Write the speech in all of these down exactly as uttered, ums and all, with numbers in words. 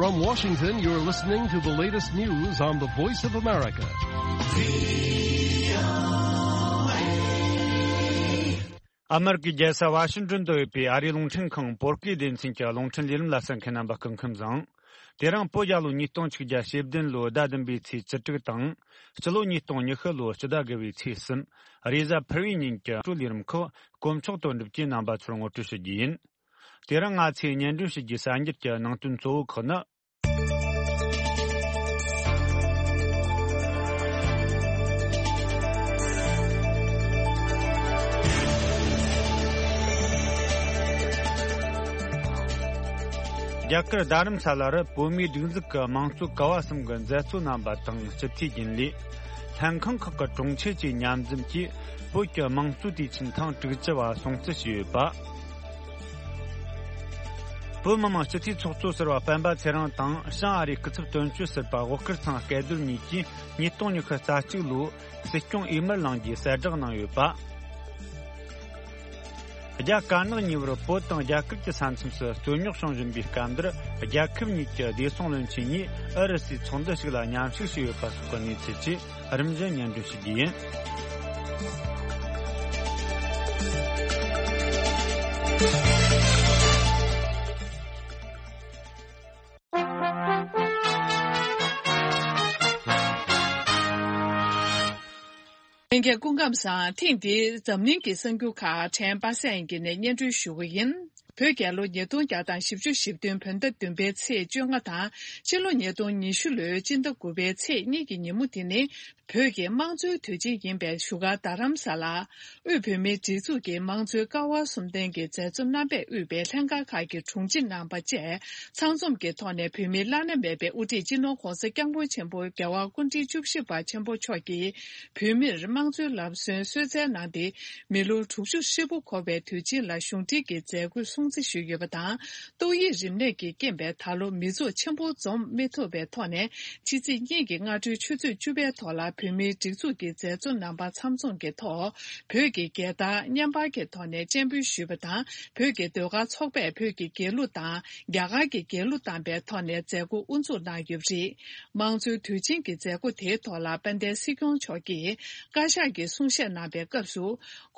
From Washington, you're listening to the latest news on the Voice of America. ཨ་མེ་རི་ཀའི་རྒྱལ་ས་ཝ་ཤིང་ཏོན་དུ་ཡོད་པའི་ཨ་རིའི་རླུང་འཕྲིན་ཁང་བོད་སྐད་སྡེ་ཚན་གྱི་རླུང་འཕྲིན་ལས་རིམ་ལ་གསན་མཁན་རྣམ་པ་སྐུ་ཁམས་བཟང་། དེ་རིང་བོད་རྒྱལ་ལོ་ཉིས་སྟོང་ཆིག་བརྒྱ་ཞེ་བདུན་ལོའི་ཟླ་བདུན་པའི་ཚེས་བཅུ་དྲུག་དང་། སྤྱི་ལོ་ཉིས་སྟོང་ཉི་ཤུ་ལོའི་སྤྱི་ཟླ་དགུ་པའི་ཚེས་གསུམ། རེས་གཟའ་ཕུར་བུའི་ཉིན་གྱི་ལས་རིམ་ཁག་དཀོན་མཆོག་དོན་གྲུབ་ཀྱིས་རྣམ་པ་ཚོར་ངོ་སྤྲོད་ཞུ་རྒྱུ་ཡིན། དེ་རིང་ང་ཚོས་སྙན་སྒྲོན་ཞུ་རྒྱུའི་གསར་འགྱུར་གྱི་ནང་དོན་གཙོ་བོ་ཁག་ནི། རྒྱ་གར་རྡ་རམ་ས་ལ་རུ་བོད་མིའི་སྒྲིག་འཛུགས་ཀྱི་དམངས་གཙོ་ཀ་བ་གསུམ་གྱི་མཛད་གཙོ་རྣམ་པ་དང་སྤྱི་འཐུས་རྒྱུན་ལས། ལྷན་ཁང་ཁག་གི་དྲུང་ཆེ་བཅས་མཉམ་འཛོམས་ཀྱིས་བོད་ཀྱི་དམངས་གཙོའི་དུས་ཆེན་ཐེངས་དྲུག་ཅུ་བ་སྲུང་བརྩི་ཞུས་ཡོད་པ། བོད་མི་མང་སྤྱི་འཐུས་ཚོགས་གཙོ་ཟུར་པ་སྤེན་པ་ཚེ་རིང་དང་བྱང་ཨ་རིའི་སྐུ་ཚབ་དོན་གཅོད་ཟུར་པ་དབུ་དཀར་ཚང་སྐལ་རྡོར་གཉིས་ཀྱིས་ཉིས་སྟོང་ཉི་ཤུ་རྩ་གཅིག་ལོའི་སྲིད་སྐྱོང་འོས་མིར་ལངས་རྒྱུའི་གསལ་བསྒྲགས་གནང་ཡོད་པ། རྒྱ་དཀར་ནག་གཉིས་བར་བོད་དང་རྒྱ་གར་གྱི་ས་མཚམས་སུ་རྩོད་རྙོག་བྱུང་བཞིན་པའི་སྐབས་འདིར། རྒྱལ་ཁབ་གཉིས་ཀྱི་བདེ་སྲུང་བློན་ཆེན་གཉིས་ཨུ་རུ་སུའི་ཚོགས་འདུ་ཞིག་ལ་མཉམ་ཞུགས་བྱས་ཡོད་པ་སོགས་ཀྱི་གནས་ཚུལ་བཅས་རིམ་བཞིན་སྙན་སྒྲོན་ཞུ་རྒྱུ་ཡིན། ལྷན་རྒྱས་སྐུ་ཁམས་བཟང་། ཐེངས་འདིའི་འཛམ་གླིང་གི་གསར་འགྱུར་ཁག་ཕྲན་པ་སངས་ཀྱི་ནས་སྙན་སྒྲོན་ཞུ་གི་ཡིན། བོད་རྒྱལ་ལོ་ཉིས་སྟོང་བརྒྱ་དང་བཞི་བཅུ་ཞེ་བདུན་བོད་ཟླ་བདུན་པའི་ཚེས་བཅོ་ལྔ་དང་། ཕྱི་ལོ་ཉིས་སྟོང་ཉི་ཤུ་ལོའི་སྤྱི་ཟླ་དགུ་པའི་ཚེས་གཉིས་ཀྱི་ཉིན་མོ་དེ་ནི། བོད་ཀྱི་དམངས་གཙོའི་དུས་ཆེན་ཡིན་པའི་བཞུགས་སྒར་རྡ་རམ་ས་ལ། དབུས་བོད་མིའི་སྒྲིག་འཛུགས་ཀྱི་དམངས་གཙོའི་ཀ་བ་གསུམ་ལྡན་གྱི་མཛད་གཙོ་རྣམ་པས་དབུས་པའི་ལྷན་ཁང་ཁག་གི་དྲུང་ཆེ་རྣམ་པ་བཅས་ཚང་འཛོམས་ཀྱི་ཐོག་ནས་བོད་མིའི་བླ་ན་མེད་པའི་དབུ་ཁྲིད་སྤྱི་ནོར་༸གོང་ས་༸སྐྱབས་མགོན་ཆེན་པོ་རྒྱལ་བ་སྐུ་ཕྲེང་བཅུ་བཞི་པ་ཆེན་པོ་མཆོག་གིས་བོད་མིར་དམངས་གཙོའི་ལམ་སྲོལ་གསོལ་སྩལ་གནང་སྟེ། མི་ལོ་དྲུག་ཅུ་ཧྲིལ་པོ་འཁོར་བའི་དུས་ཆེན་ལ་གཞུང་འབྲེལ་གྱི་མཛད་སྒོའི་སྲུང་བརྩི་ཞུས་ཡོད་པ་དང་། ཏོག་དབྱིབས་རིམས་ནད་ཀྱི་རྐྱེན་པས་ད་ལོ་མི་ཚོགས་ཆེན་པོ་འཛོམས་མི་ཐུབ་པའི་ཐོག་ནས། ཕྱི་ཚེས་གཉིས་ཀྱི་སྔ་དྲོའི་ཆུ་ཚོད་བཅུ་པའི་ཐོག་ལ་བོད་མིའི་སྒྲིག་འཛུགས་ཀྱི་མཛད་གཙོ་རྣམ་པ་ཚང་འཛོམས་ཀྱི་ཐོག་བོད་ཀྱི་རྒྱལ་དར་བརྙན་པར་གྱི་ཐོག་ནས་སྤྱན་འབུལ་ཞུས་པ་དང་། བོད་ཀྱི་ཟློས་གར་ཚོགས་པས་བོད་ཀྱི་རྒྱལ་གླུ་དང་རྒྱ་གར་གྱི་རྒྱལ་གླུ་བཏང་པའི་ཐོག་ནས་མཛད་སྒོ་དབུ་འཛུགས་གནང་ཡོད་པ་རེད། དམངས་གཙོའི་དུས་ཆེན་གྱི་མཛད་སྒོ་དེའི་ཐོག་ལ་དཔལ་ལྡན་སྲིད་སྐྱོང་མཆོག་གིས་བཀའ་ཤག་གི་གསུང་བཤད་གནང་པའི་སྐབས་སུ།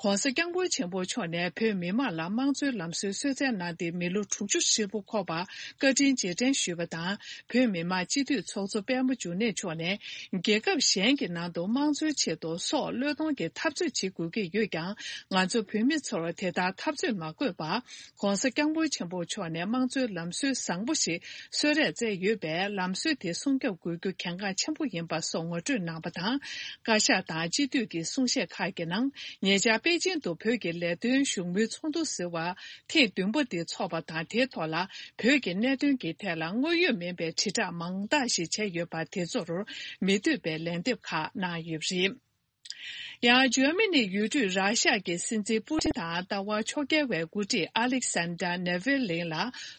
༸གོང་ས་༸སྐྱབས་མགོན་ཆེན་པོ་མཆོག་ནས་བོད་མི་མང་ལ་དམངས་གཙོའི་ལམ་སྲོལ་གསོལ་སྩལ་གནང་སྟེ་མི་ལོ་དྲུག་ཅུ་ཧྲིལ་པོ་འཁོར་བར་བཀའ་དྲིན་རྗེས་དྲན་ཞུས་པ་དང་། བོད་མི་མང་སྤྱི་འཐུས་ཚོགས་གཙོ་དཔལ་མོ་འབྱུང་གནས་མཆོག་ནས་རྒྱལ་ཁབ་གཞན་གྱི་ནང་དུ་དམངས་གཙོའི་ཆེད་དུ་སྲོག་བློས་གཏོང་གི་འཐབ་རྩོད་བྱེད་དགོས་ཀྱི་ཡོད་ཀྱང་། ང་ཚོ་བོད་མི་ཚོར་དེ་ལྟར་འཐབ་རྩོད་མ་དགོས་པར། ༸གོང་ས་༸སྐྱབས་མགོན་ཆེན་པོ་མཆོག་ནས་དམངས་གཙོའི་ལམ་སྲོལ་བཟང་པོ་ཞིག་གསོལ་རས་བསྩལ་ཡོད་པས། ལམ་སྲོལ་དེ་སྲུང་སྐྱོབ་དགོས་རྒྱུ་གལ་འགངས་ཆེན་པོ་ཡིན་པ་སོགས་ངོ་སྤྲོད་གནང་པ་དང་། བཀའ་ཤག་དང་སྤྱི་འཐུས་ཀྱི་གསུང་བཤད་ཁག་གི་ནང་། ཉེ་ཆར་པེ་ཅིང་དུ་བོད་ཀྱི་ལས་དོན་བཞུགས་མོལ་ཚོགས་འདུ་ཟེར་བ་ཐེངས་བདུན་པ་དེ་འཚོགས་པ་དང་། དེའི་ཐོག་ལ་བོད་ཀྱི་གནད་དོན་གྱི་ཐད་ལ་དངོས་ཡོད་མིན་པའི་དྲིལ་བསྒྲགས་མང་དག་ཞིག་བྱས་ཡོད་པ་དེ་ཚོར་མི་འདོད་པའི་ལན་འདེབས་ཁག་གནང་ཡོད་པ་རེད། ཡང་འཇར་མ་ནིའི་ཡུལ་གྲུས་ར་ཤ་གི་སྲིད་འཛིན་པུ་ཏིན་དང་ལྟ་བ་ཕྱོགས་འགལ་བའི་འགོ་ཁྲིད་ཨ་ལེག་སན་ཌར་ནེ་ཝི་ལིན་ལ་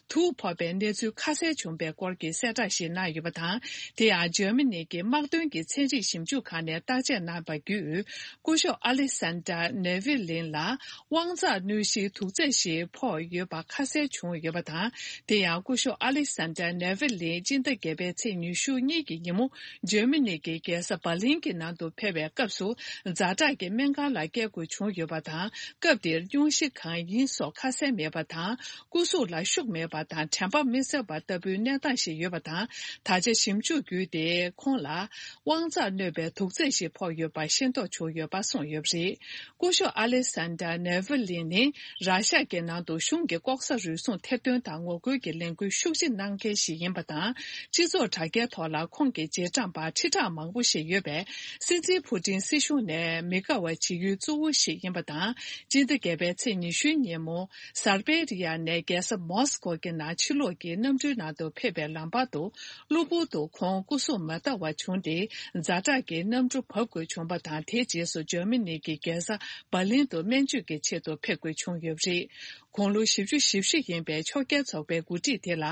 དུག་ཕོག་པའི་གནས་ཚུལ་ཁ་གསལ་བྱུང་པའི་སྐོར་གྱི་གསལ་བསྒྲགས་ཤིག་གནང་ཡོད་པ་དང་། དེ་ཡང་འཇར་མ་ནི་གི་དམག་དོན་གྱི་ཚན་རིག་ཞིབ་འཇུག་ཁང་ནས་བརྟག་དཔྱད་གནང་པ་བརྒྱུད། སྐུ་ཞབས་ཨ་ལེག་སན་ཌར་ནེ་ཝི་ལིན་ལ་དབང་འཛག་གནོད་གཞིའི་དུག་རྫས་ཤིག་ཕོག་ཡོད་པ་ཁ་གསལ་བྱུང་ཡོད་པ་དང་། དེ་ཡང་སྐུ་ཞབས་ཨ་ལེག་སན་ཌར་ནེ་ཝི་ལིན་སྤྱི་ཟླ་བརྒྱད་པའི་ཚེས་ཉི་ཤུ་གཉིས་ཀྱི་ཉིན་མོ། འཇར་མ་ནི་གི་རྒྱལ་ས་འབར་ལིན་གྱི་ནང་དུ་ཕེབས་པའི་སྐབས་སུ། ཛ་དྲག་གི་སྨན་ཁང་ལ་བསྐྱལ་དགོས་བྱུང་ཡོད་པ་དང་། སྐབས་དེར་སྙུང་གཞི་གང་ཡིན་སོགས་ཁ་གསལ་མེད་པ་དང་། སྐུ་གཟུགས་ལ་ཤུགས་མེད་པ་དང་། དྲན་པ་མི་གསལ་བ་ལྟ་བུའི་གནས་སྟངས་ཤིག་ཡོད་པ་དང་། ད་ཆ་ཞིབ་འཇུག་བརྒྱུད་དེ་ཁོང་ལ་དབང་འཛག་གནོད་པའི་དུག་རྫས་ཤིག་ཕོག་ཡོད་པ་ཤེས་རྟོགས་བྱུང་ཡོད་པ་གསུངས་ཡོད་པ་རེད། སྐུ་ཞབས་ཨ་ལེག་སན་ཌར་ནེ་ཝི་ལིན་ནི་ར་ཤ་གི་ནང་དུ་གཞུང་གི་ལྐོག་ཟ་རུལ་སུངས་ཐེར་འདོན་དང་ངོ་རྒོལ་གྱི་ལས་འགུལ་ཤུགས་ཆེ་གནང་མཁན་ཞིག་ཡིན་པ་དང་། སྤྱི་ཚོགས་དྲ་རྒྱའི་ཐོག་ལ་ཁོང་གི་རྗེས་འབྲང་པ་ཁྲི་ཕྲག་མང་པོ་ཞིག་ཡོད་པས། སྲིད་འཛིན་ཕུ་ཏིན་སྲིད་གཞུང་ནས་མི་དགའ་བ་བྱེད་ཡུལ་གཙོ་བོ་ཞིག་ཡིན་པ་དང་། སྤྱི་ཟླ་བརྒྱད་པའི་ཚེས་ཉི་ཤུའི་ཉིན་མོ། སར་བེ་རི་ཡ་ནས་རྒྱལ་ས་མོ་སི་ཀོ་གི་ནང་ཕྱི་ལོགས་ཀྱི་གནམ་གྲུའི་ནང་དུ་ཕེབས་པའི་ལམ་བར་དུ། གློ་བུར་དུ་ཁོང་སྐུ་གཟུགས་མ་བདེ་བ་བྱུང་སྟེ། ཛ་དྲག་གི་གནམ་གྲུ་བབས་དགོས་བྱུང་བ་དང་། དེའི་རྗེས་སུ་འཇར་མ་ནི་གི་རྒྱལ་ས་འབར་ལིན་དུ་སྨན་བཅོས་ཀྱི་ཆེད་དུ་ཕེབས་དགོས་བྱུང་ཡོད་པ་རེད། དགུང་ལོ་བཞི་བཅུ་ཞེ་བཞི་ཡིན་པའི་ཕྱོགས་འགལ་ཚོགས་པའི་འགོ་ཁྲིད་དེ་ལ།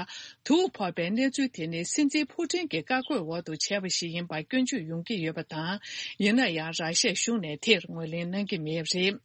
དུག་ཕོག་པའི་གནས་ཚུལ་དེ་ནི་སྲིད་འཛིན་ཕུ་ཏིན་གྱི་བཀའ་བཀོད་འོག་ཏུ་བྱས་པ་ཞིག་ཡིན་པ་སྐྱོན་བརྗོད་ཡོང་གི་ཡོད་པ་དང་། ཡིན་ན་ཡང་། ར་ཤ་གཞུང་ནས་དེར་ངོས་ལེན་གནང་གི་མེད་པ་རེད།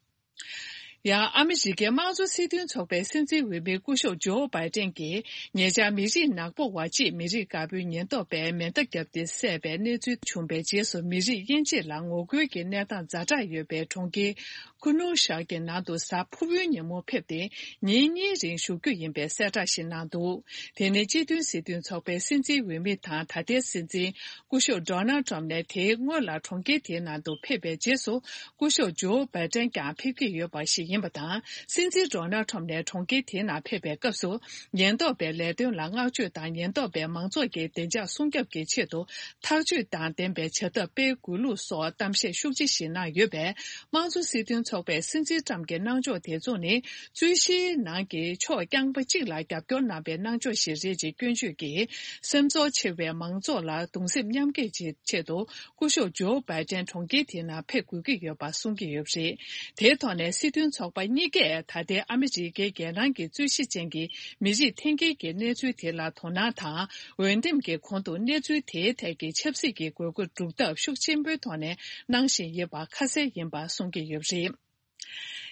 ཡང་ཨ་མི་རི་ཀའི་དམངས་གཙོ་སྲིད་དོན་ཚོགས་པའི་སྲིད་འཛིན་འོས་མི་སྐུ་ཞབས་ཇོ་བྷའི་ཏན་གྱིས་ཉེ་ཆར་མི་རིགས་ནག་པོ་བ་གཅིག་མི་རིགས་དཀར་པོའི་ཉེན་རྟོག་པས་མེ་མདའ་བརྒྱབ་སྟེ་བསད་པའི་གནས་ཚུལ་བྱུང་བའི་རྗེས་སུ་མི་རིགས་དབྱེ་འབྱེད་ལ་ངོ་རྒོལ་གྱི་གནས་སྟངས་ཛ་དྲག་ཡོད་པའི་གྲོང་ཁྱེར་ཀུ་ནུ་ཤག་གི་ནང་དུ་གཟའ་ཕུར་བུའི་ཉིན་མོ་ཕེབས་ཏེ་ཉིན་གཉིས་རིང་བཞུགས་རྒྱུ་ཡིན་པའི་གསལ་བསྒྲགས་ཤིག་གནང་འདུག་དེ་ནི་སྤྱི་མཐུན་སྲིད་དོན་ཚོགས་པའི་སྲིད་འཛིན་འོས་མི་དང་ད་ལྟའི་སྲིད་འཛིན་སྐུ་ཞབས་ཌོ་ནལ་ཊམ་ནས་དེའི་སྔོན་ལ་གྲོང་ཁྱེར་དེའི་ནང་དུ་ཕེབས་པའི་རྗེས་སུ་སྐུ་ཞབས་ཇོ་བྷའི་ཏན་ཀྱང་ཕེབས་ཀྱི་ཡོད་པ་ཞིག་ཡིན་པ་དང་། སྲིད་འཛིན་ཌོ་ནལ་ཊམ་ནས་གྲོང་ཁྱེར་དེའི་ནང་ཕེབས་པའི་སྐབས་སུ་ཉེན་རྟོག་པའི་ལས་དོན་ལ་བསྔགས་བརྗོད་དང་ཉེན་རྟོག་པས་མང་ཚོགས་ཀྱི་བདེ་འཇགས་སྲུང་སྐྱོབ་ཀྱི་ཆེད་དུ་ཐག་གཅོད་དང་ལྡན་པའི་བྱ་ཐབས་སྤེལ་དགོས་ལུགས་སོགས་གཏམ་བཤད་ཤུགས་ཆེ་ཞིག་གནང་ཡོད་པས། དམངས་གཙོ་སྲིད་དོན་ཚོགས་པའི་སྲིད་འཛིན་ཊམ་གྱི་གནང་ཕྱོགས་དེ་ཚོ་ནི་རྩོད་གཞིའི་ནང་གི་ཕྱོགས་རྐྱང་པ་གཅིག་ལ་རྒྱབ་སྐྱོར་གནང་པའི་གནང་ཕྱོགས་ཤིག་རེད་ཅེས་སྐྱོན་བརྗོད་ཀྱིས། སེམས་ཚོར་ཆེ་བའི་མང་ཚོགས་ལ་གདུང་སེམས་མཉམ་སྐྱེད་ཀྱི་ཆེད་དུ་སྐུ་ཞབས་ཇོ་བྷའི་ཏན་གྲོང་ཁྱེར་དེའི་ནང་ཕེབས་དགོས་ཀྱི་ཡོད་པ་གསུང་གི་ཡོད་པ་རེད། དེའི་ཐོག་ནས་སྲིད་དོན་ཚོགས་པ་གཉིས་ཀས་ད་ལྟའི་ཨ་མི་རི་ཀའི་རྒྱལ་ནང་གི་རྩོད་གཞི་ཅན་གྱི་མི་རིགས་འཐེན་འཁྱེར་གྱི་གནས་ཚུལ་དེ་ལ་དོ་སྣང་དང་། འོས་འདེམས་ཀྱི་གོང་དུ་གནས་ཚུལ་དེའི་ཐད་ཀྱི་ཆབ་སྲིད་ཀྱི་དགོས་མཁོ་སྒྲུབ་ཐབས་ཤུགས་ཆེན་པོའི་ཐོག་ནས་གནང་བཞིན་ཡོད་པ་ཁ་གསལ་ཡིན་པ་གསུང་གི་ཡོད་པ་རེད།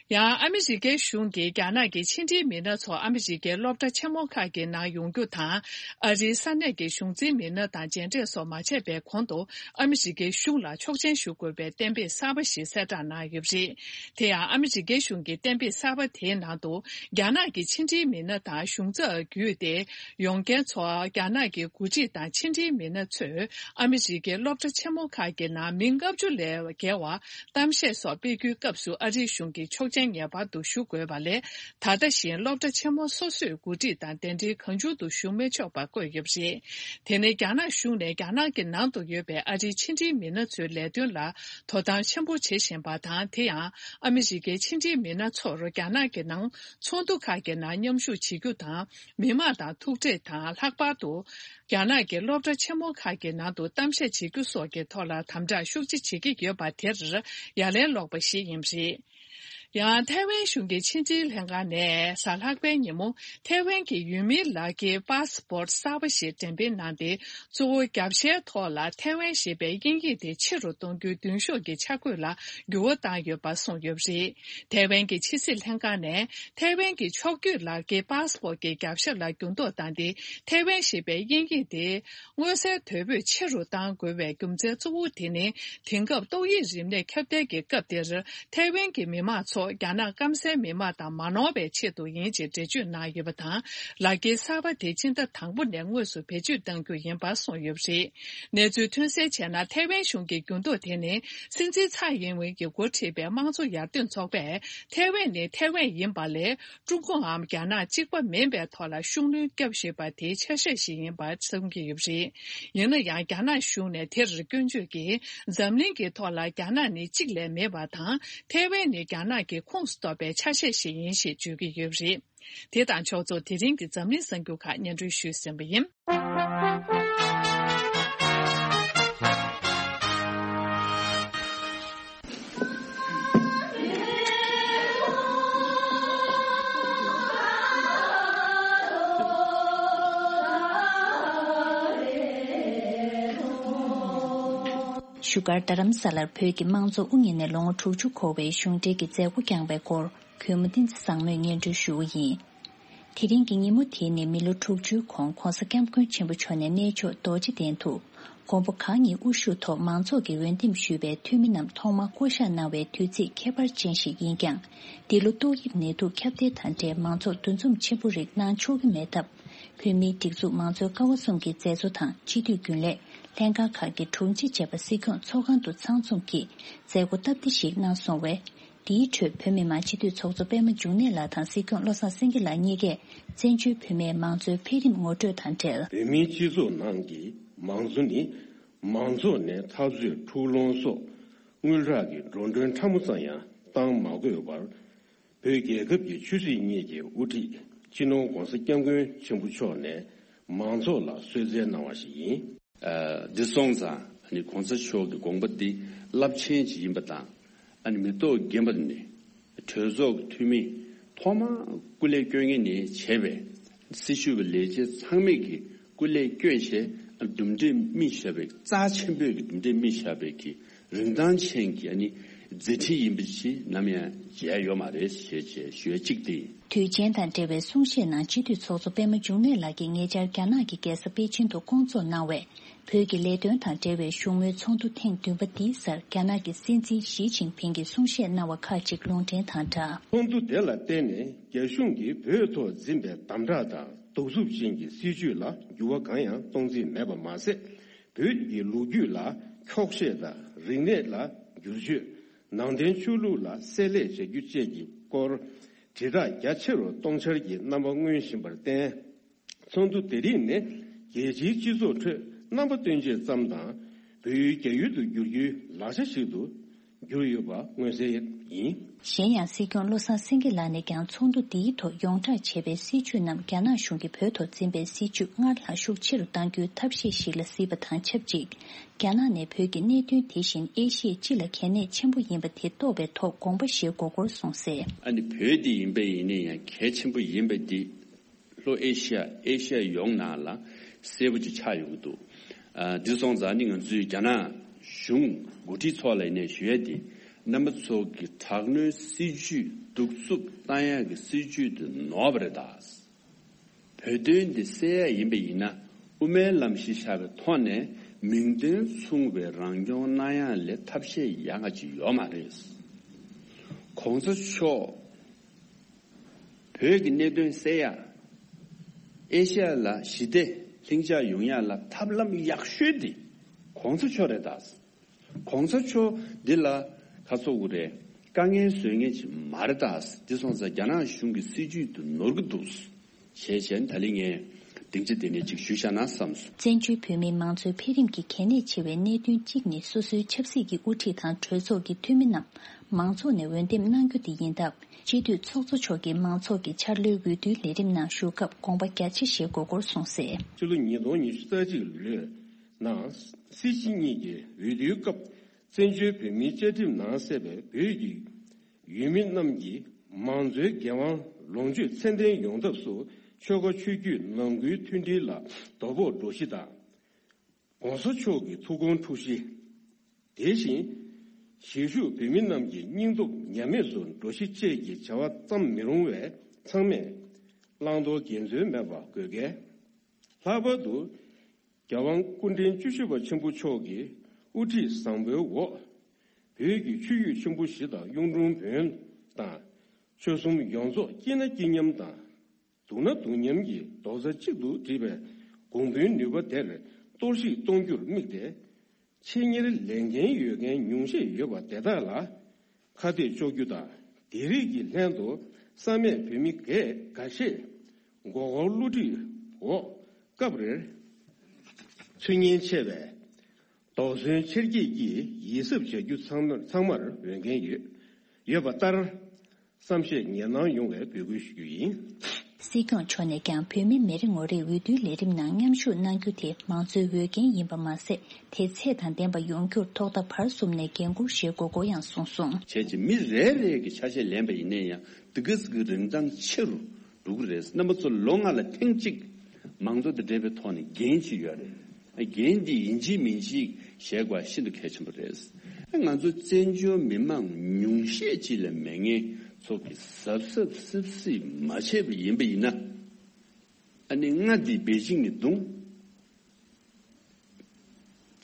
ཡང་ཨ་མི་རི་ཀའི་གཞུང་གིས་རྒྱ་ནག་གི་ཕྱི་འབྲེལ་མི་སྣ་ཚོ་ཨ་མི་རི་ཀའི་སློབ་གྲྭ་ཆེན་མོ་ཁག་གི་ནང་ཡོང་རྒྱུ་དང་། ཨ་རིའི་ས་གནས་ཀྱི་གཞུང་འཛིན་མི་སྣ་དང་མཇལ་འཕྲད་སོགས་མ་བྱས་པའི་གོང་དུ་ཨ་མི་རི་ཀའི་གཞུང་ལ་ཆོག་མཆན་ཞུ་དགོས་པའི་གཏན་འབེབས་གསར་པ་ཞིག་གསལ་བསྒྲགས་གནང་ཡོད་པ་རེད། དེ་ཡང་ཨ་མི་རི་ཀའི་གཞུང་གི་གཏན་འབེབས་གསར་པ་དེའི་ནང་དུ་རྒྱ་ནག་གི་ཕྱི་འབྲེལ་མི་སྣ་དང་གཞུང་ཚབ་བརྒྱུད་དེ་ཡོང་མཁན་ཚོ་རྒྱ་ནག་གི་འགོ་ཁྲིད་དང་ཕྱི་འབྲེལ་མི་སྣ་ཚོས་ཨ་མི་རི་ཀའི་སློབ་གྲྭ་ཆེན་མོ་ཁག་གི་ནང་མི་ལྔ་བཅུ་ལས་བརྒལ་བ་གཏམ་བཤད་སོགས་སྤེལ་རྒྱུའི་སྐབས་སུ་ཨ་རིའི་གཞུང་གིས་ཆོག་མཆན་ངེས་པར་དུ་ཞུ་དགོས་པ་ལས། ད་ལྟ་བཞིན་སློབ་གྲྭ་ཆེན་མོ་སོ་སོས་འགོ་ཁྲིད་དང་གདན་འདྲེན་གང་བྱུང་དུ་ཞུ་མི་ཆོག་པ་བཀོད་ཡོད་པ་རེད། དེ་ནི་རྒྱ་ནག་གཞུང་ནས་རྒྱ་ནག་གི་ནང་དུ་ཡོད་པའི་ཨ་རིའི་ཕྱི་འབྲེལ་མི་སྣ་ཚོའི་ལས་དོན་ལ་དོ་དམ་ཆེན་པོ་བྱེད་བཞིན་པ་དང་། དེ་ཡང་ཨ་མི་རི་ཀའི་ཕྱི་འབྲེལ་མི་སྣ་ཚོར་རྒྱ་ནག་གི་ནང་ཚོགས་འདུ་ཁག་གི་ནང་མཉམ་ཞུགས་བྱེད་རྒྱུ་དང་། མི་མང་དང་ཐུག་འཕྲད་དང་། ལྷག་པར་དུ། རྒྱ་ནག་གི་སློབ་གྲྭ་ཆེན་མོ་ཁག་གི་ནང་དུ་གཏམ་བཤད་བྱེད་རྒྱུ་སོགས་ཀྱི་ཐོག་ལ་དམ་དྲག་ཤུགས་ཆེ་བྱེད་ཀྱི་ཡོད་པ་དེར་ཡ་ལན་སློག་པ་ཞིག་ཡིན་པ་རེད། ཡང་ཐའེ་ཝན་གཞུང་གི་ཕྱི་འབྲེལ་ལྷན་ཁང་ནས་གཟའ་ལྷག་པའི་ཉིན་མོ་ཐའེ་ཝན་གྱི་ཡུལ་མིའི་ལག་འཁྱེར་པཱ་སི་པོར་ཊི་གསར་པ་ཞིག་འགྲེམས་སྤེལ་གནང་སྟེ། གཙོ་བོ་རྒྱབ་ཤའི་ཐོག་ལ་ཐའེ་ཝན་ཞེས་པའི་དབྱིན་ཡིག་དེ་ཆེ་རུ་གཏོང་རྒྱུའི་མདུན་ཤོག་གི་འཆར་འགོད་ལ་འགྱུར་བ་བཏང་ཡོད་པ་གསུངས་ཡོད་པ་རེད། ཐའེ་ཝན་གྱི་ཕྱི་སྲིད་ལྷན་ཁང་ནས་ཐའེ་ཝན་གྱི་ཕྱོགས་བསྐྱོད་ལག་འཁྱེར་པཱ་སི་པོར་ཊི་གྱི་རྒྱབ་ཤ་ལ་འགྱུར་ལྡོག་བཏང་སྟེ། ཐའེ་ཝན་ཞེས་པའི་དབྱིན་ཡིག་དེ། མངོན་གསལ་དོད་པོས་ཆེ་རུ་གཏང་དགོས་པའི་རྒྱུ་མཚན་གཙོ་བོ་དེ་ནི། དེང་སྐབས་ཏོག་དབྱིབས་རིམས་ནད་ཁྱབ་གདལ་གྱི་སྐབས་དེར། ཐའེ་ཝན་གྱི་མི་མང་ཚོ་རྒྱ་ནག་སྐམ་སའི་མི་མང་དང་མ་ནོར་བའི་ཆེད་དུ་ཡིན་ཅེས་འགྲེལ་བརྗོད་གནང་ཡོད་པ་དང་། ལག་འཁྱེར་གསར་པ་དེ་སྤྱི་ཟླ་དང་པོ་ནས་དངོས་སུ་བེད་སྤྱོད་གཏང་རྒྱུ་ཡིན་པ་གསུངས་ཡོད་པ་རེད། གནས་ཚུལ་ཐོན་གསལ་བྱས་ན། ཐའེ་ཝན་གཞུང་གི་འགྱུར་ལྡོག་དེ་ནི། སྲིད་འཛིན་ཚའེ་ཡིན་ཝེན་གྱིས་འགོ་ཁྲིད་པའི་དམངས་གཙོ་ཡར་ཐོན་ཚོགས་པས། ཐའེ་ཝན་ནི་ཐའེ་ཝན་ཡིན་པ་ལས། ཀྲུང་གོའམ་རྒྱ་ནག་གཅིག་པ་མིན་པའི་ཐོག་ལ་ཤུགས་སྣོན་བརྒྱབ་བཞིན་པ་དེའི་ཆ་ཤས་ཤིག་ཡིན་པ་གསུང་གི་ཡོད་པ་རེད། ཡིན་ན་ཡང་། རྒྱ་ནག་གཞུང་ནས་དེར་སྐྱོན་བརྗོད་ཀྱིས། འཛམ་གླིང་གི་ཐོག་ལ་རྒྱ་ནག་ནི་གཅིག་ལས་མེད་པ་དང་། ཐའེ་ཝན་ནི་རྒྱ་ནག་གི་ཁོངས་སུ་གཏོགས་པའི་ཆ་ཤས་ཤིག་ཡིན་ཞེས་བརྗོད་ཀྱི་ཡོད་པ་རེད། དེ་དང་ཕྱོགས་མཚུངས། དེ་རིང་གི་འཛམ་གླིང་གསར་འགྱུར་ཁག་སྙན་སྒྲོན་ཞུས་ཟིན་པ་ཡིན། བཞུགས་སྒར་རྡ་རམ་ས་ལར་བོད་ཀྱི་དམངས་གཙོ་དབུ་བརྙེས་ནས་ལོ་ངོ་དྲུག་ཅུ་འཁོར་བའི་གཞུང་འབྲེལ་གྱི་མཛད་སྒོ་བསྐྱངས་པའི་སྐོར། གུས་མོ་བསྟན་འཛིན་བཟང་མོས་སྙན་སྒྲོན་ཞུ་བ་ཡིན། དེ་རིང་གི་ཉིན་མོ་དེ་ནི་མི་ལོ་དྲུག་ཅུའི་གོང་༧གོང་ས་༧སྐྱབས་མགོན་ཆེན་པོ་མཆོག་ནས་གནས་མཆོག་རྡོ་རྗེ་གདན་དུ་མགོན་པོ་གང་ཉིད་དབུ་བཞུགས་ཐོག་མང་ཚོགས་ཀྱིས་འོས་འདེམས་ཞུས་པའི་འཐུས་མི་རྣམས་ཐོག་མར་བསྐོ་བཞག་གནང་བའི་དུས་ཚིགས་ཁྱད་པར་ཅན་ཞིག་ཡིན་ཀྱང་། འདི་ལོ་ཏོག་དབྱིབས་ནད་དུག་ཁྱབ་གདལ་དང་འབྲེལ་མང་ཚོགས་འདུ་འཛོམས་ཆེན་པོ་རིགས་གནང་ཆོག་གི་མེད་སྟབས། བོད་མིའི་སྒྲིག་འཛུགས་མང་གཙོའི་ཀ་བ་གསུམ་གྱི་མཛད་གཙོ་དང་སྤྱི་འཐུས་རྒྱུན་ལས། ལྷན་ཁང་ཁག་གི་དྲུང་ཆེ་བཅས་པ་སྲིད་སྐྱོང་ཚོགས་ཁང་དུ་ཚང་འཛོམས་ཀྱིས་མཛད་སྒོ་སྟབས་བདེ་ཞིག་གནང་སོང་བས། འདིའི་ཁྲོད་བོད་མི་མང་སྤྱི་འཐུས་ཚོགས་གཙོ་པད་མ་འབྱུང་གནས་ལགས་དང་སྲིད་སྐྱོང་བློ་བཟང་སེང་གེ་ལགས་གཉིས་ཀས་བཙན་བྱོལ་བོད་མིའི་མང་གཙོའི་འཕེལ་རིམ་ངོ་སྤྲོད་དང་འབྲེལ། བོད་མིའི་སྤྱི་ཚོགས་ནང་གི་མང་གཙོ་ནི། མང་ཚོགས་ནས་འཐབ་རྩོད་འཁྲུག་སློང་སོགས་དངུལ་རག་གི་འགྲོ་གྲོན་ཕྲ་མོ་ཙམ་ཡང་བཏང་མ་དགོས་པར། བོད་རྒྱལ་ཁབ་ཀྱི་ཆོས་སྲིད་གཉིས་ཀྱི་དབུ་ཁྲིད་སྤྱི་ནོར་༧གོང་ས་༧སྐྱབས་མགོན་ཆེན་པོ་མཆོག་ནས་མང་ཚོགས་ལ་གསོལ་སྩལ་གནང་བ་ཞིག་ཡིན། ཨ། འདི་སོང་ཙང་ཨ་ནི་གོང་ས་མཆོག་གི་དགོངས་པ་འདི་རླབས་ཆེན་ཅིག་ཡིན་པ་དང་། ཨ་ནི་མི་ཐོག་རྒན་པ་ནས་གྲོས་ཚོགས་ཀྱི་འཐུས་མི་ཐོག་མར་སྐུ་ལས་སྐྱོན་མཁན་ནས་བྱས་པའི་སྲི་ཞུ་བའི་ལས་བྱེད་ཚང་མས་ཀྱི་སྐུ་ལས་སྐྱོན་བྱས། ཨ། གྲུབ་འབྲས་སྨིན་བཞག་པའི་རྩ་ཆེན་པོའི་གི་གྲུབ་འབྲས་སྨིན་བཞག་པའི་གི་རིན་ཐང་ཅན་གྱི་ཨ་ནི་ མཛད་འཕྲིན་ཡིན་པ་ཞིག་ནམ་ཡང་བརྗེད་ཡོད་མ་རེད་ཞེས་བྱས་ཞུ་ཡ་གཅིག་སྟེ། དུས་ཆེན་དང་འབྲེལ་བའི་གསུང་བཤད་ནང་སྤྱི་འཐུས་ཚོགས་གཙོ་པད་མ་འབྱུང་གནས་ལགས་ཀྱིས་ཉེ་ཆར་རྒྱ་ནག་གི་རྒྱལ་ས་པེ་ཅིན་དུ་སྐོང་ཚོགས་གནང་བའི་བོད་ཀྱི་ལས་དོན་དང་འབྲེལ་བའི་བཞུགས་མོལ་ཚོགས་འདུ་ཐེངས་བདུན་པ་འདིའི་སར་རྒྱ་ནག་གི་སྲིད་འཛིན་ཞི་ཅིན་ཕིང་གིས་གསུང་བཤད་གནང་བ་ཁག་ཅིག་ལུང་འདྲེན་དང་སྦྲགས། ཚོགས་འདུ་དེ་ལ་བརྟེན་ནས་རྒྱ་གཞུང་གིས་བོད་ཐོག་འཛིན་པའི་དམ་དྲག་དང་གདུག་རྩུབ་ཅན་གྱི་སྲིད་བྱུས་ལ་འགྱུར་བ་གང་ཡང་གཏོང་རྩིས་མེད་པ་མ་ཟད། བོད་ཀྱི་ལོ་རྒྱུས་ལ་འཁྱོག་བཤད་དང་རིག་གནས་ལ་བསྒྱུར་བཅོས། ནང་བསྟན་ཆོས་ལུགས་ལ་བསྲེ་ལྷད་བྱ་རྒྱུ་བཅས་ཀྱི་སྐོར་དྲིལ་བསྒྲགས་རྒྱ་ཆེ་རུ་གཏོང་འཆར་གྱི་རྣམ་པ་མངོན་བཞིན་པར་བརྟེན། ཚོགས་འདུ་དེ་རིགས་ནི་རྒྱལ་སྤྱིའི་སྤྱི་ཚོགས་ཁྲོད་རྣམ་པ་སྟོན་ཆེད་ཙམ་དང་། བོད་ཡུལ་རྒྱ་ཡུལ་དུ་བསྒྱུར་རྒྱུའི་ལག་ཆ་ཞིག་ཏུ་གྱུར་ཡོད་པ་མངོན་གསལ་ཡིན། གཞན་ཡང་སྲིད་སྐྱོང་བློ་བཟང་སེང་གེ་ལགས་ནས་ཀྱང་ཚོགས་འདུ་འདིའི་ཐོག་ཡོངས་བསྒྲགས་བྱས་པའི་སྲིད་བྱུས་རྣམས་རྒྱ་ནག་གཞུང་གིས་བོད་ཐོག་འཛིན་པའི་སྲིད་བྱུས་སྔར་ལྷག་ཤུགས་ཆེ་རུ་གཏང་རྒྱུའི་ཐབས་ཤེས་ཤིག་ལ་གཟིགས་པ་དང་ཆབས་ཅིག་རྒྱ་ནག་ནས་བོད་ཀྱི་གནད་དོན་དེ་བཞིན་ཨེ་ཤི་ཡའི་སྤྱི་ལ་གལ་གནད་ཆེན་པོ་ཡིན་པ་དེ་རྟོགས་པའི་ཐོག་དགོངས་པ་བཞེས་དགོས་སྐོར་གསུངས་གསལ། ཨ་ནི་བོད་འདི་ཡིན་པ་ཡིན་ན་ཡང་གལ་ཆེན་པོ་ཡིན་པ་འདི་ལྷོ་ཨེ་ཤི་ཡ་ཨེ་ཤི་ཡ་ཡོངས་ནང་ལ་གསལ་པོ་ཅིག་ཆགས་ཡོང་གི་འདུག་ཨ། འདི་སོང་ཙང་ནི་ང་ཚོས་རྒྱ་ནག་གཞུང་འགོ་ཁྲིད་ཚོ་ལ་ཡིན་ནའི་ཞུ་ཡ་དེ་རྣམ་པ་ཚོ་གི་དྲག་གནོན་སྲིད་ཇུས་གདུག་རྩུབ་བཏང་ཡག་གི་སྲིད་ཇུས་དེ་ནོར་བ་རེད་ད། བོད་དོན་འདི་སེལ་ཡ་ཡིན་པ་ཡིན་ན་དབུ་མའི་ལམ་གཞི་བཞག་པའི་ཐོག་ནས་མིང་དོན་མཚུངས་པའི་རང་སྐྱོང་གནང་ཡ་ལས་ཐབས་ཤེས་ཡག་ག་ཅིག་ཡོད་མ་རེད། གོང་ས་མཆོག་བོད་ཀྱི་གནད་དོན་སེལ་ཡ། ཨེ་ཤ་ཡ་ལ་ཞི་བདེ་ལྷིང་འཇགས་ཡོང་ཡ་ལ་ཐབས་ལམ་ཡག་ཤོས་འདི་གོང་ས་མཆོག་རེད་ད། གོང་ས་མཆོག་འདི་ལ་ཁ་ཚོགས་དགོས་རེད། དཀའ་ངལ་བཟོ་མཁན་ཅིག་མ་རེད་ད། འདི་སོང་ཙང་རྒྱ་ནག་གཞུང་གི་སྲིད་ཇུས་དེ་ནོར་གི་འདུག་ཞེས་བྱས་ད་ལི་ངས་སྡིངས་ཆ་དེ་ནས་ཅིག་ཞུས་བཞག་ན་བསམས་སོང་། བཙན་བྱོལ་བོད་མིའི་མང་གཙོའི་འཕེལ་རིམ་གྱི་གལ་གནད་ཆེ་བའི་གནད་དོན་གཅིག་ནི་སོ་སོའི་ཆབ་སྲིད་ཀྱི་དབུ་ཁྲིད་དང་གྲོས་ཚོགས་ཀྱི་འཐུས་མི་རྣམས་མང་ཚོགས་ནས་འོས་འདེམས་གནང་རྒྱུ་དེ་ཡིན་སྟབས། སྤྱི་འཐུས་ཚོགས་གཙོ་མཆོག་གིས་མང་ཚོགས་ཀྱི་འཆར་ལོའི་འོས་བསྡུའི་ལས་རིམ་ནང་ཞུགས་སྐབས་དགོངས་པ་རྒྱ་ཆེ་བཞེས་དགོས་སྐོར་གསུངས་གསལ། ཕྱི་ལོ་ཉིས་སྟོང་ཉི་ཤུ་རྩ་གཅིག་ལོའི་ནང་སྲིད་སྤྱི་གཉིས་ཀྱི་འོས་བསྡུའི་སྐབས་བཙན་བྱོལ་བོད་མིའི་བཅའ་ཁྲིམས་ནང་གསལ་བའི་བོད་ཀྱི་ཡུལ་མི་རྣམས་ཀྱི་མང་གཙོའི་འགན་དབང་ལོངས་སྤྱོད་ཚད་ལྡན་ཡོང་ཐབས་སུ་ཆོལ་ཁ་ཆོས་བརྒྱུད་ནང་ཁུལ་མཐུན་སྒྲིལ་ལ་དོ་ཕོག་འགྲོ་གཞི་དང་། གོང་ས་མཆོག་གི་ཐུགས་དགོངས་འཁྲུག་གཞི། དེ་བཞིན་གཞིས་བཞུགས་བོད་མི་རྣམས་ཀྱི་སྙིང་སྟོབས་ཉམས་དམས་སུ་འགྲོ་གཞི་བཅས་ཀྱི་བྱ་བ་ཙམ་མི་རུང་བས་ཚང་མས་བླང་དོར་འགལ་འཛོལ་མེད་པ་དགོས་གལ། ལྷག་པར་དུ་རྒྱལ་དབང་སྐུ་ཕྲེང་བཅུ་བཞི་པ་ཆེན་པོ་མཆོག་གི་དབུ་ཁྲིད་བཟང་པོའི་འོག་བོད་ཀྱི་ཆོས་བརྒྱུད་ཆེན་པོ་བཞི་དང་གཡུང་དྲུང་བོན་དང་ཆོལ་གསུམ་ཡོངས་རྫོགས་སྐྱིད་ན་སྐྱིད་མཉམ་དང་། སྡུག་ན་སྡུག་མཉམ་གྱི་རྡོག་རྩ་གཅིག་ཏུ་སྒྲིལ་བའི་གོང་བུའི་ནུས་པ་དེར་གཏོར་བཤིག་གཏོང་རྒྱུར་དམིགས་ཏེ། ཆེད་གཉེར་ལས་འགན་ཡོད་མཁན་ཉུང་ཤས་ཡོད་པ་དེ་དག་ལ་ཁ་གཏད་གཅོག་རྒྱུ་དང་། དེ་རིགས་ཀྱི་ལྷན་དུ་བསམ་ཡས་བོད་མི་འགས་འགའ་ཤས་མགོ་སྐོར་བསླུ་བྲིད་འོག་སྐབས་རེར་ཚུལ་ངན་ཆེ་བའི་དོགས་ཟོན་ཆེར་སྐྱེད་ཀྱིས་ཡིད་གཟབ་བྱ་རྒྱུ་ཚང་མར་ཚང་མར་འོས་འགན་ཡོད་ཡོད་པ་ལྟར། བསམ་ཤེས་ངེས་གནང་ཡོང་བའི་འབོད་སྐུལ་ཞུ་རྒྱུ་ཡིན། སྲིད་སྐྱོང་མཆོག་ནས་ཀྱང་བོད་མི་མི་རེ་ངོ་རེས་འོས་བསྡུའི་ལས་རིམ་ནང་མཉམ་ཞུགས་གནང་རྒྱུ་དེ་མང་གཙོའི་འོས་འགན་ཡིན་པ་མ་ཟད། དེ་ཚད་དང་ལྡན་པ་ཡོང་རྒྱུར་ཐོག་མཐའ་བར་གསུམ་ནས་འགན་འཁུར་བཞེས་དགོས་སྐོར་ཡང་གསུངས་སོང་། བྱས་ཙང་མི་རེ་རེ་གི་ཆ་ཤས་ལེན་པ་ཡིན་ན་ཡང་དེ་ག་ཙམ་གྱི་རིན་ཐང་ཆེ་རུ་འགྲོ་གི་རེད། རྣམ་པ་ཚོ་ལོ་ལྔ་ལ་ཐེངས་གཅིག་མང་གཙོ་དང་འབྲེལ་བའི་ཐོག་ནས་འགན་ཅིག་ཡོད་རེད། འགན་འདི་ཡིན་གཅིག་མིན་གཅིག་བཞེས་དགོས་པ་ཤིན་ཏུ་གལ་ཆེན་པོ་རེད། ང་ཚོ་བཙན་བྱོལ་མི་མང་ཉུང་ཤས་ཅིག་ལས་མེད་མཁན་ཚོ་གིས་གཟབ་གཟབ་སིབ་སིབ་མ་བྱས་པ་ཡིན་པ་ཡིན་ན། ཨ་ནི་ང་འདི་པེ་ཅིང་ནས་བརྡུངས།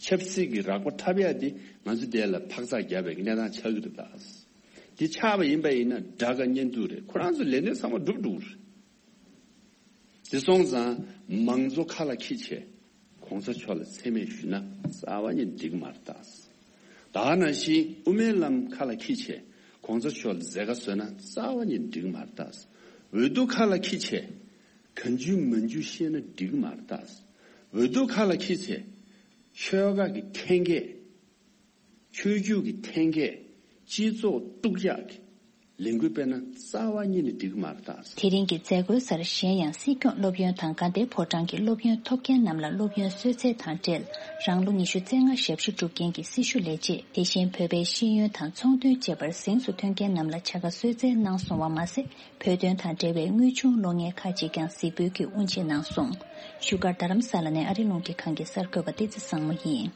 ཆབ་སྲིད་ཀྱི་རགས་པ་འཁྲབ་ཡ་འདི་ང་ཚོ་དེ་ལ་འཕག་འཚག་རྒྱབ་པའི་གནས་སྟངས་ཆགས་ཀྱི་རེད་ད། འདི་ཆགས་པ་ཡིན་པ་ཡིན་ན་དགྲ་དགའ་གཉེན་སྡུག་རེད། ཁོ་རང་ཚོ་ལས་དོན་ཚང་མ་འགྲུབ་འགྲོ་གི་རེད། དེ་སོང་ཙང་མང་གཙོ་ཁ་ལ་འཁྱེར་བྱས་གོང་ས་མཆོག་ལ་མཚན་སྨད་ཞུས་ན་རྩ་བ་ཉིད་འགྲིག་མ་རེད་ད། ད་ག་ནང་བཞིན་དབུ་མའི་ལམ་ཁ་ལ་འཁྱེར་བྱས་གོང་ས་མཆོག་ལ་མཛད་དཀའ་བཟོས་ན་རྩ་བ་ཉིད་འགྲིག་མ་རེད་ད། འོས་བསྡུ་ཁ་ལ་འཁྱེར་བྱས་གང་བྱུང་མང་བྱུང་བཤད་ན་འགྲིག་མ་རེད་ད། འོས་བསྡུ་ཁ་ལ་འཁྱེར་བྱས་ཆོལ་ཁ་གི་འཐེན་འཁྱེར། ཆོས་བརྒྱུད་ཀྱི་འཐེན་འཁྱེར། སྤྱི་ཚོགས་དཀྲུག་ཡག་གི་ལས་འགུལ་སྤེལ་ན་རྩ་བ་ཉིད་ནས་འགྲིག་གི་མ་རེད་ད། དེ་རིང་གི་མཛད་སྒོའི་སར་གཞན་ཡང་སྲིད་སྐྱོང་སློབ་ཡོན་དང་དགའ་ལྡན་ཕོ་བྲང་གི་སློབ་ཡོན་ཐོབ་མཁན་རྣམས་ལ་སློབ་ཡོན་གསོལ་སྩལ་དང་འབྲེལ། རང་ལོ་ཉི་ཤུ་རྩ་ལྔ་ཞབས་ཞུ་སྒྲུབ་མཁན་གྱི་སྲི་ཞུ་ལས་བྱེད། དེ་བཞིན་བོད་པའི་ཤེས་ཡོན་དང་ཚོང་དོན་བཅས་པར་གཟེངས་སུ་ཐོན་མཁན་རྣམས་ལ་བྱ་དགའ་གསོལ་སྩལ་གནང་སོང་བ་མ་ཟད། བོད་དོན་དང་འབྲེལ་བའི་དངུལ་ཆུང་བློ་ངལ་ཁག་ཅིག་ཀྱང་གཟིགས་འབུལ་གྱིས་དབུ་འབྱེད་གནང་སོང་། བཞུགས་སྒར་རྡ་རམ་ས་ལ་ནས་ཨ་རི་རླུང་འཕྲིན་ཁང་གི་གསར་འགོད་པ་བསྟན་འཛིན་བཟང་མོ་ཡིན།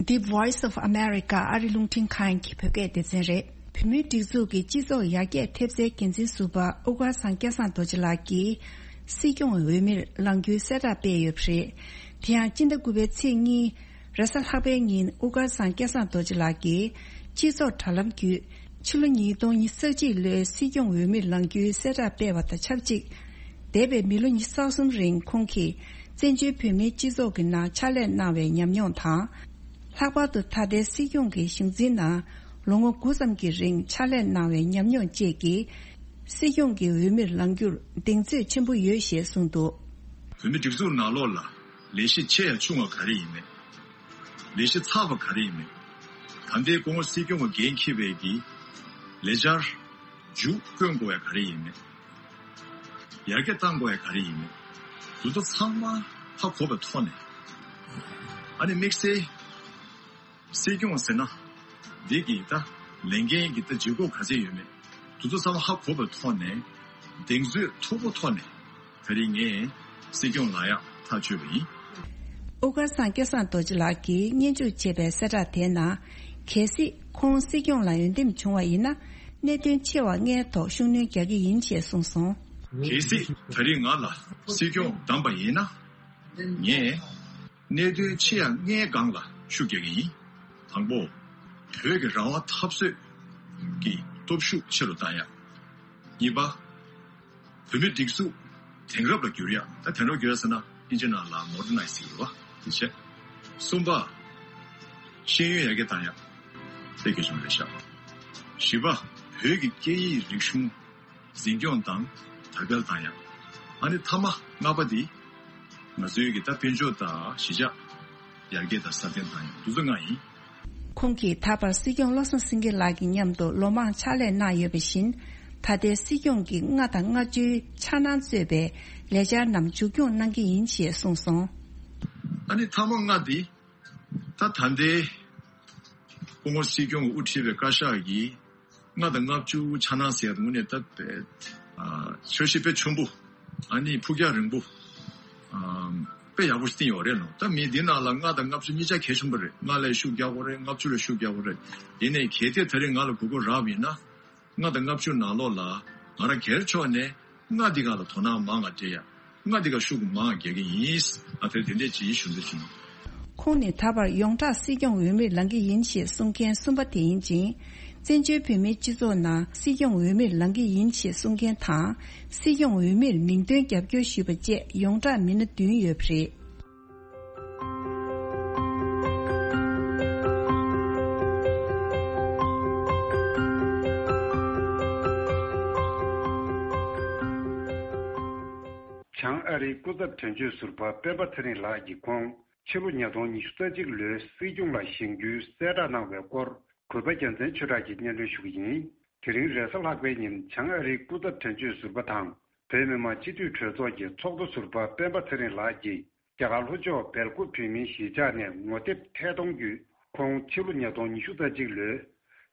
The Voice of America ཨ་རི་རླུང་འཕྲིན་ཁང་གི་བོད་སྐད་སྡེ་ཚན་རེད། བོད་མིའི་སྒྲིག་འཛུགས་ཀྱི་སྤྱི་ཚོགས་ཡར་རྒྱས་ཐེབས་རྩའི་འགན་འཛིན་ཟུར་པ་དབུ་དཀར་ཚང་སྐལ་བཟང་རྡོ་རྗེ་ལགས་ཀྱིས། སྲིད་སྐྱོང་འོས་མིར་ལངས་རྒྱུའི་གསལ་བསྒྲགས་སྤེལ་ཡོད་པ་རེད། དེ་ཡང་སྤྱི་ཟླ་དགུ་པའི་ཚེས་གཉིས། རེས་གཟའ་ལྷག་པའི་ཉིན་དབུ་དཀར་ཚང་སྐལ་བཟང་རྡོ་རྗེ་ལགས་ཀྱིས། སྤྱི་ཚོགས་དྲ་ལམ་བརྒྱུད། ཕྱི་ལོ་ཉིས་སྟོང་ཉི་ཤུ་རྩ་གཅིག་ལོའི་སྲིད་སྐྱོང་འོས་མིར་ལངས་རྒྱུའི་གསལ་བསྒྲགས་སྤེལ་བ་དང་ཆབས་ཅིག་འདས་པའི་མི་ལོ་ཉི་ཤུ་རྩ་གསུམ་རིང་ཁོང་གིས་བཙན་བྱོལ་བོད་མིའི་སྤྱི་ཚོགས་ཀྱི་ནང་ཕྱག་ལས་གནང་བའི་ཉམས་མྱོང་དང་། ལྷག་པར་དུ་ད་ལྟའི་སྲིད་སྐྱོང་གི་གཞུང་འཛིན་ནང་ལོ་ངོ་དགུ་ཙམ་གྱི་རིང་ཕྱག་ལས་གནང་བའི་ཉམས་མྱོང་བཅས་ཀྱིས། སྲིད་སྐྱོང་གི་འོས་མིར་ལངས་རྒྱུར་གདེང་ཚོད་ཆེན་པོ་ཡོད་ཞེས་གསུངས་འདུག་བོད་མིའི་སྒྲིག་འཛུགས་ནང་ལོགས་ལ་ལས་གཞི་ཆེ་ཡང་ཆུང་བ་ག་རེ་ཡིན་མེད། ལས་གཞི་ཚགས་པ་ག་རེ་ཡིན་མེད། ད་ལྟའི་སྐུ་ངོ་སྲིད་སྐྱོང་གི་འགན་འཁྱེར་བའི་གི་ལས་འཆར་མཇུག་སྐྱོང་དགོས་ཡ་ག་རེ་ཡིན་མེད། ཡར་རྒྱས་གཏང་དགོས་ཡ་ག་རེ་ཡིན་མེད། དེ་ཚོ་ཚང་མ་ཧ་གོ་བའི་ཐོག་ནས། ཨ་ནི་དམིགས་བསལ་སྲིད་སྐྱོང་ཟེར་ན་འདི་གི་ད་ལས་འགན་གི་ད་ལྗིད་ཁོག་ག་ཚད་ཡོད་མེད། དེ་ཚོ་ཚང་མ་ཧ་གོ་བའི་ཐོག་ནས་གདེང་ཚོད་མཐུག་པོ་ཐོག་ནས། ད་རིང་ངས་སྲིད་སྐྱོང་ལངས་ཡག་ཐག་གཅོད་པ་ཡིན། དབུ་དཀར་ཚང་སྐལ་བཟང་རྡོ་རྗེ་ལགས་ཀྱིས་སྙན་ཞུ་བྱས་པའི་གསལ་བསྒྲགས་དེའི་ནང་། གལ་སྲིད་ཁོང་སྲིད་སྐྱོང་ལ་འོས་འདེམས་བྱུང་བ་ཡིན་ན། གནད་དོན་ཆེ་བ་ལྔའི་ཐོག་ཤུགས་སྣོན་རྒྱག་གི་ཡིན་ཞེས་གསུངས་སོང་། གལ་སྲིད་ད་རིང་ང་ལ་སྲིད་སྐྱོང་བདམས་པ་ཡིན་ན། ངས་གནད་དོན་ཆེ་ཡ་ལྔའི་སྒང་ལ་ཤུགས་རྒྱག་གི་ཡིན། དང་པོ། བོད་ཀྱི་རང་དབང་འཐབ་རྩོད་ཀྱི་སྟོབས་ཤུགས་ཆེ་རུ་བཏང་ཡ། གཉིས་པ། བོད་མིའི་སྒྲིག་འཛུགས་དེང་རབས་ལ་བསྒྱུར་ཡ། ད་དེང་རབས་བསྒྱུར་ཡ་ཟེར་ན་ཨིན་ཇི་ནང་ལ་མོ་ཌར་ནའི་ཛི་ཟེར་གྱི་རེད་བ། དེ་བྱས། གསུམ་པ། ཤེས་ཡོན་ཡར་རྒྱས་བཏང་ཡ། དེ་གལ་ཆེན་པོ་རེད་ཤག་བཞི་པ། བོད་ཀྱི་སྐད་ཡིག་རིག་གཞུང་འཛིན་སྐྱོང་དང་དར་སྤེལ་བཏང་ཡ། ཨ་ནི་མཐའ་མ་ལྔ་པ་འདི། ང་ཚོའི་གི་ད་དཔལ་འབྱོར་དང་གཞིས་ཆགས་ཡར་རྒྱས་དང་སྲ་བརྟན་བཏང་ཡ། འདི་ཚོ་ལྔ་ཡིན། ཁོང་གིས་ད་བར་སྲིད་སྐྱོང་བློ་བཟང་སེང་གེ་ལགས་ཀྱི་མཉམ་དུ་ལོ་མང་ཕྱག་ལས་གནང་ཡོད་པ་བཞིན། ད་ལྟའི་སྲིད་སྐྱོང་གི་ལྔ་དང་ལྔ་བཅུའི་འཆར་སྣང་གཙོས་པའི་ལས་འཆར་རྣམས་མཇུག་སྐྱོང་གནང་གི་ཡིན་ཞེས་གསུངས་སོང་། ཨ་ནི་མཐའ་མ་ལྔ་འདི། ད་ད་ལྟའི་སྐུ་ངོ་སྲིད་སྐྱོང་གིས་དབུ་ཁྲིད་པའི་བཀའ་ཤག་གིས་ལྔ་དང་ལྔ་བཅུ་འཆར་སྣང་ཟེར་ཡ་དངོས་གནས་ད་དཔེ་ཨ་འཆར་གཞི་དཔེ་ཆེན་པོ། ཨ་ནི་ཕུགས་རྒྱང་རིང་པོ། ཨ་དཔེ་ཡག་པོ་ཞིག་བཏིང་ཡོད་རེད་ལོ། ད་མི་འདི་ནང་ལ་ལྔ་དང་ལྔ་བཅུ་གཉིས་ཆ་གལ་ཆེན་པོ་རེད། ལྔ་ལ་ཤུགས་རྒྱག་དགོས་རེད། ལྔ་བཅུ་ལ་ཤུགས་རྒྱག་དགོས་རེད། ཡིན་ནའི་གལ་ཏེ་ད་རེས་ང་ལ་དགོས་མཁོ་རག་པ་ཡིན་ན། ལྔ་དང་ལྔ་བཅུ་ནང་ལོགས་ལ་ང་རང་སྒེར་ཕྱོགས་ནས་ལྔ་འདི་ག་ལ་དོ་སྣང་མང་ང་སྤྲད་ཡ། ལྔ་འདི་ག་ཤུགས་མང་ང་རྒྱག་གི་ཡིན། ཨ་དེ་དེ་འདྲས་ཅིག་ཞུ་འདོད་བྱུང་། ཁོང་ནི་ད་བར་ཡོངས་གྲགས་སྲིད་སྐྱོང་འོས་མིར་ལངས་ཀྱི་ཡིན་ཞེས་གསུང་མཁན་གསུམ་པ་དེ་ཡིན་ཅིང་། བཙན་བྱོལ་བོད་མིའི་སྤྱི་ཚོགས་ནང་སྲིད་སྐྱོང་འོས་མིར་ལངས་ཀྱི་ཡིན་ཞེས་གསུང་མཁན་དང་། སྲིད་སྐྱོང་འོས་མིར་མིང་འདོན་རྒྱབ་སྐྱོར་ཞུས་པ་བཅས་ཡོངས་གྲགས་མི་སྣ་བདུན་ཡོད་པ་རེད། བྱང་ཨ་རིའི་སྐུ་ཚབ་དོན་གཅོད་ཟུར་པ་སྤེན་པ་ཚེ་རིང་ལགས་ཀྱིས་ཁོང་ཕྱི་ལོ་ཉིས་སྟོང་ཉི་ཤུ་རྩ་གཅིག་ལོའི་སྲིད་སྐྱོང་ལ་བཞེངས་རྒྱུའི་གསལ་བསྒྲགས་གནང་བའི་སྐོར་གུས་པ་རྒྱལ་མཚན་ཆོས་གྲགས་ཀྱིས་སྙན་སྒྲོན་ཞུ་གི་ཡིན། དེ་རིང་རེས་གཟའ་ལྷག་པའི་ཉིན་བྱང་ཨ་རིའི་སྐུ་ཚབ་དོན་གཅོད་ཟུར་པ་དང་། བོད་མི་མང་སྤྱི་འཐུས་གྲོས་ཚོགས་ཀྱི་ཚོགས་གཙོ་ཟུར་པ་སྤེན་པ་ཚེ་རིང་ལགས་ཀྱིས་རྒྱ་གར་ལྷོ་ཕྱོགས་སྦེལ་ཀོབ་བོད་མིའི་གཞིས་ཆགས་ནས་ངོ་དེབ་ཐད་གཏོང་བརྒྱུད་ཁོང་ཕྱི་ལོ་ཉིས་སྟོང་ཉི་ཤུ་རྩ་གཅིག་ལོའི་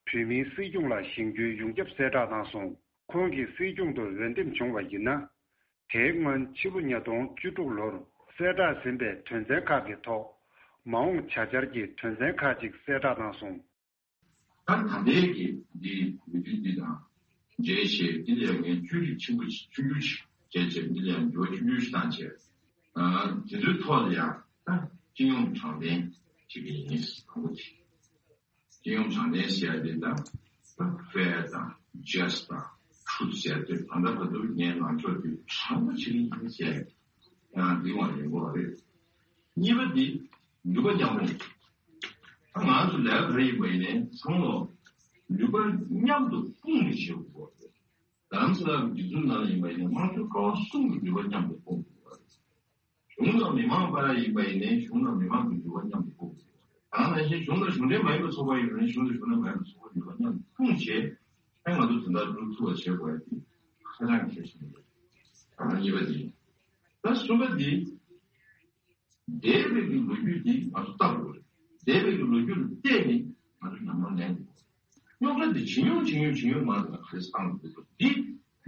བོད་མིའི་སྲིད་སྐྱོང་ལ་བཞེངས་རྒྱུའི་ཡོངས་ཁྱབ་གསལ་བསྒྲགས་གནང་སོང་། ཁོང་གིས་སྲིད་སྐྱོང་དུ་འོས་འདེམས་བྱུང་བ་ཡིན་ན། དེའི་སྔོན་ཕྱི་ལོ་ཉིས་སྟོང་བཅུ་དྲུག་ལོར་གསལ་བསྒྲགས་ཟིན་པའི་དོན་ཚན་ཁག་གི་ཐོག་མ་འོངས་བྱ་འཆར་གྱི་དོན་ཚན་ཁག་ཅིག་གསལ་བསྒྲགས་གནང་སོང་། ད་ད་ལྟའི་གི་འདི་འོས་བསྡུ་འདི་དང་འབྲེལ་བྱས་འདི་ལ་ཡང་ངས་བཅོས་སྒྲིག་ཆེན་པོ་ཆུང་ཆུང་ཞིག་བྱས་བྱས། འདི་ལ་ཡང་འགྱུར་བ་ཆུང་ཆུང་ཞིག་བཏང་བྱས། ཨ་དེ་ཚོའི་ཐོག་ལ་ཡང་ད་སྤྱི་ཡོངས་དྲང་བདེན་བྱེད་ཀྱི་ཡིན་དང་པོ་དེ། སྤྱི་ཡོངས་དྲང་བདེན་ཟེར་ཡ་དེ་ད་ད་fair་དང་just་དང་truth་ཟེར་ཡ་དེ་ད་ལྟ་བར་དུ་ངས་ལངས་ཕྱོགས་དེ་དྲང་པོ་བྱེད་ཀྱི་ཡིན་ཟེར་ཡ་ཡང་འདི་ངོ་ཡིན་པ་རེད། གཉིས་པ་འདི་ནུས་པ་མཉམ་རུབ། ད་ང་ཚོ་ལས་ཀ་ག་རེ་ཡིན་པ་ཡིན་ནའི་ཚང་མ་ནུས་པ་མཉམ་དུ་སྤུངས་ནས་བྱེད་དགོས་རེད། རྡ་རམ་ས་ལ་སྒྲིག་འཛུགས་ནང་ལ་ཡིན་པ་ཡིན་ནའི་དམངས་གཙོའི་ཀ་བ་གསུམ་གྱི་ནུས་པ་མཉམ་དུ་སྤུངས་དགོས་རེད། གཞུང་དང་མི་མང་བར་ཡིན་པ་ཡིན་ནའི་གཞུང་དང་མི་མང་གི་ནུས་པ་མཉམ་དུ་སྤུངས་དགོས་རེད། ད་ནང་བཞིན་གཞུང་དང་གཞུང་འབྲེལ་མ་ཡིན་པའི་ཚོགས་པ་ཡིན་པ་ཡིན་ནའི་གཞུང་དང་གཞུང་འབྲེལ་མ་ཡིན་པའི་ཚོགས་པའི་ནུས་པ་མཉམ་དུ་སྤུངས་བྱས། ཨ་ང་ཚོ་དོན་དག་སྒྲུབ་ཐུབ་པ་བྱེད་དགོས་ཡ་དེ་ཧ་ཅང་གལ་ཆེན་པོ་རེད། ད་གཉིས་པ་དེ་ཡིན། ད་གསུམ་པ་དེ། འདས་པའི་གི་ལོ་རྒྱུས་འདི་ང་ཚོ་ལྟ་དགོས་རེད། འདས་པའི་གི་ལོ་རྒྱུས་ལ་བལྟས་ནས་ང་ཚོ་ཉམས་མྱོང་ལེན་དགོས། ཁྱོ་ག་འདི་ཇེ་ཉུང་ཇེ་ཉུང་ཇེ་ཉུང་མར་ལ་ག་རེ་བཏང་འདུག་འདི་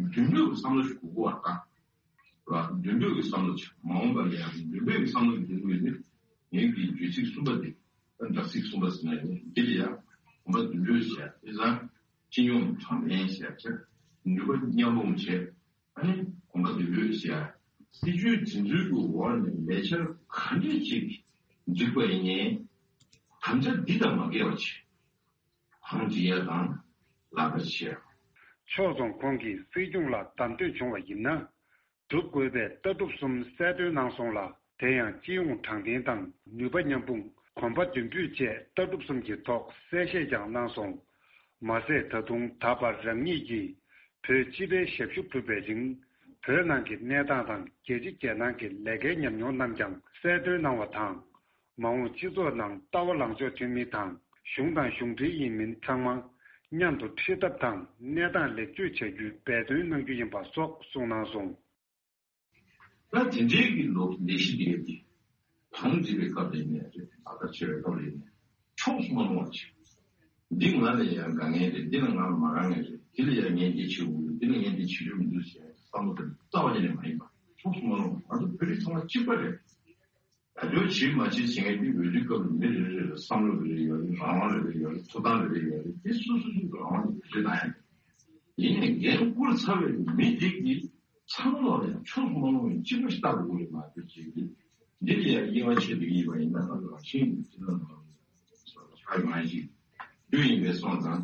མདུན་ལོགས་ཀྱི་བསམ་བློ་ཞིག་དགོས་ཀྱི་བ་ད། ར་མདུན་ལོགས་ཀྱི་བསམ་བློ་ཆགས་མ་འོངས་པ་ལ་ཡང་མདུན་ལོགས་ཀྱི་བསམ་བློ་འདི་དགོས་ནི་ངེད་ཀྱི་བརྗོད་ཚིག་གསུམ་པ་འདི་ཨ་འདྲ་ཚིག་གསུམ་པ་ཟེར་ན་ཡང་འདི་ལ་ཡང་གོམ་པ་མདུན་སྐྱོད་བྱས་དེ་ཙང་སྤྱི་ཡོངས་དྲང་བདེན་བྱས་བྱས་ནུས་པ་མཉམ་སྤུངས་བྱས། ཨ་ནི་གོམ་པ་མདུན་སྐྱོད་བྱས་སྲིད་ཇུས་དེ་ཚོའི་གི་འོག་ནས་ལས་འཆར་ག་འདྲས་ཅིག་འཛུགས་པ་ཡིན་ནའི་དམ་བཅའ་འདི་དང་མ་འགལ་བ་བྱས། ཧང་ཇི་ཡ་དང་ལག་བསྟར་བྱས། ཕྱོགས་མཚུངས་ཁོང་གིས་སྲིད་སྐྱོང་ལ་བདམས་ཐོན་བྱུང་བ་ཡིན་ན། སྒྲུབ་དགོས་པའི་ལྟ་གྲུབ་གསུམ་གསལ་སྟོན་གནང་སོང་ལ། དེ་ཡང་སྤྱི་ཡོངས་དྲང་བདེན་དང་ནུས་པ་མཉམ་སྤུངས། གོམ་པ་མདུན་སྐྱོད་བཅས་ལྟ་གྲུབ་གསུམ་གྱི་ཐོག་གསལ་བཤད་ཀྱང་གནང་སོང་། མ་ཟད་ད་དུང་ད་བར་རང་ཉིད་ཀྱིས་བོད་སྤྱི་པའི་ཞབས་ཞུ་གྲུབ་པའི་རིང་བོད་ནང་གི་གནས་སྟངས་དང་རྒྱལ་སྤྱི་རྒྱལ་ནང་གི་ལས་ཀའི་ཉམས་མྱོང་རྣམས་ཀྱང་གསལ་སྟོན་གནང་བ་དང་། མ་འོངས་སྤྱི་ཚོགས་ནང་ལྟ་བ་ལངས་ཕྱོགས་མཐུན་མིན་དང་གཞུང་དང་གཞུང་འབྲེལ་ཡིན་མིན་ཚང་མ་མཉམ་དུ་འཁྲིད་ཐབས་དང་གནས་སྟངས་ལེགས་བཅོས་བྱ་རྒྱུའི་འབད་བརྩོན་གནང་རྒྱུ་ཡིན་པ་སོགས་གསུངས་གནང་སོང་། ད་དེ་འདྲའི་གི་ལོ་ལས་གཞི་འདི་ག་དེ་གང་འབྲི་བའི་སྐབས་ལ་ཡིན་ནའི་རེད། ལག་བསྟར་བྱེད་པའི་སྐབས་ལ་ཡིན་ནའི་ཕྱོགས་སུ་མ་ལྷུང་བ་བྱེད། འདི་ང་ལ་ཡང་དགའ་ངེས་རེད། འདི་ལ་ང་མ་དགའ་ངེས་རེད། འདི་ལ་ཡང་ངས་འདི་བྱེད་དགོས་རེད། འདི་ལ་ངས་འདི་བྱེད་རྒྱུ་མི་འདུག་ཟེར་བསམ་བློ་དེ་རྩ་བ་ཉིད་ནས་མ་ཡིན་པ། ཕྱོགས་སུ་མ་ལྷུང་བ། ང་ཚོ་བོད་རིགས་ཚང་མ་གཅིག་པ་རེད། ད་ལྟ་བྱེད་མ་བྱེད་བྱེད་མཁན་དེ་འོས་བསྡུའི་སྐབས་ལ་མི་རེ་རེ་ལ་བསམ་བློ་རེ་རེ་ཡོད་རེད། རང་དབང་རེ་རེ་ཡོད་རེད། ཐོབ་ཐང་རེ་རེ་ཡོད་རེད། དེ་སོ་སོ་སོ་སོའི་རང་དབང་གི་འགྲེལ་བཤད་གནང་ཡ་རེད། ཡིན་ནའི་འགན་བསྐུར་ཚར་བའི་མི་དེ་གིས་ཚང་མ་ལ་ཡང་ཕྱོགས་སུ་མ་ལྷུང་བའི་གཅིག་པ་ཞིག་ལྟ་དགོས་རེད་མ་གཏོགས་ཅིག་གིས་འདི་ལ་ཡང་དབྱེ་བ་ཕྱེ་འདོད་ཀྱི་ཡིན་པ་ཡིན་ན་ང་ཚོ་རང་བཞིན་གྱིས་འདི་ལ་ནོར་ཆག་མ་ཞིག་རྒྱུ་ཡིན་པའི་སོང་ཙང་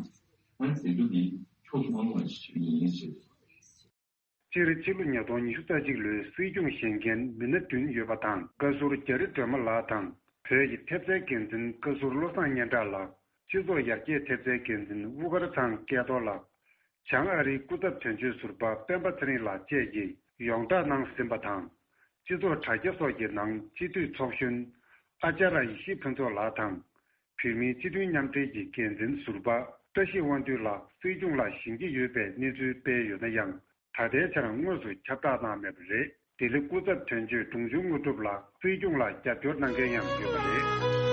ཨ་དེ་ཚོ་གིས་ཕྱོགས་སུ་མ་ལྷུང་བ་ཞིག་བྱེད་ཀྱི་ཡིན་ཞེས། སྤྱིར་ཕྱི་ལོ་ཉིས་སྟོང་ཉི་ཤུ་རྩ་གཅིག་ལོའི་སྲིད་སྐྱོང་བཞེངས་མཁན་མི་སྣ་བདུན་ཡོད་པ་དང་། བཀའ་ཟུར་རྒྱ་རི་སྒྲོལ་མ་ལགས་དང་། བོད་ཀྱི་ཐེབས་རྩའི་འགན་འཛིན་བཀའ་ཟུར་བློ་བཟང་སྙན་གྲགས་ལགས། སྤྱི་ཚོགས་ཡར་རྒྱས་ཐེབས་རྩའི་འགན་འཛིན་དབུ་དཀར་ཚང་སྐལ་རྡོར་ལགས། བྱང་ཨ་རིའི་སྐུ་ཚབ་དོན་གཅོད་ཟུར་པ་སྤེན་པ་ཚེ་རིང་ལགས་བཅས་ཀྱིས་ཡོངས་བསྒྲགས་གནང་ཟིན་པ་དང་། སྤྱི་ཚོགས་དྲ་རྒྱ་སོགས་ཀྱི་ནང་སྤྱི་འཐུས་ཚོགས་གཞོན་ཨ་ཅཱ་ར་ཡེ་ཤེས་ཕུན་ཚོགས་ལགས་དང་། བོད་མིའི་སྤྱི་མཐུན་མཉམ་འབྲེལ་གྱི་འགན་འཛིན་ཟུར་པ་བཀྲ་ཤིས་དབང་འདུས་ལགས་སྲིད་སྐྱོང་ལ་བཞེངས་ཀྱི་ཡོད་པའི་གནས་ཚུལ་སྤེལ་ཡོད་ན་ཡང་། ད་ལྟའི་ཆར་དངོས་སུ་ཁྱབ་བསྒྲགས་གནང་མེད་པ་རེད། ལྡི་ལི་སྐུ་ཚབ་དོན་གཅོད་འབྲོང་ཆུང་དངོས་གྲུབ་ལགས་སྲིད་སྐྱོང་ལ་རྒྱབ་སྐྱོར་གནང་མཁན་ཡང་ཡོད་པ་རེད།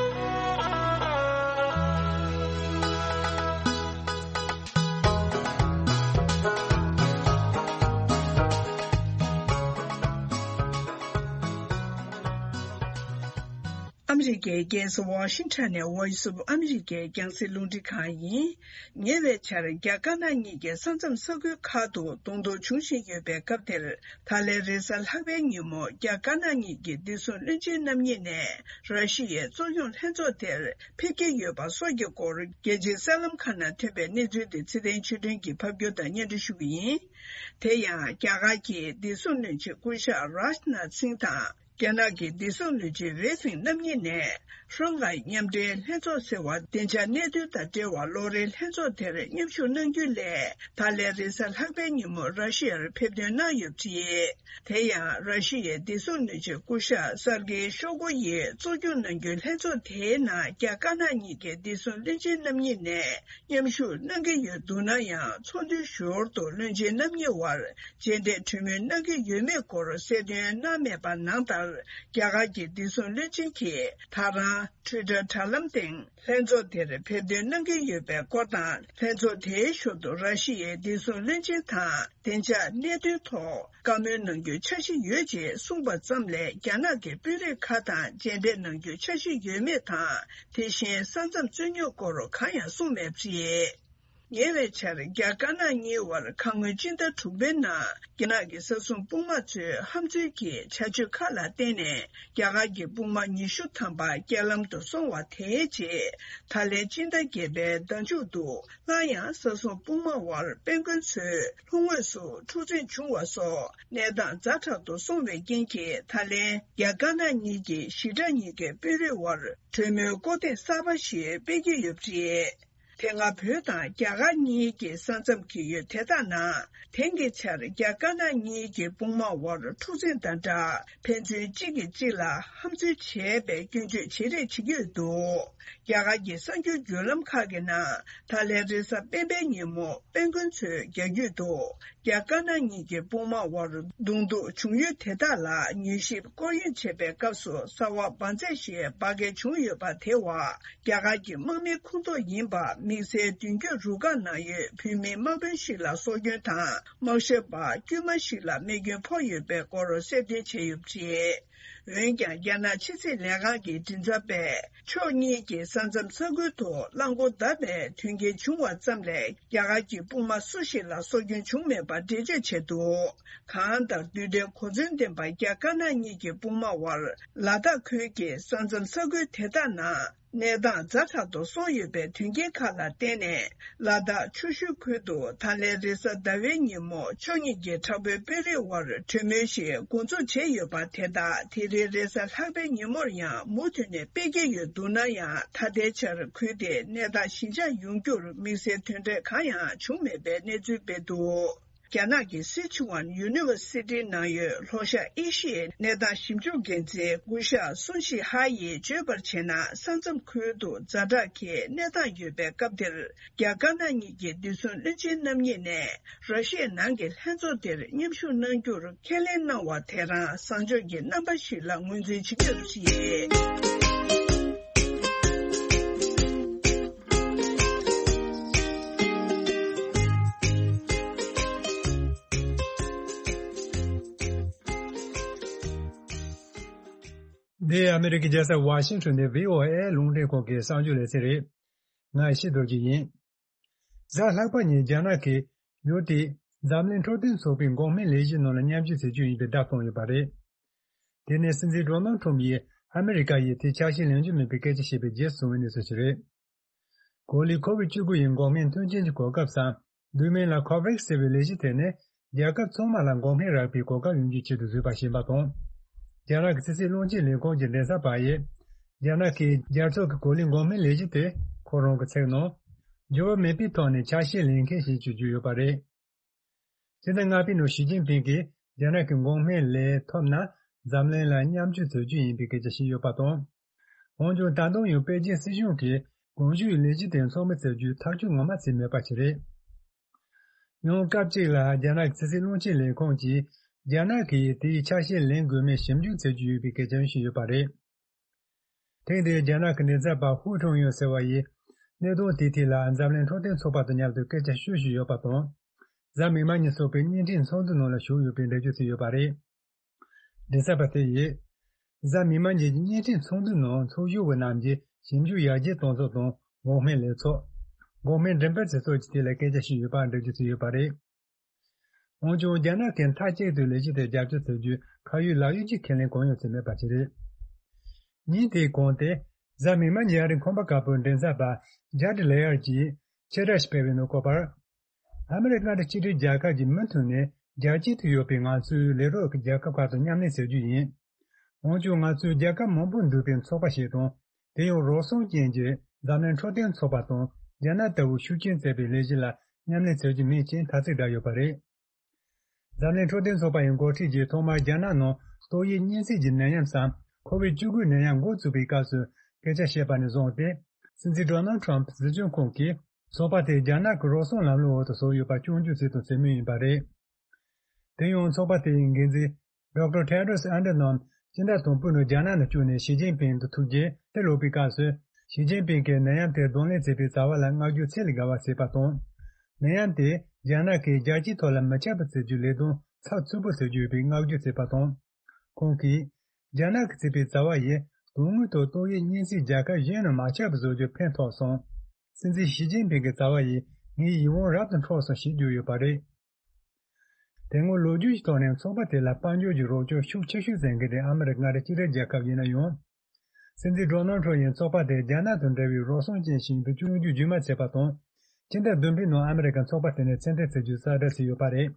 ཨ་མི་རི་ཀའི་རྒྱལ་ས་ཝ་ཤིང་ཊོན་ནས་Voice of America རྒྱང་སྲིང་རླུང་འཕྲིན་ཁང་ཡིན། ཉེ་བའི་ཆར་རྒྱ་དཀར་ནག་གཉིས་ཀྱི་ས་མཚམས་ས་ཁུལ་ཁག་ཏུ་གདོང་ཐུག་འབྱུང་བཞིན་ཡོད་པའི་སྐབས་དེར། ད་ལན་རེས་གཟའ་ལྷག་པའི་ཉིན་མོ་རྒྱ་དཀར་ནག་གཉིས་ཀྱི་བདེ་སྲུང་བློན་ཆེན་རྣམ་གཉིས་ནས་ར་ཤི་ཡའི་གཙོ་སྐྱོང་ལྷན་ཚོགས་དེར་ཕེབས་ཀྱི་ཡོད་པ་སོགས་ཀྱི་སྐོར་རྒྱལ་སྤྱིའི་གསར་ལམ་ཁག་ནང་ཐོན་པའི་གནས་ཚུལ་དེ་ཚེ་བརྟན་ཆོས་སྒྲོན་གྱིས་ཕབ་སྒྱུར་དང་སྙན་སྒྲོན་ཞུ་གི་ཡིན། དེ་ཡང་རྒྱ་གར་གྱི་བདེ་སྲུང་བློན་ཆེན་སྐུ་ཞབས་རཱཇ་ནཱཐ་སིང་དང་། རྒྱ་ནག་གི་བདེ་སྲུང་བློན་ཆེན་ཝེ་ཕིང་རྣམ་གཉིས་ནས་ཧྲང་ཧའེ་མཉམ་འབྲེལ་ལྷན་ཚོགས་ཟེར་བ་བདེ་འཇགས་གནད་དོན་དང་འབྲེལ་བ་ལོ་རེའི་ལྷན་ཚོགས་དེར་མཉམ་ཞུགས་གནང་རྒྱུ་ལས་ད་ལན་རེས་གཟའ་ལྷག་པའི་ཉིན་མོ་ར་ཤི་ཡར་ཕེབས་ཐོན་གནང་ཡོད་པ་རེད། དེ་ཡང་ར་ཤི་ཡའི་བདེ་སྲུང་བློན་ཆེན་སྐུ་ཞབས་སར་གེ་ཤོ་གོ་ཡིས་གཙོ་སྐྱོང་གནང་རྒྱུའི་ལྷན་ཚོགས་དེའི་ནང་རྒྱ་དཀར་ནག་གཉིས་ཀྱི་བདེ་སྲུང་བློན་ཆེན་རྣམ་གཉིས་ནས་མཉམ་ཞུགས་གནང་གི་ཡོད་འདུག་ན་ཡང་ཚོགས་འདུའི་ཞོར་དུ་བློན་ཆེན་རྣམ་གཉིས་བར་མཇལ་འཕྲད་གྲོས་མོལ་གནང་གི་ཡོད་མེད་སྐོར་གསལ་སྟོན་གནང་མེད་པ་ནང་ལྟར། རྒྱ་གར་གྱི་བདེ་སྲུང་བློན་ཆེན་གྱིས་ད་རང་ཊུའི་ཊར་དྲ་ལམ་སྟེང་ལྷན་ཚོགས་དེར་ཕེབས་ཐོན་གནང་གི་ཡོད་པའི་སྐོར་དང་། ལྷན་ཚོགས་དེའི་ཞོར་དུ་ར་ཤི་ཡའི་བདེ་སྲུང་བློན་ཆེན་དང་བདེ་འཇགས་གནད་དོན་ཐོག་བཀའ་མོལ་གནང་རྒྱུའི་འཆར་གཞི་ཡོད་ཅེས་གསུངས་པ་ཙམ་ལས། རྒྱ་ནག་གི་དཔོན་རིགས་ཁག་དང་མཇལ་འཕྲད་གནང་རྒྱུའི་འཆར་གཞི་ཡོད་མེད་དང་། དེ་བཞིན་ས་མཚམས་རྩོད་རྙོག་སྐོར་གང་ཡང་གསུངས་མེད་པ་རེད། ཉེ་བའི་ཆར་རྒྱ་དཀར་ནག་གཉིས་བར་ཁ་སྔོན་སྤྱི་ཟླ་དྲུག་པའི་ནང་རྒྱ་ནག་གི་ས་སྲུང་དཔུང་དམག་ཚོའི་ཧམ་འཛུལ་གྱི་བྱ་སྤྱོད་ཁག་ལ་བརྟེན་ནས། རྒྱ་གར་གྱི་དཔུང་དམག་ཉི་ཤུ་ཐམ་པ་རྐྱེན་ལམ་དུ་སོང་བ་དེའི་རྗེས། ད་ལན་སྤྱི་ཟླ་བརྒྱད་པའི་ཟླ་མཇུག་ཏུ་སླར་ཡང་ས་སྲུང་དཔུང་དམག་བར་དཔོན་དཔོན་ཚོའི་ལྷོ་ངོས་སུ་འཁྲུག་འཛིང་བྱུང་བ་སོགས་གནས་སྟངས་ཛ་དྲག་ཏུ་སོང་བའི་རྐྱེན་གྱིས། ད་ལན་རྒྱ་དཀར་ནག་གཉིས་ཀྱི་ཞི་དྲག་གཉིས་ཀའི་དཔོན་རིགས་བར་གྲོས་མོལ་སྐོར་ཐེངས་གསར་པ་ཞིག་སྤེལ་གྱི་ཡོད་པ་རེད། དེ་སྔ་བོད་དང་རྒྱ་གར་གཉིས་ཀྱི་ས་མཚམས་ཀྱི་ཡུལ་དེ་དག་ནང་དེང་གི་ཆར་རྒྱ་དཀར་ནག་གཉིས་ཀྱི་དཔུང་དམག་དབར་འཁྲུག་འཛིང་དང་སྦྲགས། ཕན་ཚུན་གཅིག་གིས་གཅིག་ལ་ཧམ་འཛུལ་བྱས་པའི་སྐྱོན་བརྗོད་ཇེ་རེ་ཇེ་རྒྱས་འདུག་རྒྱ་གར་གྱི་གསར་འགྱུར་བརྒྱུད་ལམ་ཁག་གི་ནང་ད་ལན་རེས་གཟའ་སྤེན་པའི་ཉིན་མོ་དཔོན་དཔོན་ཚོའི་རྒྱ་རྒྱུད་དུ། རྒྱ་དཀར་ནག་གཉིས་ཀྱི་དཔུང་དམག་དབར་གདོང་ཐུག་བྱུང་ཡུལ་དེ་དག་ལ་མྱུལ་ཞིབ་སྐོར་གཡེང་བྱེད་པའི་སྐབས་སུ་གསར་བ་འབར་རྫས་ཤིག་འབར་གས་བྱུང་ཡོད་པ་དེ་བ་རྒྱ་གར་གྱི་དམག་མིའི་ཁོངས་གཏོགས་ཡིན་པ་ དམིགས་བསལ་མདུན་སྐྱོད་རུ་ཁག་ནང་ཡོད་བོད་མི་དམག་དཔོན་ཞིག་ལ་སྲོག་སྐྱོན་དང་། དམག་ཞབས་པ་དཀྱུས་མ་ཞིག་ལ་རྨས་སྐྱོན་ཕོག་ཡོད་པའི་སྐོར་གསལ་སྟོན་བྱས་ཡོད་པ་རེད། འོན་ཀྱང་། རྒྱ་ནག་ཕྱི་སྲིད་ལས་ཁང་གི་མགྲིན་ཚབ་པས། ཕྱོགས་གཉིས་ཀྱི་ས་མཚམས་ས་ཁུལ་དུ་རླངས་འཁོར་བརྡབས་པའི་དོན་རྐྱེན་བྱུང་བ་ཙམ་ལས། རྒྱ་གར་གྱི་དཔུང་དམག་སུ་ཞིག་ལ་སྲོག་སྐྱོན་བྱུང་མེད་པར་འགྲེལ་བརྗོད་བྱས་འདུག་གང་ལྟར། རྡུལ་ཕྲན་གོ་མཚོན་ལྡན་པ་རྒྱ་དཀར་ནག་གཉིས་ཀྱི་དཔུང་དམག་དབར་ལ་དྭགས་ཁུལ་གྱི་ས་མཚམས་ས་ཁུལ་དེ་དག་ནང་གནས་སྟངས་ཛ་དྲག་ཏུ་སོང་ཡོད་པའི་དོན་རྐྱེན་ཁག་ལ་བརྟེན་ནས། ལ་དྭགས་ཆུ་ཤུལ་ཁུལ་དུ་ད་ལན་རེས་གཟའ་ཟླ་བའི་ཉིན་མོ་ཕྱོགས་གཉིས་ཀྱི་དྲག་པོའི་དཔོན་རིགས་དབར་གྲོས་མོལ་ཞིག་འགོ་འཛུགས་བྱས་ཡོད་པ། དེ་དག་དེ་རིང་རེས་གཟའ་ལྷག་པའི་ཉིན་མོར་ཡང་མུ་མཐུད་ནས་སྤེལ་གྱི་ཡོད་འདུག་ན་ཡང་། ད་ལྟའི་ཆར་ཁུལ་དེའི་གནས་སྟངས་ཞི་འཇགས་ཡོང་རྒྱུར་དམིགས་བསལ་དོན་འབྲས་གང་ཡང་བྱུང་མེད་པའི་གནས་ཚུལ་སྤེལ་འདུག་རྒྱ་ནག་གི་སི་ཆུ་ཝན་ཡུ་ནི་ཝར་སི་ཊི་ནང་ཡོད་ལྷོ་ཤར་ཨེ་ཤི་ཡའི་གནས་སྟངས་ཞིབ་འཇུག་འགན་འཛིན་སྐུ་ཞབས་སུན་ཤི་ཧ་ཡིས་བརྗོད་པར་བྱས་ན། ས་མཚམས་ཁུལ་དུ་ཛ་དྲག་གི་གནས་སྟངས་ཡོད་པའི་སྐབས་འདིར། རྒྱ་དཀར་ནག་གཉིས་ཀྱི་བདེ་སྲུང་བློན་ཆེན་རྣམ་གཉིས་ནས་ར་ཤི་ཡའི་ནང་གི་ལྷན་ཚོགས་དེར་མཉམ་ཞུགས་གནང་རྒྱུར་ཁས་ལེན་གནང་བ་དེ་རང་བཟང་ཕྱོགས་ཀྱི་རྣམ་པ་ཞིག་ལ་ངོས་འཛིན་བྱེད་ཀྱི་ཡོད་པ་རེད། འདི་ཨ་མི་རི་ཀའི་རྒྱལ་ས་ཝ་ཤིང་ཊོན་ནས་བྷི་ཨོ་ཨེ་རླུང་འཕྲིན་ཁང་གི་གསར་འགྱུར་ལེ་ཚན་རེད། ང་ཡེ་ཤེས་རྡོ་རྗེ་ཡིན། གཟའ་ལྷག་པ་ཉིན་རྒྱ་ནག་གིས་ཡུལ་དེའི་འཛམ་གླིང་འཕྲོད་བསྟེན་ཚོགས་པའི་འགོག་སྨན་ལས་གཞི་ནང་ལ་མཉམ་ཞུགས་བྱེད་རྒྱུ་ཡིན་པའི་བརྡ་བཏང་ཡོད་པ་རེད། དེ་ནས་སྲིད་འཛིན་ཌོ་ནལ་ཊྲམ་ཡིས་ཨ་མི་རི་ཀ་ཡིས་དེའི་ཆ་ཤས་ལེན་རྒྱུ་མིན་པའི་སྐད་ཆ་བཤད་པའི་རྗེས་སུ་བྱུང་བའི་གནས་ཚུལ་ཞིག་རེད། གོ་ལའི་ཁོ་བིཌ་བཅུ་དགུ་ཡི་འགོག་སྨན་མཐུན་རྐྱེན་གྱི་གོ་སྐབས་སམ། བསྡུས་མིང་ལ་ཁོ་ཝེག་ཟེར་བའི་ལས་གཞི་དེ་ནི། རྒྱལ་ཁབ་ཚང་མ་ལ་འགོག་སྨན་རག་པའི་གོ་སྐབས་ཡོང་རྒྱུའི་ཆེད་དུ་བཟོས་པ་ཞིག་ཡིན་པ་དང་། རྒྱ་ནག་གི་ཕྱི་སྲིད་བློན་ཆེན་ལས་ཁུངས་ཀྱི་མགྲིན་ཚབ་པ་ཡིས། རྒྱ་ནག་གིས་རྒྱལ་ཚོགས་ཀྱི་གོ་ལའི་འགོག་སྨན་ལས་གཞི་དེ་ཁོ་རང་གི་ཚིག་ནང་། འགྱུར་བ་མེད་པའི་ཐོག་ནས་ཆ་ཤས་ལེན་མཁན་ཞིག་བྱེད་རྒྱུ་ཡོད་པ་རེད། སྤྱི་ཟླ་ལྔ་པའི་ནང་ཞི་ཅིན་ཕིང་གིས་རྒྱ་ནག་གི་འགོག་སྨན་ལས་ཐོབ་ན། འཛམ་གླིང་ལ་མཉམ་སྤྱོད་བྱེད་རྒྱུ་ཡིན་པའི་སྐད་ཆ་བཤད་ཡོད་པ་དང་། འོན་ཀྱང་ད་དུང་ཡང་པེ་ཅིན་སྲིད་གཞུང་གིས་གོང་ཞུས་ལས་གཞི་དེ་འཚོགས་མི་བྱེད་རྒྱུའི་ཐག་གཅོད་ངོ་མ་བྱས་མེད་པ་ཞིག་རེད། ཡང་སྐབས་གཅིག་ལ་རྒྱ་ནག་གི་ཕྱི་སྲིད་བློན་ཆེན་ལས་ཁུངས་ཀྱིས་རྒྱ་ནག་གིས་དེའི་ཆ་ཤས་ལེན་དགོས་མིན་ཞིབ་འཇུག་བྱེད་ཀྱི་ཡོད་པའི་སྐད་ཆ་བཤད་ཡོད་པ་རེད། ཐེངས་འདིའི་རྒྱ་ནག་གི་མགྲིན་ཚབ་པ་ཧུའུ་ཁྲུང་ཡོན་ཟེར་བ་ཡིས། གནད་དོན་དེའི་ཐད་ལ་འཛམ་གླིང་འཕྲོད་བསྟེན་ཚོགས་པ་དང་མཉམ་དུ་སྐད་ཆ་ཤོད་བཞིན་ཡོད་པ་དང་། གཟའ་མིག་དམར་ཉིན་ཚོགས་པའི་བརྙན་འཕྲིན་ཚོགས་འདུ་ནང་ལ་ཞུགས་ཡོད་པའི་འགྲེལ་བརྗོད་བྱས་ཡོད་པ་རེད། མགྲིན་ཚབ་པ་དེ་ཡིས། གཟའ་མིག་དམར་ཉིན་གྱི་བརྙན་འཕྲིན་ཚོགས་འདུའི་ནང་ཚོགས་ཞུགས་པ་རྣམས་ཀྱིས་ཞིབ་འཇུག་ཡར་རྒྱས་གཏོང་ཕྱོགས་དང་འགོག་སྨན་ལས་ཚོགས། འགོག་སྨན་འགྲེམས་སྤེལ་བྱེད་ཕྱོགས་ཀྱི་ཐད་ལ་སྐད་ཆ་བཤད་ཡོད་པ་འགྲེལ་བརྗོད་བྱས་ཡོད་པ་རེད། འོན་ཀྱང་རྒྱ་ནག་གིས་མཐའ་གཅིག་ཏུ་ལས་གཞི་དེར་རྒྱབ་སྐྱོར་བྱ་རྒྱུའི་ཁ་ཡོད་ལག་ཡོད་ཀྱི་ཁས་ལེན་གང་ཡང་བྱས་མེད་པ་ཞིག་རེད། ཉིན་དེའི་གོང་དེ། གཟའ་མིག་དམར་ཉིན་ཨ་རིའི་ཁང་པ་དཀར་པོའི་མགྲིན་ཚབ་པ་ཇཱ་ཌི་ལེ་ཡར་གྱིས་ཆེད་བསྒྲགས་ཤིག་སྤེལ་བའི་ནང་བཀོད་པར། ཨ་མི་རི་ཀ་མངའ་སྡེ་གཅིག་སྒྲིལ་རྒྱལ་ཁབ་ཀྱིས་མུ་མཐུད་ནས་རྒྱལ་སྤྱི་དུ་ཡོད་པའི་ང་ཚོའི་ལས་རོགས་ཀྱི་རྒྱལ་ཁབ་ཁག་དང་མཉམ་ལས་བྱ་རྒྱུ་ཡིན། འོན་ཀྱང་ང་ཚོས་རྒྱལ་ཁབ་མང་པོ་འདུས་པའི་ཚོགས་པ་ཞིག་དང་། དེ་ཡང་རོགས་སྲུང་ཅན་གྱི་འཛམ་གླིང་འཕྲོད་བསྟེན་ཚོགས་པ་དང་རྒྱ་ནག་ལྟ་བུ་ཤུགས་རྐྱེན་བསྩལ་པའི་ལས་གཞི་ལ་མཉམ་ལས་བྱ་རྒྱུ་མིན་ཅེས་ཐ་ཚིག་བསྒྲགས་ཡོད་པ་རེད། འཛམ་གླིང་འཕྲོད་བསྟེན་ཚོགས་པ་ཡི་འགོ་ཁྲིད་ཀྱིས་ཐོག་མར་རྒྱ་ནག་ནང་ཏོག་དབྱིབས་གཉན་སྲིན་གྱི་ནད་ཡམས་སམ་ཁོ་བིད་བཅུ་དགུ་ནད་ཡམས་འགོ་བཙུགས་པའི་སྐབས་སུ་སྐད་ཆ་བཤད་པ་ནས་བཟུང་སྟེ། སྲིད་འཛིན་ཌོ་ནལ་ཊྲམ་སྲིད་སྐྱོང་ཁོངས་ཀྱིས་ཚོགས་པ་དེ་རྒྱ་ནག་གི་རོགས་སྲུང་ལམ་ལུགས་འོག་ཏུ་བཟོས་ཡོད་པ་སྐྱོན་བརྗོད་བྱས་དང་བྱེད་མུས་ཡིན་པ་རེད། དེ་ཡང་ཚོགས་པ་དེའི་འགན་འཛིན་ཌོག་ཊར་ཊེ་ཌྲོས་ཨན་ཌ་ནོམ་སྤྱི་ཟླ་དང་པོའི་ནང་རྒྱ་ནག་ནང་བསྐྱོད་ནས་ཞི་ཅིན་ཕིང་དང་ཐུག་རྗེས་ཕྱིར་ལོག་པའི་སྐབས་སུ། ཞི་ཅིན་ཕིང་གིས་ནད་ཡམས་དེ་གདོང་ལེན་བྱེད་པའི་བྱ་བ་ལ་བསྔགས་བརྗོད་ཚད་ལས་བརྒལ་བ་བྱས་པ་དང་། ནད་ཡམས་དེ་རྒྱ་ནག་གིས་རྒྱལ་སྤྱིའི་ཐོག་ལ་མི་ཁྱབ་པ་བྱེད་རྒྱུའི་ལས་དོན་ཚགས་ཚུད་པོ་བྱེད་རྒྱུ་ཡིན་པའི་བསྔགས་བརྗོད་བྱས་པ་དང་། ཁོང་གིས། རྒྱ་ནག་གིས་བྱས་པའི་བྱ་བ་ཡིས་དོན་དངོས་ཐོག་ཏོག་དབྱིབས་གཉན་སྲིན་རྒྱལ་ཁབ་གཞན་ནང་མ་ཁྱབ་པ་བཟོ་རྒྱུར་ཕན་ཐོགས་སོང་། སྲིད་འཛིན་ཞི་ཅིན་ཕིང་གི་བྱ་བ་ཡིས་ངའི་ཡིད་དབང་རབ་ཏུ་འཕྲོག་སོང་ཞེས་བརྗོད་ཡོད་པ་རེད། དེ་སྔོན་ལོ་རྒྱུས་ཀྱི་ཐོག་ནས་ཚོགས་པ་དེ་ལ་དཔལ་འབྱོར་གྱི་རོགས་སྐྱོར་ཤུགས་ཆེ་ཤོས་བྱེད་མཁན་དེ་ཨ་མི་རི་ཀ་མངའ་སྡེ་གཅིག་སྒྲིལ་རྒྱལ་ཁབ་ཡིན་ན་ཡང་། སྲིད་འཛིན་ཌོ་ནལ་ཊྲམ་ཡིས་ཚོགས་པ་དེ་རྒྱ་ནག་དང་འབྲེལ་བའི་རོགས་སྲུང་ཅན་ཞིག་ཡིན་པའི་སྐྱོན་བརྗོད་རྒྱུན་མ་ཆད་པ་དང་། ཕྱི་ཟླ་བདུན་པའི་ནང་ཨ་མི་རི་ཀས་ཚོགས་པ་དེ་ནས་ཕྱིར་འཐེན་བྱེད་རྒྱུའི་གསལ་བསྒྲགས་བྱས་ཡོད་པ་རེད།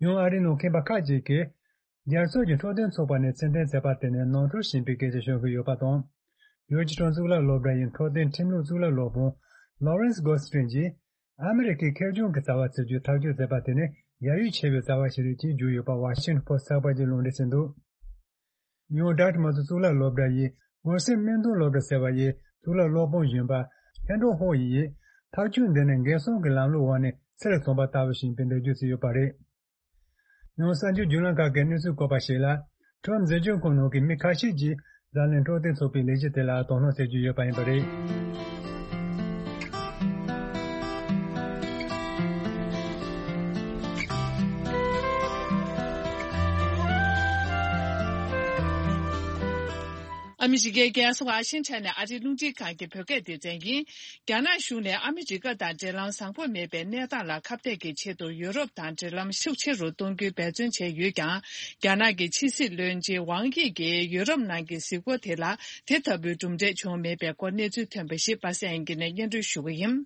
ཡང་ཨ་རིའི་ནང་མཁས་པ་ཁག་ཅིག་གིས། རྒྱལ་ཚོགས་ཀྱི་འཕྲོད་བསྟེན་ཚོགས་པ་ནས་ཕྱིར་འཐེན་བྱས་པ་དེ་ནི་ནོར་འཁྲུལ་ཡིན་པའི་སྐད་ཆ་ཤོད་ཀྱི་ཡོད་པ་དང་། ཡོ་ཇི་ཊོན་གཙུག་ལག་སློབ་གྲྭ་ཡི་འཕྲོད་བསྟེན་ཁྲིམས་ལུགས་གཙུག་ལག་སློབ་དཔོན་ལོ་རེན་སི་གོ་སི་ཊིན་གྱིས། ཨ་མི་རི་ཀས་ཁེར་རྐྱང་གི་བྱ་བ་བྱེད་རྒྱུ་ཐག་གཅོད་བྱས་པ་དེ་ནི་ཡ་ཡུལ་ཆེ་བའི་བྱ་བ་ཞིག་རེད་ཅེས་བརྗོད་ཡོད་པ་ཝ་ཤིང་ཊོན་པོ་སི་ཊི་ཚགས་པར་གྱིས་ལུང་འདྲེན་བྱས་འདུག་ཡང་ཌག་ཊར་མ་ཚུ་གཙུག་ལག་སློབ་གྲྭ་ཡི་ཝུར་སེན་སྨན་དོན་སློབ་གྲྭ་ཟེར་བ་ཡི་གཙུག་ལག་སློབ་དཔོན་གཞོན་པ་ཧེན་ཀྲོ་ཧོ་ཡིས། ཐག་གཅོད་འདི་ནི་འགན་སྲུང་གི་ལམ་ལུགས་འོག་ནས་ཚུར་བཙོངས་པ་ལྟ་བུ་ཞིག་ཡིན་པའི་འགྲེལ་བརྗོད་བྱས་ཡོད་པ་རེད། ཡང་གསར་འགྱུར་བརྒྱུད་ལམ་ཁག་གིས་གནས་ཚུལ་བཀོད་པར་གཞིགས་ལ། ཁྲོམ་འཛིན་སྐྱོང་ཁང་ནང་གི་མི་ཁ་ཤས་ཀྱིས་འཛམ་གླིང་འཕྲོད་བསྟེན་ཚོགས་པའི་ལས་གཞི་དེ་ལ་དོ་སྣང་བྱེད་ཀྱི་ཡོད་པ་ཡིན་པ་རེད། ཨ་མི་རི་ཀའི་རྒྱལ་ས་ཝ་ཤིང་ཊོན་ནས་ཨ་རིའི་རླུང་འཕྲིན་ཁང་གི་བོད་སྐད་སྡེ་ཚན་ཡིན། རྒྱ་ནག་གཞུང་ནས་ཨ་མི་རི་ཀ་དང་འབྲེལ་ལམ་བཟང་པོ་མེད་པའི་གནས་སྟངས་ལ་ཁ་གཏད་ཀྱི་ཆེད་དུ་ཡུ་རོབ་དང་འབྲེལ་ལམ་ཤུགས་ཆེ་རུ་གཏོང་རྒྱུའི་འབད་བརྩོན་བྱས་ཡོད་ཀྱང་། རྒྱ་ནག་གི་ཕྱི་སྲིད་བློན་ཆེན་ཝང་དབྱི་གིས་ཡུ་རོབ་ནང་གི་གཟིགས་སྐོར་དེ་ལ་དེ་ལྟ་བུའི་གྲུབ་འབྲས་བྱུང་མེད་པའི་སྐོར་གནས་ཚུལ་ཐོན་པ་ཞིག་པ་སངས་དབྱངས་སྐྱིད་ནས་སྙན་སྒྲོན་ཞུ་གི་ཡིན།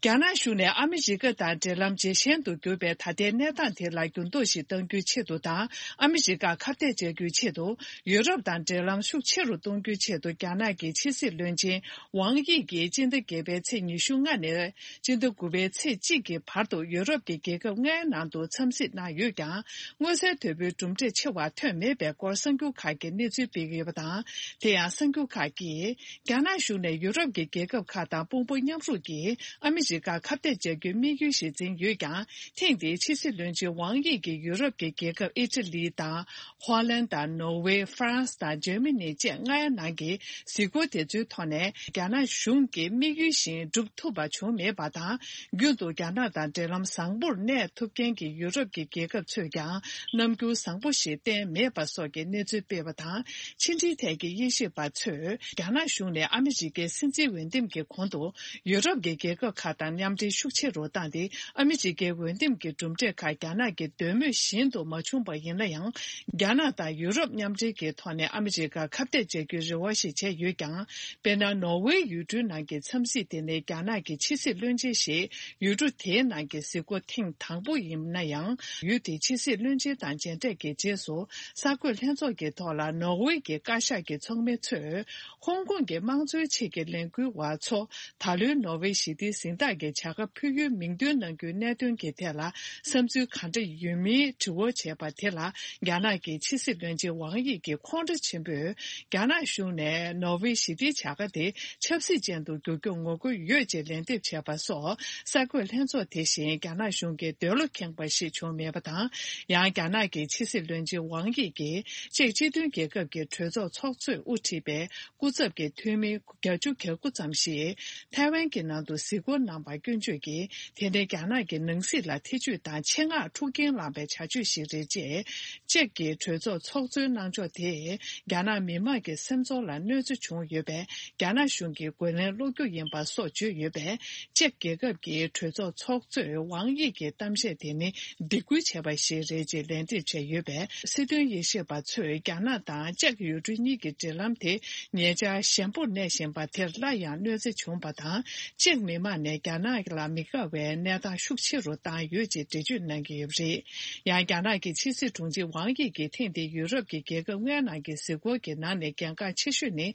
རྒྱ་ནག་གཞུང་ནས་ཨ་མི་རི་ཀ་དང་འབྲེལ་ལམ་ཇེ་ཞན་དུ་གྱུར་པའི་ད་ལྟའི་གནས་སྟངས་དེ་ལ་འགྱུར་ལྡོག་ཞིག་གཏང་རྒྱུའི་ཆེད་དུ་དང་། ཨ་མི་རི་ཀར་ཁ་གཏད་བྱ་རྒྱུའི་ཆེད་དུ། ཡུ་རོབ་དང་འབྲེལ་ལམ་ཤུགས་ཆེ་རུ་གཏོང་རྒྱུའི་ཆེད་དུ། རྒྱ་ནག་གི་ཕྱི་སྲིད་བློན་ཆེན་ཝང་དབྱི་ཡིས་སྤྱི་ཟླ་བརྒྱད་པའི་ཚེས་ཉི་ཤུ་ལྔ་ནས་སྤྱི་ཟླ་དགུ་པའི་ཚེས་གཅིག་གི་བར་དུ་ཡུ་རོབ་ཀྱི་རྒྱལ་ཁབ་ལྔའི་ནང་དུ་འཚམས་གཟིགས་གནང་ཡོད་ཀྱང་། མངོན་གསལ་དོད་པོའི་གྲུབ་འབྲས་ཆེ་བ་ཐོན་མེད་པའི་སྐོར་གསར་འགྱུར་ཁག་གིས་གནས་ཚུལ་སྤེལ་གྱི་ཡོད་པ་དང་། དེ་ཡང་གསར་འགྱུར་ཁག་གིས། རྒྱ་ནག་གཞུང་ནས་ཡུ་རོབ་ཀྱི་རྒྱལ་ཁབ་ཁག་དང་དཔུང་པ་མཉམ་རུབ་ཀྱིས་ཨ་མི་རི་ཀར་ཁ་གཏད་བྱ་རྒྱུའི་དམིགས་ཡུལ་ཞིག་འཛིན་ཡོད་ཀྱང་། ཐེངས་འདིའི་ཕྱི་སྲིད་བློན་ཆེན་ཝང་དབྱི་ཡིས་ཡུ་རོབ་ཀྱི་རྒྱལ་ཁབ་ཨི་ཊ་ལི་དང་། ཧོ་ལན་དང་ནོར་ཝེ། ཧྥ་རན་སི་དང་འཇར་མ་ནི་བཅས་ལྔའི་ནང་གི་གཟིགས་སྐོར་དེ་ཚོའི་ཐོག་ནས། རྒྱ་ནག་གཞུང་གི་དམིགས་ཡུལ་བཞིན་སྒྲུབ་ཐུབ་པ་བྱུང་མེད་པ་དང་། རྒྱུན་དུ་རྒྱ་ནག་དང་འབྲེལ་ལམ་བཟང་པོར་གནས་ཐུབ་མཁན་གྱི་ཡུ་རོབ་ཀྱི་རྒྱལ་ཁབ་ཚོས་ཀྱང་རྣམ་འགྱུར་བཟང་པོ་ཞིག་བསྟན་མེད་པ་སོགས་ཀྱི་གནས་ཚུལ་སྤེལ་བ་དང་། ཕྱི་འབྲེལ་ཐད་ཀྱི་དབྱེ་ཞིབ་པ་ཚོས། རྒྱ་ནག་གཞུང་ནས་ཨ་མི་རི་ཀའི་སྲིད་འཛིན་འོས་འདེམས་ཀྱི་གོང་དུ། ཡུ་རོབ་ཀྱི་རྒྱལ་ཁབ་ཁག་དང་མཉམ་འབྲེལ་ཤུགས་ཆེ་རུ་བཏང་སྟེ། ཨ་མི་རི་ཀའི་འོས་འདེམས་ཀྱི་གྲུབ་འབྲས་ཁག་རྒྱ་ནག་གི་འདོད་མོས་བཞིན་དུ་མ་བྱུང་པ་ཡིན་ན་ཡང་། རྒྱ་ནག་དང་ཡུ་རོབ་མཉམ་འབྲེལ་གྱི་ཐོག་ནས་ཨ་མི་རི་ཀར་ཁ་གཏད་བྱ་རྒྱུའི་རེ་བ་ཞིག་བྱས་ཡོད་ཀྱང་། དཔེར་ན། ནོར་ཝེའི་ཡུལ་གྲུའི་ནང་གི་འཚམས་གཟིགས་དེ་ནི་རྒྱ་ནག་གི་ཕྱི་སྲིད་བློན་ཆེན་ཞིག་ཡུལ་གྲུ་དེའི་ནང་གི་གཟིགས་སྐོར་ཐེངས་དང་པོ་ཡིན་ན་ཡང་། ཡུལ་དེའི་ཕྱི་སྲིད་བློན་ཆེན་དང་མཇལ་འཕྲད་ཀྱི་རྗེས་སུ། གསར་འགོད་ལྷན་ཚོགས་ཀྱི་ཐོག་ལ་ནོར་ཝེ་གྱི་བཀའ་ཤག་གི་ཚོགས་མི་ཚོས། ཧོང་ཀོང་གི་དམངས་གཙོའི་ཆེད་ཀྱི་ལས་འགུལ་བ་ཚོ། ད་ལོའི་ནོར་ཝེ་ཞི་བདེའི་གཟེངས་རྟགས་ཀྱི་བྱ་དགའ་ཕུལ་ཡུལ་མིང་འདོན་གནང་རྒྱུའི་གནད་དོན་གྱི་ཐད་ལ་བསམ་ཚུལ་གང་འདྲ་ཡོད་མིན་དྲི་བ་བྱས་པ་དེ་ལ། རྒྱ་ནག་གི་ཕྱི་སྲིད་བློན་ཆེན་ཝང་དབྱི་གིས་ཁོང་ཁྲོ་ཆེན་པོས། རྒྱ་ནག་གཞུང་ནས་ནོར་ཝེ་ཞི་བདེའི་བྱ་དགའ་དེ་ཆབ་སྲིད་ཅན་དུ་བསྒྱུར་རྒྱུར་ངོ་རྒོལ་ཡོད་ཅེས་ལན་འདེབས་བྱས་པ་སོགས། གསར་འགོད་ལྷན་ཚོགས་དེ་བཞིན་རྒྱ་ནག་གཞུང་གི་འདོད་བློ་ཁེངས་པ་ཞིག་བྱུང་མེད་པ་དང་། ཡང་། རྒྱ་ནག་གི་ཕྱི་སྲིད་བློན་ཆེན་ཝང་དབྱི་གིས་ཅེཀ་སྤྱི་མཐུན་རྒྱལ་ཁབ་ཀྱི་གྲོས་ཚོགས་ཚོགས་གཙོས་དབུ་ཁྲིད་པའི་སྐུ་ཚབ་ཀྱི་འཐུས་མི་བརྒྱད་ཅུ་གྱ་དགུ་ཙམ་ཞིག་ཐའེ་ཝན་གྱི་ནང་དུ་གཟིགས་སྐོར་གནང་བར་སྐྱོན་བརྗོད་ཀྱིས། དེ་ནི་རྒྱ་ནག་གི་ནང་སྲིད་ལ་ཐེ་ཇུས་དང་ཆེད་མངགས་འཁྲུག་རྐྱེན་བསླངས་པའི་བྱ་སྤྱོད་ཞིག་རེད་ཅེས། ཅེཀ་གི་གྲོས་ཚོགས་ཚོགས་གཙོའི་གནང་ཕྱོགས་དེས། རྒྱ་ནག་མི་དམངས་ཀྱི་སེམས་ཚོར་ལ་གནོད་འཚེ་བྱུང་ཡོད་པས། རྒྱ་ནག་གཞུང་གི་རྒོལ་ལན་སློག་རྒྱུ་ཡིན་པ་སོགས་བརྗོད་ཡོད་པས། ཅེཀ་རྒྱལ་ཁབ་ཀྱི་གྲོས་ཚོགས་ཚོགས་གཙོས་ཝང་དབྱི་གི་གཏམ་བཤད་དེ་ནི་སྡིགས་སྐུལ་བྱས་པ་ཞིག་རེད་ཅེས་ལན་འདེབས་བྱས་ཡོད་པས། སྲིད་དོན་དབྱེ་ཞིབ་པ་ཚོས་རྒྱ་ནག་དང་ཅེཀ་ཡུལ་གྲུ་གཉིས་ཀྱི་འབྲེལ་ལམ་དེ་ཉེ་ཆར་ཞན་པོར་གནས་བཞིན་པ་དེར་སླར་ཡང་གནོད་འཚེ་བྱུང་བ་དང་། ཅེཀ་མི་དམངས་ནས་རྒྱ་ནག་ལ་མི་དགའ་བའི་གནས་སྟངས་ཤུགས་ཆེ་རུ་བཏང་ཡོད་ཅེས་འགྲེལ་བརྗོད་གནང་གི་ཡོད་པ་རེད། ཡང་། རྒྱ་ནག་གི་ཕྱི་སྲིད་དྲུང་ཆེ་ཝང་དབྱི་གིས་ཐེངས་འདིའི་ཡུ་རོབ་ཀྱི་རྒྱལ་ཁབ་ལྔའི་ནང་གི་གཟིགས་སྐོར་གྱི་ནང་ནས་གལ་འགངས་ཆེ་ཤོས་ནི།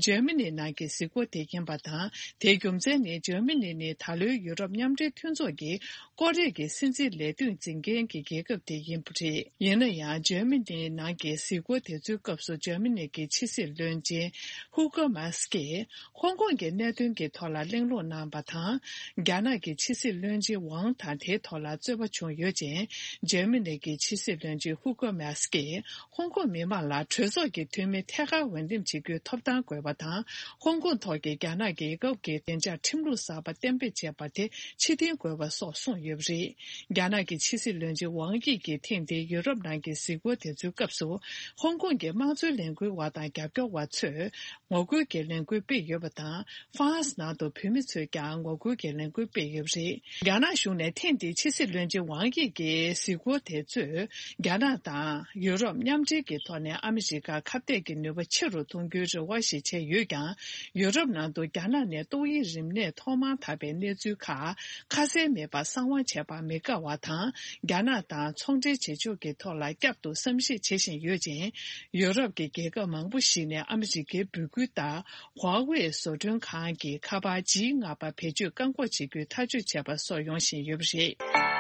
འཇར་མ་ནི་ནང་གི་གཟིགས་སྐོར་དེ་ཡིན་པ་དང་། དེའི་རྒྱུ་མཚན་ནི། འཇར་མ་ནི་ནི་ད་ལོའི་ཡུ་རོབ་མཉམ་འབྲེལ་མཐུན་ཚོགས་ཀྱི་ཀོ་རེ་གི་སྲིད་འཛིན་ལས་དོན་འཛིན་མཁན་གྱི་རྒྱལ་ཁབ་དེ་ཡིན་པ་རེད། ཡིན་ན་ཡང་། འཇར་མ་ནིའི་ནང་གི་གཟིགས་སྐོར་དེ་ཚོའི་སྐབས་སུ། འཇར་མ་ནི་གི་ཕྱི་སྲིད་བློན་ཆེན་ཧུ་ཀོ་མཱས་ཀྱིས་ཧོང་ཀོང་གི་གནད་དོན་གྱི་ཐོག་ལ་གླེང་སློང་གནང་བ་དང་། རྒྱ་ནག་གི་ཕྱི་སྲིད་བློན་ཆེན་ཝང་དང་དེའི་ཐོག་ལ་རྩོད་པ་བྱུང་ཡོད་ཅིང་། འཇར་མ་ནི་གི་ཕྱི་སྲིད་བློན་ཆེན་ཧུ་ཀོ་མཱས་ཀྱིས། ཧོང་ཀོང་མི་མང་ལ་གྲོས་ཚོགས་ཀྱི་འཐུས་མི་ཐད་ཀར་འོས་འདེམས་བྱེད་རྒྱུའི་ཐོབ་ཐང་དགོས་པ་དང་། ཧོང་ཀོང་ཐོག་གི་རྒྱ་ནག་རྒྱལ་ཁབ་ཀྱི་བདེ་འཇགས་ཁྲིམས་ལུགས་གསར་པ་གཏན་འབེབས་བྱས་པ་དེ་ཕྱིར་འཐེན་དགོས་པ་སོགས་གསུངས་ཡོད་པ་རེད། རྒྱ་ནག་གི་ཕྱི་སྲིད་བློན་ཆེན་ཝང་དབྱི་གིས་ཐེངས་འདིའི་ཡུ་རོབ་ནང་གི་གཟིགས་སྐོར་དེ་ཚོའི་སྐབས་སུ། ཧོང་ཀོང་གི་དམངས་གཙོའི་ལས་འགུལ་བ་དང་རྒྱབ་སྐྱོར་བ་ཚོས་ངོ་རྒོལ་གྱི་ལས་འགུལ་སྤེལ་ཡོད་པ་དང་། ཧྥ་རན་སི་ནང་དུ་བོད་མི་ཚོས་ཀྱང་ངོ་རྒོལ་གྱི་ལས་འགུལ་སྤེལ་ཡོད་པ་རེད། རྒྱ་ནག་གཞུང་ནས་ཐེངས་འདིའི་ཕྱི་སྲིད་བློན་ཆེན་ཝང་དབྱི་གི་གཟིགས་སྐོར་དེ་ཚོས། རྒྱ་ནག་དང་ཡུ་རོབ་མཉམ་འབྲེལ་གྱི་ཐོག་ནས་ཨ་མི་རི་ཀར་ཁ་གཏད་ཀྱི་ནུས་པ་ཆེ་རུ་གཏོང་རྒྱུའི་རེ་བ་ཞིག་བྱས་ཡོད་ཀྱང་། ཡུ་རོབ་ནང་དུ་རྒྱ་ནག་ནས་ཏོག་དབྱིབས་རིམས་ནད་ཐོག་མར་དར་བའི་གནས་ཚུལ་ཁག་ཁ་གསལ་མེད་པར་གསང་བ་བྱས་པར་མི་དགའ་བ་དང་། རྒྱ་ནག་དང་ཚོང་འབྲེལ་བྱེད་ཕྱོགས་ཀྱི་ཐོག་ལ་བསྐྱར་དུ་བསམ་གཞིག་བྱེད་བཞིན་ཡོད་ཅིང་། ཡུ་རོབ་ཀྱི་རྒྱལ་ཁབ་མང་པོ་ཞིག་ནས་ཨ་མི་རི་ཀའི་འབོད་སྐུལ་ལྟར། ཧྭ་ཝེ་བཟོ་སྐྲུན་ཁང་གི་ཁ་པར་ཇི་ལྔ་པ་བེད་སྤྱོད་བཀག་འགོག་བྱེད་རྒྱུའི་ཐག་གཅོད་བྱས་པ་སོགས་ཡོང་བཞིན་ཡོད་པ་རེད།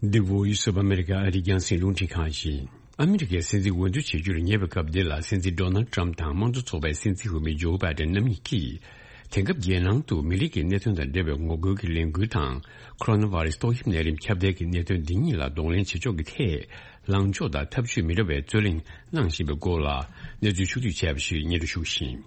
འདི་Voice of America ཨ་རིའི་རྒྱང་སྲིང་རླུང་འཕྲིན་ཁང་ཡིན། ཨ་མི་རི་ཀའི་སྲིད་འཛིན་འོས་བསྡུ་བྱེད་རྒྱུར་ཉེ་བའི་སྐབས་འདི་ལ། སྲིད་འཛིན་ཌོ་ནལ་ཊམ་དང་དམངས་གཙོ་ཚོགས་པའི་སྲིད་འཛིན་འོས་མི་ཇོ་བྷའི་ཌེན་རྣམ་གཉིས་ཀྱིས། དེང་སྐབས་རྒྱལ་ནང་དུ་མི་རིགས་ཀྱི་གནད་དོན་དང་འབྲེལ་བའི་ངོ་རྒོལ་གྱི་ལས་འགུལ་དང་། ཁོ་རོ་ན་ཝ་རི་སི་ཏོག་དབྱིབས་ནད་རིམས་ཁྱབ་གདལ་གྱི་གནད་དོན་འདི་གཉིས་ལ་གདོང་ལེན་བྱེད་ཕྱོགས་ཀྱི་ཐད། ལངས་ཕྱོགས་དང་ཐབས་ཇུས་མི་འདྲ་བའི་རྩོད་གླེང་གནང་བཞིན་པའི་སྐོར་ལ། གནས་ཚུལ་ཕྱོགས་བསྡུས་བྱས་པ་ཞིག་སྙན་སྒྲོན་ཞུ་བཞིན།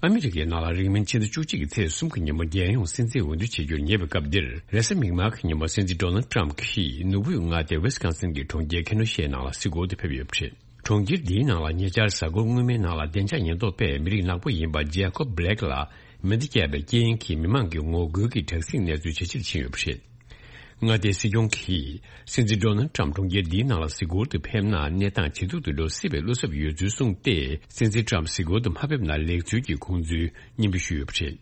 ཨ་མི་རི་ཀའི་ནང་ལ་རིང་མིན་ཕྱི་ཟླ་བཅུ་གཅིག་གི་ཚེས་གསུམ་གྱི་ཉིན་མོ་རྒྱལ་ཡོངས་སྲིད་འཛིན་འོས་བསྡུ་བྱེད་རྒྱུར་ཉེ་བའི་སྐབས་འདིར། རེས་གཟའ་མིག་དམར་གྱི་ཉིན་མོ་སྲིད་འཛིན་ཌོ་ནལ་ཊམ་གྱིས་ནོར་བུའི་མངའ་སྡེ་ཝེ་སི་ཀོན་སིན་གྱི་གྲོང་ཁྱེར་ཁེ་ནོ་ཤའི་ནང་ལ་གཟིགས་སྐོར་དུ་ཕེབས་ཡོད་པ་རེད། གྲོང་ཁྱེར་འདིའི་ནང་ལ་ཉེ་ཆར་གཟའ་འཁོར་སྔོན་མའི་ནང་ལ་བདེ་འཇགས་ཉེན་རྟོག་པས་མི་རིགས་ནག་པོ་ཡིན་པ་ཇེ་ཀོབ་བྷི་ལེག་ལ་མེ་མདའ་བརྒྱབ་པའི་རྐྱེན་གྱིས་མི་མང་གི་ངོ་རྒོལ་གྱི་དྲག་ཟིང་གནས་ཚུལ་ཇེ་ཆེར་ཕྱིན་ཡོད་པ་རེད། མངའ་སྡེའི་སྲིད་སྐྱོང་གིས་སྲིད་འཛིན་ཌོ་ནལ་ཊམ་གྲོང་ཁྱེར་འདིའི་ནང་ལ་གཟིགས་སྐོར་དུ་ཕེབས་ན་གནས་སྟངས་ཇེ་སྡུག་ཏུ་འགྲོ་སྲིད་པའི་བློ་འཚབ་ཡོད་ཚུལ་གསུངས་ཏེ། སྲིད་འཛིན་ཊམ་གཟིགས་སྐོར་དུ་མ་ཕེབས་ན་ལེགས་ཚུལ་གྱི་དགོངས་ཚུལ་སྙན་འབུལ་ཞུས་ཡོད་པ་རེད།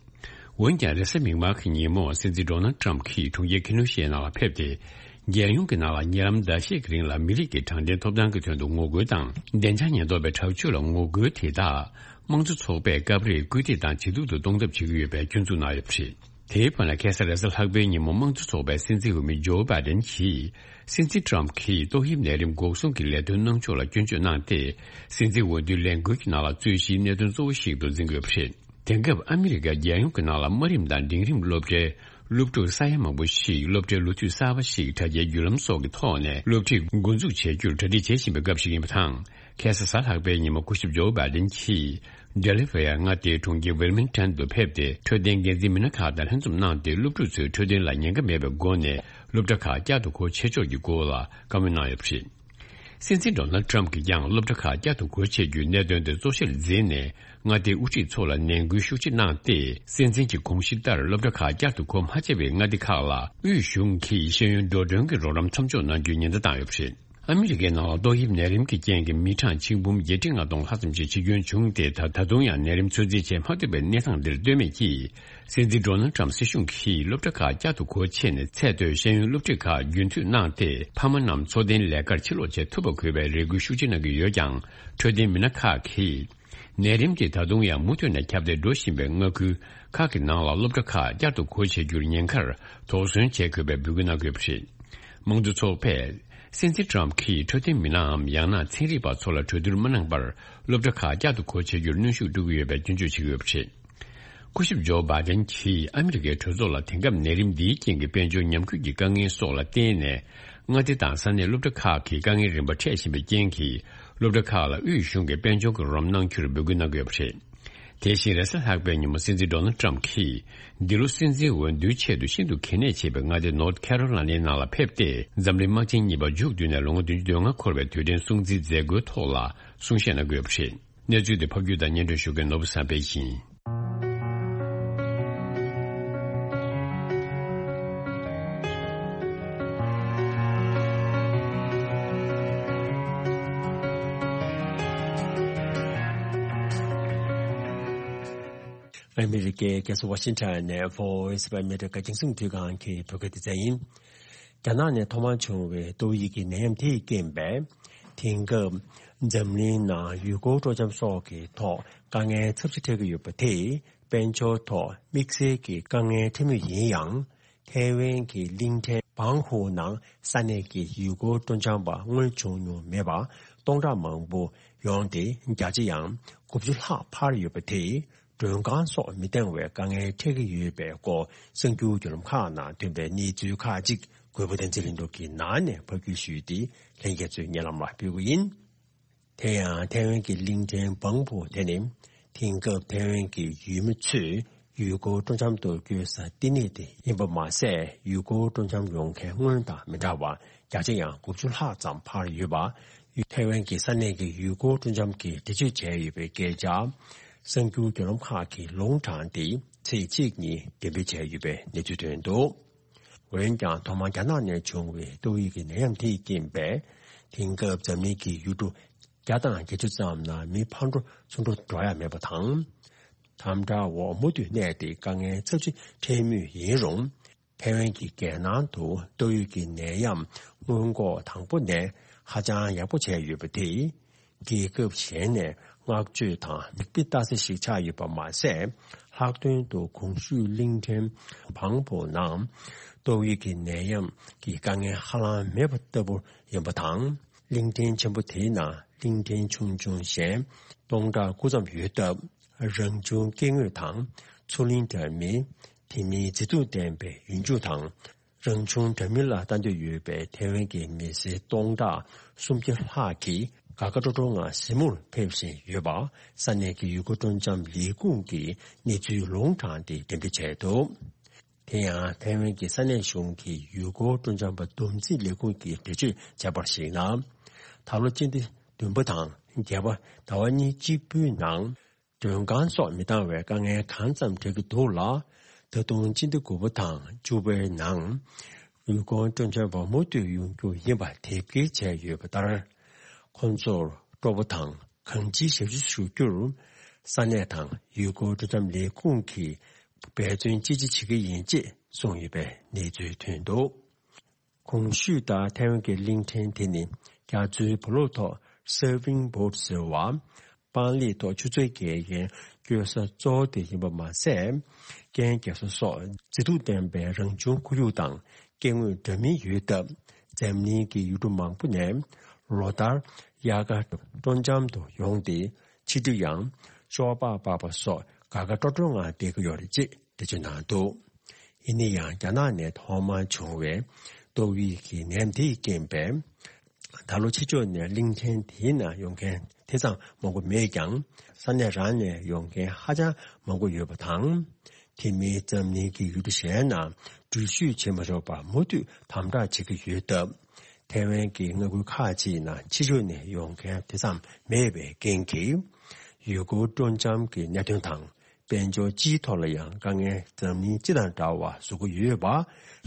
འོན་ཀྱང་རེས་གཟའ་མིག་དམར་གྱི་ཉིན་མོ་སྲིད་འཛིན་ཌོ་ནལ་ཊམ་གྱིས་གྲོང་ཁྱེར་ཁེ་ནོ་ཤའི་ནང་ལ་ཕེབས་ཏེ། རྒྱལ་ཡོངས་ཀྱི་ནང་ལ་ཉེ་ལམ་ཟླ་ཤས་ཀྱི་རིང་ལ་མི་རིགས་ཀྱི་དྲང་བདེན་ཐོབ་ཐང་གི་དོན་དུ་ངོ་རྒོལ་དང་བདེ་འཇགས་ཉེན་རྟོག་པའི་དྲག་སྤྱོད་ལ་ངོ་རྒོལ་དེ་དག་དམངས་གཙོ་ཚོགས་པས་སྐབས་རེ་སྐུལ་འདེད་དང་ཇེ་སྡུག་ཏུ་གཏོང་ཐབས་བྱེད་ཀྱི་ཡོད་པའི་སྐྱོན་འཛུགས་གནང་ཡོད་པ་རེད། དེའི་བར་ན་ཁ་སང་རེས་གཟའ་ལྷག་པའི་ཉིན་མོ་དམངས་གཙོ་ཚོགས་པའི་སྲིད་འཛིན་འོས་མི་ཇོ་བྷའི་ཌེན་གྱིས་སྲིད་འཛིན་ཊམ་གྱིས་ཏོག་དབྱིབས་ནད་རིམས་འགོག་སྲུང་གི་ལས་དོན་གནང་ཕྱོགས་ལ་སྐྱོན་བརྗོད་གནང་སྟེ། སྲིད་འཛིན་འོས་བསྡུའི་ལས་འགུལ་གྱི་ནང་ལ་རྩོད་གཞིའི་གནད་དོན་གཙོ་བོ་ཞིག་ཏུ་འཛིན་དགོས་པ་རེད། དེང་སྐབས་ཨ་མི་རི་ཀ་རྒྱལ་ཡོངས་ཀྱི་ནང་ལ་དམའ་རིམ་དང་འབྲིང་རིམ་སློབ་གྲྭའི་སློབ་ཕྲུག་ས་ཡ་མང་པོ་ཞིག་སློབ་གྲྭའི་ལོ་དུས་གསར་པ་ཞིག་དྲ་རྒྱའི་བརྒྱུད་ལམ་སོགས་ཀྱི་ཐོག་ནས་སློབ་ཁྲིད་འགོ་འཛུགས་བྱེད་རྒྱུར་གྲ་སྒྲིག་བྱེད་བཞིན་པའི་སྐབས་ཤིག་ཡིན་པ་དང་། ཁ་སང་གཟའ་ལྷག་པའི་ཉིན་མོ་སྐུ་ཞབས་ཇོ་བྷའི་ཌེན་གྱིས་ཌེ་ལི་ཝེ་ཡར་མངའ་སྡེའི་གྲོང་ཁྱེར་ཝིལ་མིང་ཊོན་དུ་ཕེབས་ཏེ། འཕྲོད་བསྟེན་འགན་འཛིན་མི་སྣ་ཁག་དང་ལྷན་འཛོམས་གནང་སྟེ། སློབ་ཕྲུག་ཚོའི་འཕྲོད་བསྟེན་ལ་ཉེན་ཁ་མེད་པའི་སྒོ་ནས་སློབ་གྲྭ་ཁག་བསྐྱར་དུ་སྒོ་ཕྱེ་ཕྱོགས་ཀྱི་སྐོར་ལ་བཀའ་མོལ་གནང་ཡོད་པ་རེད། སྲིད་འཛིན་ཌོ་ནལ་ཊམ་གྱིས་ཀྱང་སློབ་གྲྭ་ཁག་བསྐྱར་དུ་སྒོ་ཕྱེ་རྒྱུའི་གནད་དོན་དེ་གཙོ་ཆེར་འཛིན་ནས། མངའ་སྡེའི་དབུ་ཁྲིད་ཚོ་ལ་ནན་སྐུལ་ཤུགས་ཆེ་གནང་སྟེ། སྲིད་འཛིན་གྱི་དགོངས་གཞི་ལྟར་སློབ་གྲྭ་ཁག་བསྐྱར་དུ་སྒོ་མ་ཕྱེ་བའི་མངའ་སྡེ་ཁག་ལ་དབུས་གཞུང་གིས་ཤེས་ཡོན་འགྲོ་གྲོན་གྱི་རོགས་རམ་མཚམས་འཇོག་གནང་རྒྱུའི་ཉེན་བརྡ་བཏང་ཡོད་པ་རེད། ཨ་མི་རི་ཀའི་ནང་ལ་ཏོག་དབྱིབས་ནད་རིམས་ཀྱི་རྐྱེན་གྱིས་མི་གྲངས་ཆིག་འབུམ་བརྒྱད་ཁྲི་ལྔ་སྟོང་ལྷག་ཙམ་ཞིག་འཆི་སྐྱོན་བྱུང་སྟེ། ད་ད་དུང་ཡང་ནད་རིམས་ཚོད་འཛིན་བྱེད་མ་ཐུབ་པའི་གནས་སྟངས་འདིར་ལྟོས་མེད་ཀྱིས། སྲིད་འཛིན་ཌོ་ནལ་ཊམ་སྲིད་གཞུང་གིས་སློབ་གྲྭ་ཁག་བསྐྱར་དུ་སྒོ་ཕྱེ་ནས་ཚད་མཐོའི་ཤེས་ཡོན་སློབ་ཁྲིད་ཁག་རྒྱུན་མཐུད་གནང་སྟེ། ཕ་མ་རྣམས་འཚོ་རྟེན་ལས་ཀར་ཕྱིར་ལོག་བྱེད་ཐུབ་པ་དགོས་པའི་རེ་སྐུལ་ཤུགས་ཆེ་གནང་གི་ཡོད་ཀྱང་། འཕྲོད་བསྟེན་མི་སྣ་ཁག་གིས། ནད་རིམས་དེ་ད་དུང་ཡང་མུ་མཐུད་ནས་ཁྱབ་གདལ་འགྲོ་བཞིན་པའི་མངའ་ཁུལ་ཁག་གི་ནང་ལ་སློབ་གྲྭ་ཁག་བསྐྱར་དུ་སྒོ་ཕྱེ་རྒྱུར་ཉེན་ཁར་དོགས་ཟོན་བྱེད་དགོས་པའི་འབོད་སྐུལ་གནང་གི་ཡོད་པ་རེད། དམངས་གཙོ་ཚོགས་པས་སྲིད་འཛིན་ཊམ་གྱིས་འཕྲོད་བསྟེན་མི་སྣའམ་ཡང་ན་ཚན་རིག་པ་ཚོ་ལ་གྲོས་བསྡུར་མ་གནང་བར་སློབ་གྲྭ་ཁག་བསྐྱར་དུ་སྒོ་ཕྱེ་རྒྱུར་གནོན་ཤུགས་སྤྲོད་ཀྱི་ཡོད་པའི་སྐྱོན་བརྗོད་བྱེད་ཀྱི་ཡོད་པ་རེད། སྐུ་ཞབས་ཇོ་བྷའི་ཌེན་གྱིས་ཨ་མི་རི་ཀའི་གྲོས་ཚོགས་ལ་དེང་སྐབས་ནད་རིམས་འདིའི་རྐྱེན་གྱིས་དཔལ་འབྱོར་ཉམས་རྒུད་ཀྱི་དཀའ་ངལ་སོགས་ལ་བརྟེན་ནས། མངའ་སྡེ་དང་ས་གནས་སློབ་གྲྭ་ཁག་གིས་དཀའ་ངལ་རིམ་པ་འཕྲད་བཞིན་པའི་རྐྱེན་གྱིས། སློབ་གྲྭ་ཁག་ལ་དབུས་གཞུང་གིས་དཔལ་འབྱོར་གྱི་རོགས་རམ་གནང་རྒྱུར་འབོད་སྐུལ་གནང་གི་ཡོད་པ་རེད། དེ་བཞིན་རེས་གཟའ་ལྷག་པའི་ཉིན་མོ་སྲིད་འཛིན་ཌོ་ནལ་ཊམ་གྱིས། འདི་ལོ་སྲིད་འཛིན་འོས་བསྡུའི་ཆེད་དུ་ཤིན་ཏུ་གལ་གནད་ཆེ་བའི་མངའ་སྡེ་ནོར་ཐི་ཁེ་རོ་ལ་ནའི་ནང་ལ་ཕེབས་ཏེ། འཛམ་གླིང་དམག་ཆེན་གཉིས་པ་མཇུག་བསྡུས་ནས་ལོ་ངོ་བདུན་ཅུ་དོན་ལྔ་འཁོར་བའི་དུས་དྲན་སྲུང་བརྩིའི་མཛད་སྒོའི་ཐོག་ལ་གསུང་བཤད་གནང་གི་ཡོད་པ་རེད། གནས་ཚུལ་དེ་ཕབ་སྒྱུར་དང་སྙན་སྒྲོན་ཞུ་མཁན་ནོར་བུ་བསམ་འཕེལ་ཡིན། ཨ་མི་རི་ཀའི་རྒྱལ་ས་ཝ་ཤིང་ཊོན་ནས་Voice of America རྒྱང་སྲིང་བརྒྱུད་ཁང་གི་བོད་སྐད་སྡེ་ཚན་ཡིན། རྒྱ་ནག་ནས་ཐོག་མར་བྱུང་བའི་ཏོག་དབྱིབས་ཀྱི་ནད་ཡམས་དེའི་རྐྱེན་པས། དེང་སྐབས་འཛམ་གླིང་ནང་ཡུལ་སྐོར་སྤྲོ་འཆམ་སོགས་ཀྱི་ཐོག་དཀའ་ངལ་ཚབས་ཆེ་འཕྲད་ཀྱི་ཡོད་པ་དེས། དཔལ་འབྱོར་ཐོག་དམིགས་བསལ་གྱི་དཀའ་ངལ་འཕྲད་མུས་ཡིན་ཡང་། ཐའེ་ཝན་གྱི་གླིང་ཕྲན་བང་ཧུའུ་ནང་ས་གནས་ཀྱི་ཡུལ་སྐོར་སྤྲོ་འཆམ་པ་སྔོན་བྱུང་མྱོང་མེད་པ་སྟོང་ཕྲག་མང་པོ་ཡོང་སྟེ། བརྒྱ་ཆ་ཡང་དགུ་བཅུ་ལྷག་འཕར་ཡོད་པ་དེས། མགྲོན་ཁང་སོགས་མི་འདང་བའི་དཀའ་ངལ་འཕྲད་ཀྱི་ཡོད་པའི་སྐོར། གསར་འགྱུར་བརྒྱུད་ལམ་ཁག་ནང་ཐོན་པའི་གནས་ཚུལ་ཁག་ཅིག་གུས་པ་བསྟན་འཛིན་ལྷུན་གྲུབ་ཀྱིས་ནང་ནས་ཕབ་སྒྱུར་ཞུས་ཏེ། ལྷན་རྒྱས་ཚོའི་སྙན་ལམ་ལ་ཕུལ་གྱི་ཡིན། དེ་ཡང་ཐའེ་ཝན་གྱི་གླིང་ཕྲན་བང་ཧུའུ་དེ་ནི། དེང་སྐབས་ཐའེ་ཝན་གྱི་ཡུལ་མི་ཚོས་ཡུལ་སྐོར་སྤྲོ་འཆམ་དུ་བསྐྱོད་ས་བསྟི་གནས་དེ་ཡིན་པ་མ་ཟད། ཡུལ་སྐོར་སྤྲོ་འཆམ་ཡོང་མཁན་སྔོན་དང་མི་འདྲ་བར། བརྒྱ་ཆ་ཡང་དགུ་བཅུ་ལྷག་ཙམ་འཕར་ཡོད་པ། ཐའེ་ཝན་གྱི་ས་གནས་ཀྱི་ཡུལ་སྐོར་སྤྲོ་འཆམ་གྱིས་འགྲེལ་བརྗོད་བྱས་ཡོད་པའི་སྐད་ཆ། གསར་འགྱུར་བརྒྱུད་ལམ་ཁག་གིས་ལུང་དྲངས་ཏེ། ཚེས་གཅིག་ཉིན་འགྲེམས་སྤེལ་བྱས་ཡོད་པའི་གནས་ཚུལ་ཐོན་འདུག། འོན་ཀྱང་། ཐོག་མར་རྒྱ་ནག་ནས་བྱུང་བའི་ཏོག་དབྱིབས་ཀྱི་ནད་ཡམས་དེའི་རྐྱེན་པས། དེང་སྐབས་འཛམ་གླིང་གི་ཡུལ་གྲུ་བརྒྱ་དང་བརྒྱད་ཅུ་ཙམ་ནང་མི་ཕར་འགྲོ་ཚུར་འགྲོ་འགྲོ་ཡ་མེད་པ་དང་། དམ་དྲག་འོག་མུ་མཐུད་གནས་ཏེ། དཀའ་ངལ་ཚབས་ཆེ་འཕྲད་མུས་ཡིན་རུང་། ཐའེ་ཝན་གྱི་རྒྱལ་ནང་དུ་ཏོག་དབྱིབས་ཀྱི་ནད་ཡམས་སྔོན་འགོག་དང་པོ་ནས་ཧ་ཅང་ཡག་པོ་བྱས་ཡོད་པ་དེས། རྒྱལ་ཁབ་གཞན་ནས་བསྔགས་བརྗོད་དང་མིག་དཔེ་ལྟ་ས་ཞིག་ཆགས་ཡོད་པ་མ་ཟད། ལྷག་དོན་དུ་གོང་ཞུས་གླིང་ཕྲན་བང་ཧུའུ་ནང་ཏོག་དབྱིབས་ཀྱི་ནད་ཡམས་ཀྱི་དཀའ་ངལ་ཧ་ལམ་མེད་པ་ལྟ་བུ་ཡིན་པ་དང་། གླིང་ཕྲན་ཆེན་པོ་དེའི་ནང་གླིང་ཕྲན་ཆུང་ཆུང་གཞན་སྟོང་ཕྲག་དགུ་ཙམ་ཡོད་སྟབས། རང་བྱུང་སྐྱེ་དངོས་དང་མཚོ་གླིང་འདྲ་མིན། དེ་མིན་མཛེས་སྡུག་ལྡན་པའི་ཡུལ་ལྗོངས་དང་། རང་བྱུང་འདྲ་མིན་ལ་ལྟ་འདོད་ཡོད་པའི་ཐའེ་ཝན་གྱི་མི་སེར་སྟོང་ཕྲག་སུམ་བརྒྱ་ལྷག་གིས་ དགའ་དགའ་སྤྲོ་སྤྲོ་ངང་གཟིགས་མོར་ཕེབས་བཞིན་ཡོད་པ་ས་གནས་ཀྱི་ཡུལ་སྐོར་སྤྲོ་འཆམ་ལས་ཁུངས་ཀྱིས་གནས་ཚུལ་ལུང་དྲངས་ཏེ་འགྲེམས་སྤེལ་བྱས་འདུག་དེ་ཡང་ཐའེ་ཝན་གྱི་ས་གནས་གཞུང་གི་ཡུལ་སྐོར་སྤྲོ་འཆམ་པ་བསྡོམས་རྩིས་ལས་ཁུངས་ཀྱིས་འགྲེལ་བརྗོད་བྱས་པར་གཞིགས་ན། ད་ལོ་སྤྱི་ཟླ་བདུན་པ་དང་བརྒྱད་པ་ཟླ་བ་གཉིས་གཅིག་པུའི་ནང་མགྲོན་ཁང་སོགས་མི་འདང་བའི་དཀའ་ངལ་གང་ཙམ་འཕྲད་ཀྱི་འདུག་ལ། ད་དུང་སྤྱི་ཟླ་དགུ་པ་དང་བཅུ་པའི་ནང་ཡུལ་སྐོར་སྤྲོ་འཆམ་པ་མུ་མཐུད་ཡོང་རྒྱུ་ཡིན་པ་དེབ་སྐྱེལ་བྱས་ཡོད་པ་ལྟར། ཁོང་ཚོར་སྤྲོ་པོ་དང་གང་ཅིའི་ཞབས་ཞུ་ཞུ་རྒྱུར་ས་གནས་དང་ཡུལ་སྐོར་སྤྲོ་འཆམ་ལས་ཁུངས་ཀྱིས་འབད་བརྩོན་ཅི་ཆེ་བྱེད་ཀྱི་ཡིན་ཅེས་གསུངས་ཡོད་པའི་གནས་ཚུལ་ཐོན་འདུག་གོང་ཞུས་ལྟར་ཐའེ་ཝན་གྱི་གླིང་ཕྲན་དེ་ནི་རྒྱ་མཚོའི་བུ་ལོག་ཐོག་Surfing Board ཟེར་བ། པང་ལེབ་ཐོག་ཆུ་ཚོད་བརྒལ་མཁན་སྐྱོད་ས་གཙོ་བོ་དེ་ཡིན་པ་མ་ཟད། རྐྱེན་རྒྱག་ས་སོགས་མཛེས་སྡུག་ལྡན་པའི་རང་བྱུང་ཁོར་ཡུག་དང་སྐྱེ་དངོས་འདྲ་མིན་ཡོད་སྟབས། འཛམ་གླིང་གི་ཡུལ་གྲུ་མང་པོ་ནས་ལོ་ལྟར་དབྱར་ཁ་སྤྲོ་འཆམ་དུ་ཡོང་སྟེ། ཕྱི་དྲོ་ཡང་ཤོ་སྦག་སྦག་པ་སོགས་དགའ་དགའ་སྤྲོ་སྤྲོ་ངང་བསྡད་ཀྱི་ཡོད་རེད་ཅེས་འགྲེལ་བརྗོད་གནང་འདུག་ཡིན་ན་ཡང་རྒྱ་ནག་ནས་ཐོག་མར་བྱུང་བའི་ཏོག་དབྱིབས་ཀྱི་ནད་ཡམས་དེའི་རྐྱེན་པས། ད་ལོ་ཕྱི་ཕྱོགས་ནས་གླིང་ཕྲན་དེའི་ནང་ཡོང་མཁན་དེ་ཙམ་མང་པོ་མེད་ཀྱང་། ས་གནས་རང་ནས་ཡོང་མཁན་ཧ་ཅང་མང་པོ་ཡོད་པ་དང་། དེ་མིན་འཛམ་གླིང་གི་ཡུལ་གྲུ་གཞན་ནང་འགྲུལ་བཞུད་བྱེད་མ་ཆོག་པར་མུ་མཐུད་དམ་དྲག་བྱེད་ཀྱི་ཡོད་སྟབས། ཐའེ་ཝན་གྱི་མངའ་ཁུལ་ཁག་ཅིག་ནང་ཕྱི་ཕྱོགས་ནས་ཡོང་མཁན་དེ་ཙམ་མེད་པའི་རྐྱེན་གྱིས། ཡུལ་སྐོར་སྤྲོ་འཆམ་གྱི་གནད་དོན་དང་། དཔལ་འབྱོར་སྤྱིའི་ཐོག་ལ་ཡང་དཀའ་ངལ་འཛམ་གླིང་སྤྱི་དང་འདྲ་བ་བཟོ་གི་ཡོད་པ་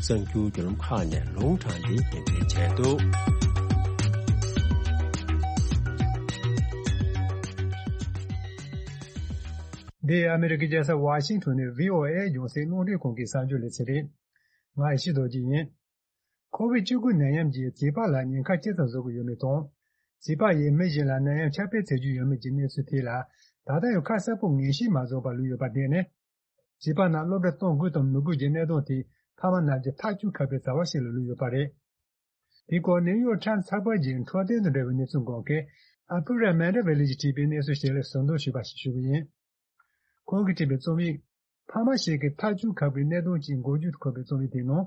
གསར་འགྱུར་བརྒྱུད་ལམ་ཁག་ནས་ལུང་དྲངས་ཏེ་འགྲེམས་སྤེལ་བྱས་འདུག་འདི་ཨ་མེ་རི་ཀའི་རྒྱལ་ས་ཝ་ཤིང་ཊོན་ནས་ཝི་ཨོ་ཨེ་རྒྱང་སྲིང་རླུང་འཕྲིན་ཁང་གི་གསར་འགྱུར་ལེ་ཚན་རེད། ང་ཡེ་ཤེས་རྡོ་རྗེ་ཡིན། ཁོ་བིད་བཅུ་དགུ་ནད་ཡམས་ཀྱིས་བྱིས་པ་ལ་ཉེན་ཁ་ཇི་ཙམ་བཟོ་གི་ཡོད་མེད་དང་། བྱིས་པ་ཡིས་མི་གཞན་ལ་ནད་ཡམས་ཁྱབ་སྤེལ་བྱེད་རྒྱུ་ཡོད་མེད་ཀྱི་གནས་ཚུལ་ཐད་ལ། ད་ལྟ་ཡང་ཁ་གསལ་པོ་ངེས་ཤེས་མ་རྫོགས་པར་ལུས་ཡོད་པར་བརྟེན་ནས། བྱིས་པ་རྣམས་སློབ་གྲྭ་གཏོང་དགོས་དང་མི་དགོས་ཀྱི་གནད་དོན་དེ་ཕ་མ་རྣམས་ཀྱིས་ཐག་གཅོད་ཁག་པའི་བྱ་བ་ཞིག་ལ་ལུས་ཡོད་པ་རེད། དེའི་སྐོར་ནིའུ་ཡོག་ཊའིམ་ཚགས་པར་གྱི་འཕྲོད་བསྟེན་དང་འབྲེལ་བའི་གནས་ཚུལ་འགོད་མཁན་ཨ་ཕུ་ར་མན་ཌ་ཝེ་ལི་གྱིས་བྲིས་པའི་གནས་ཚུལ་ཞིག་ལ་ཟུར་འདོན་ཞུས་པ་ཞིག་ཞུ་གི་ཡིན། ཁོང་གིས་བྲིས་པའི་རྩོམ་ཡིག་ཕ་མ་ཞིག་གིས་ཐག་གཅོད་ཁག་པའི་གནད་དོན་གྱི་འགོ་བརྗོད་དུ་འཁོད་པའི་རྩོམ་ཡིག་དེའི་ནང་།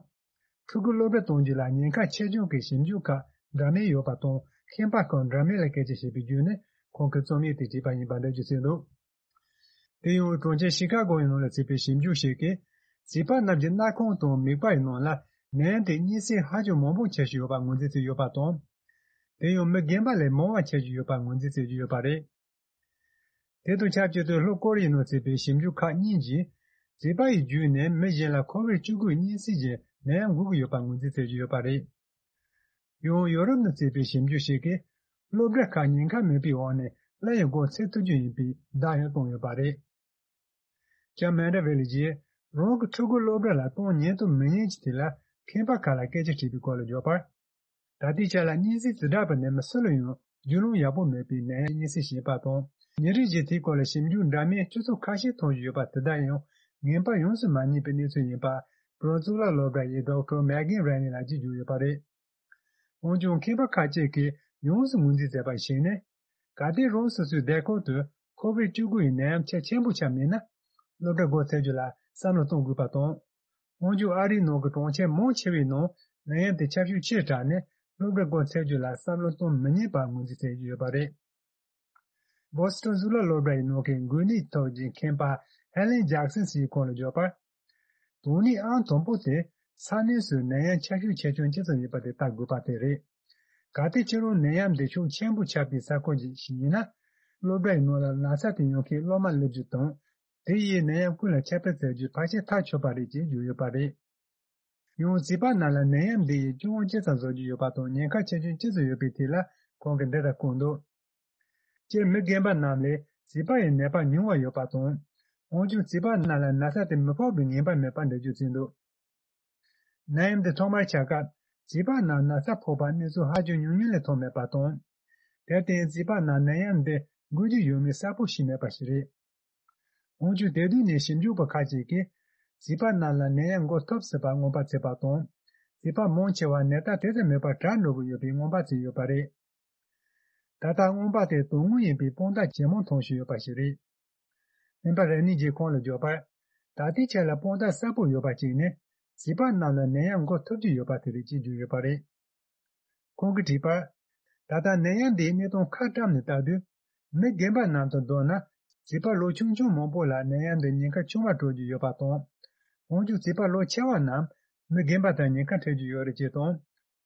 ཕྲུ་གུ་སློབ་གྲྭ་གཏོང་རྒྱུ་ལ་ཉེན་ཁ་ཆེ་ཆུང་གི་ཞིབ་འཇུག་ཁག་འདྲ་མིན་ཡོད་པ་དང་། ཁྱད་པར་ཁག་འདྲ་མིན་ལ་སྐད་ཆ་བཤད་པའི་བརྒྱུད་ནས། ཁོང་གིས་རྩོམ་ཡིག་དེ་བྲིས་པ་ཡིན་པ་འགྲེལ་བརྗོད་བྱས་འདུག་དེ་ཡང་གྲོང་ཁྱེར་ཤི་ཀ་གོ་ཡི་ནང་ལ་བྱས་པའི་ཞིབ་འཇུག་ཞིག་གིས། བྱིས་པ་རྣམས་ཀྱི་སྣ་ཁུང་དང་མིད་པ་ཡི་ནང་ལ་ནད་ཡམས་དེ་གཉན་སྲིན་ཧ་ཅང་མང་པོ་ཁྱེར་བཞིན་ཡོད་པ་ངོས་འཛིན་བྱས་ཡོད་པ་དང་། དེ་ཡང་མི་རྒན་པ་ལས་མང་བ་ཁྱེར་བཞིན་ཡོད་པ་ངོས་འཛིན་བྱེད་ཀྱི་ཡོད་པ་རེད། དེ་དང་ཆབས་ཅིག་ཏུ་ལྷོ་ཀོ་རི་ཡའི་ནང་བྱས་པའི་ཞིབ་འཇུག་ཁག་གཉིས་ཀྱིས། བྱིས་པ་ཡི་བརྒྱུད་ནས་མི་གཞན་ལ་ཁོ་བིད་བཅུ་དགུ་གཉན་སྲིན་གྱི་ནད་ཡམས་འགོ་གི་ཡོད་པ་ངོས་འཛིན་བྱེད་ཀྱི་ཡོད་པ་རེད། ཡང་ཡོ་རོབ་ནང་བྱས་པའི་ཞིབ་འཇུག་ཞིག་གིས། སློབ་གྲྭ་ཁག་ཉེན་ཁ་མེད་པའི་འོག་ནས་སླར་ཡང་སྒོ་ཚིག་ཐུབ་རྒྱུ་ཡིན་པའི་བརྡ་ཡང་བཏང་ཡོད་པ་རེད། ལྕམ་མན་ཌ་ཝེ་ལི་ཡིས་རང་གི་ཕྲུ་གུ་སློབ་གྲྭ་ལ་གཏོང་ཉན་དང་མི་ཉན་གྱི་ཐད་ལ་མཁས་པ་ཁག་ལ་སྐད་ཆ་དྲིས་པའི་སྐོར་ལ་བརྗོད་པར། ད་ལྟའི་ཆ་ལ་གཉན་སྲིན་འདི་འདྲ་བ་ནི་མི་སུ་ལ་ཡང་རྒྱུས་ལོན་ཡག་པོ་མེད་པའི་ནད་ཡམས་གཉན་སྲིན་ཞིག་ཡིན་པ་དང་། ཉིན་རེ་བཞིན་དེའི་སྐོར་ལ་ཞིབ་འཇུག་འདྲ་མིན་སྤྱི་ཚོགས་ཁ་ཤས་མཐོང་བཞིན་ཡོད་པ་དེ་དག་ཡང་ངན་པ་ཡོངས་སུ་མ་རྙེད་པའི་གནས་ཚུལ་ཡིན་པ། བོད་རང་གཙུག་ལག་སློབ་གྲྭ་ཡི་ཌོག་ཊར་མེག་གིན་རེ་ནི་ལགས་ཀྱིས་བརྗོད་ཡོད་པ་རེད། འོན་ཀྱང་མཁས་པ་ཁག་ཅིག་གིས་ཡོངས་སུ་ངོས་འཛིན་མཛད་པར་གཞིགས་ནས། གལ་ཏེ་རང་སོ་སོའི་སྡེ་ཁག་ཏུ་ཁོ་བིད་བཅུ་དགུ་ཡི་ནད་ཡམས་ཁྱབ་ཆེན་པོ་ཆགས་མེད་ན། སློབ་གྲྭ་སྒོ་ཚེག་རྒྱུ་ལ་བསམ་བློ་གཏོང་དགོས་པ་དང་། འོན་ཀྱང་ཨ་རིའི་ནང་གི་གྲོང་ཁྱེར་མང་ཆེ་བའི་ནང་ནད་ཡམས་དེ་ཁྱབ་ཤུགས་ཆེ་དྲགས་ནས། སློབ་གྲྭ་སྒོ་ཚེག་རྒྱུ་ལ་བསམ་བློ་གཏོང་མི་ཉན་པར་ངོས་འཛིན་བྱེད་ཀྱི་ཡོད་པ་རེད། བོ་སི་ཊོན་གཙུག་ལག་སློབ་གྲྭ་ཡི་ནང་གི་འགོས་ནད་ཐོག་གི་མཁས་པ་ཧེ་ལེན་ཇེག་སན་ཟེར་བའི་ཁོང་ལ་བརྗོད་པར། དོན་སྙིང་ཨང་དང་པོ་དེ་ས་གནས་སུ་ནད་ཡམས་ཁྱབ་ཤུགས་ཆེ་ཆུང་ཇི་ཙམ་ཡོད་པ་དེ་བལྟ་དགོས་པ་དེ་རེད། གལ་ཏེ་ཁྱེད་རང་ནད་ཡམས་འདི་ཤུགས་ཆེན་པོ་ཁྱབ་པའི་ས་ཁུལ་ཞིག་ཡིན་ན། སློབ་གྲྭ་ཡི་ནང་ལ་ན་ཚ་དེ་ཡོང་མཁན་སློབ་མ་སླེབས་རྒྱུ་དང་། དེ་ཡིས་ནད་ཡམས་ཀུན་ལ་ཁྱབ་སྤེལ་བྱ་རྒྱུ་ཕལ་ཆེར་ཐག་ཆོད་པ་རེད་ཅེས་བརྗོད་ཡོད་པ་རེད། ཡང་བྱིས་པ་རྣམས་ལ་ནད་ཡམས་འདི་ཡིས་སྐྱོན་ཅི་ཙམ་བཟོ་རྒྱུ་ཡོད་པ་དང་། ཉེན་ཁ་ཆེ་ཆུང་ཅི་ཙམ་ཡོད་པའི་ཐད་ལ་ཁོང་གིས་འདི་ལྟར་བཀོད་འདུག་སྤྱིར་མི་རྒན་པ་རྣམས་ལས་བྱིས་པ་ཡི་ནད་པ་ཉུང་བ་ཡོད་པ་དང་། འོན་ཀྱང་བྱིས་པ་རྣམས་ལ་ན་ཚ་དེ་མི་ཕོག་པའི་ངེས་པ་མེད་པར་འགྲེལ་བརྗོད་བྱས་འདུག་ནད་ཡམས་འདི་ཐོག་མར་ཆགས་སྐབས་བྱིས་པ་རྣམས་ན་ཚ་ཕོག་པར་གནས་ཚུལ་ཧ་ཅང་ཉུང་ཉུང་ལས་མཐོང་མེད་པ་དང་། དེར་བརྟེན་བྱིས་པ་རྣམས་ནད་ཡམས་འདི་འགོས་རྒྱུ་ཡོད་མེད་གསལ་པོ་ཤེས་མེད་པ་ཞིག་རེད། འོན་ཀྱང་དེ་དུས་ནས་ཞིབ་འཇུག་པ་ཁག་ཅིག་གིས་བྱིས་པ་རྣམས་ལ་ནད་ཡམས་འགོ་ཐུབ་སྲིད་པར་རྔོན་པ་བྱས་པ་དང་། བྱིས་པ་མང་ཆེ་བ་ནད་རྟགས་དེ་ཙམ་མེད་པར་དྲག་འགྲོ་གི་ཡོད་པའི་རྔོན་པ་བྱས་ཡོད་པ་རེད། ད་ལྟ་རྔོན་པ་དེ་དོན་དངོས་ཡིན་པའི་དཔང་རྟགས་ཇེ་མང་མཐོང་བཞིན་ཡོད་པ་ཞིག་རེད། སྨན་པ་རེ་ནི་ཇི་ཁོང་ལ་བརྗོད་པར། ད་ལྟའི་ཆ་ལ་དཔང་རྟགས་གསལ་པོ་ཡོད་པ་གཅིག་ནི། བྱིས་པ་རྣམས་ལ་ནད་ཡམས་འགོ་ཐུབ་ཀྱི་ཡོད་པ་དེ་རེད་ཅེས་བརྗོད་ཡོད་པ་རེད། ཁོང་གིས་བྲིས་པར། ད་ལྟ་ནད་ཡམས་འདིའི་གནས་སྟངས་ཁ་བཀྲམ་ནས་ལྟ་དུས། མི་རྒན་པ་རྣམས་དང་བསྡུར་ན། བྱིས་པ་ལོ་ཆུང་ཆུང་མང་པོ་ལ་ནད་ཡམས་འདི་ཉེན་ཁ་ཆུང་བ་སྤྲོད་ཀྱི་ཡོད་པ་དང་། འོན་ཀྱང་བྱིས་པ་ལོ་ཆེ་བ་རྣམས་མི་རྒན་པ་དང་ཉེན་ཁ་འཕྲད་ཀྱི་ཡོད་རེད་ཅེས་དང་།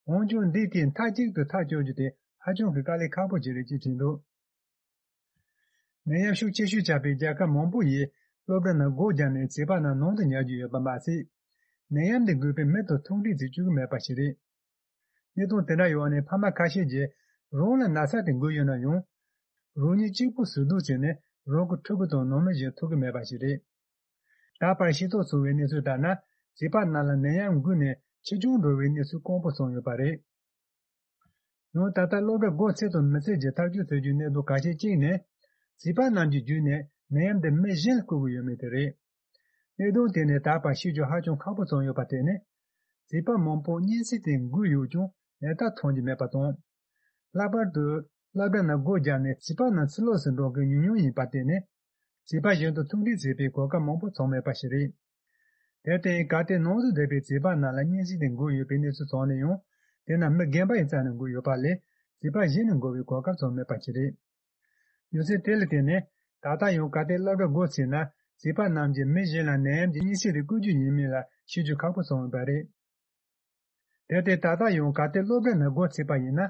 འོན་ཀྱང་འདི་དེ་མཐའ་གཅིག་ཏུ་ཐག་གཅོད་རྒྱུ་དེ་ཧ་ཅང་གི་དཀའ་ལས་ཁག་པོ་ཞིག་རེད་ཅེས་བྲིས་འདུག་ནད་ཡམས་ཤུགས་ཆེ་ཤོས་ཆགས་པའི་རྒྱལ་ཁབ་མང་པོ་ཡིས་སློབ་གྲྭ་ནང་སྒོ་བརྒྱབ་ནས་བྱིས་པ་རྣམས་ནང་དུ་ཉར་གྱི་ཡོད་པ་མ་ཟད། ནད་ཡམས་འདི་འགོས་པའི་མི་དང་ཐུག་འཕྲད་བྱེད་བཅུག་གི་མེད་པ་ཞིག་རེད། གནད་དོན་དེ་འདྲ་ཡོང་ནས་ཕ་མ་ཁ་ཤས་ཀྱིས་རང་ལ་ན་ཚ་དེ་འགོས་ཡོད་ན་ཡང་། རང་ཉིད་གཅིག་པུ་ཟུར་གཏོགས་བྱས་ནས་རང་གི་ཕྲུ་གུ་དང་ནང་མི་གཞན་ཐུག་གི་མེད་པ་ཞིག་རེད། ད་བར་ཤེས་རྟོགས་བྱུང་བའི་གནས་ཚུལ་ལྟར་ན། བྱིས་པ་རྣམས་ལ་ནད་ཡམས་འགོས་ནས་འཆི་སྐྱོན་འགྲོ་བའི་གནས་ཚུལ་དཀོན་པོ་བྱུང་ཡོད་པ་རེད། ཡང་ད་ལྟ་སློབ་གྲྭ་སྒོ་ཚིགས་དང་མི་ཚིགས་ཀྱི་ཐག་གཅོད་བྱེད་རྒྱུའི་གནད་དོན་གལ་ཆེ་གཅིག་ནི། བྱིས་པ་རྣམས་ཀྱི་བརྒྱུད་ནས་ནད་ཡམས་འདི་མི་གཞན་ལ་འགོས་ཀྱི་ཡོད་མེད་དེ་རེད། གནད་དོན་དེ་ནི་ད་བར་ཤེས་རྒྱུ་ཧ་ཅང་ཁག་པོ་བྱུང་ཡོད་པ་དེ་ནི། བྱིས་པ་མང་པོ་གཉན་སྲིན་དེ་འགོས་ཡོད་ཀྱང་ནད་རྟགས་མཐོང་རྒྱུ་མེད་པ་དང་། ལྷག་པར་དུ་སློབ་གྲྭ་ནང་སྒོ་བརྒྱབ་ནས་བྱིས་པ་རྣམས་ཕྱི་ལོགས་སུ་འགྲོ་མཁན་ཉུང་ཉུང་ཡིན་པ་དེ་ནི། བྱིས་པ་གཞན་དང་ཐུག་འཕྲད་བྱེད་པའི་གོ་སྐབས་མང་པོ་བྱུང་མེད་པ་ཞིག་རེད། དེར་བརྟེན་གལ་ཏེ་ནང་དུ་བསྡད་པའི་བྱིས་པ་རྣམས་ལ་གཉན་སྲིན་དེ་འགོས་ཡོད་པའི་གནས་ཚུལ་བྱུང་ན་ཡང་། དེ་རྣམས་མི་རྒན་པ་ཡི་རྩ་ནས་འགོས་ཡོད་པ་ལས་བྱིས་པ་གཞན་ནས་འགོས་པའི་གོ་སྐབས་བྱུང་མེད་པ་ཞིག་རེད། རྒྱུ་མཚན་དེ་ལ་བརྟེན་ནས་ད་ལྟ་ཡང་གལ་ཏེ་སློབ་གྲྭ་སྒོ་ཚིགས་ན་བྱིས་པ་རྣམས་ཀྱིས་མི་གཞན་ལ་ནད་ཡམས་ཀྱི་གཉན་སྲིན་དེ་བཀོལ་རྒྱུ་ཡིན་མིན་ལ་ཤེས་རྒྱུ་ཁག་པོ་བྱུང་ཡོད་པ་རེད། དེར་བརྟེན་ད་ལྟ་ཡང་གལ་ཏེ་སློབ་གྲྭ་ནང་སྒོ་ཚིགས་པ་ཡིན་ན།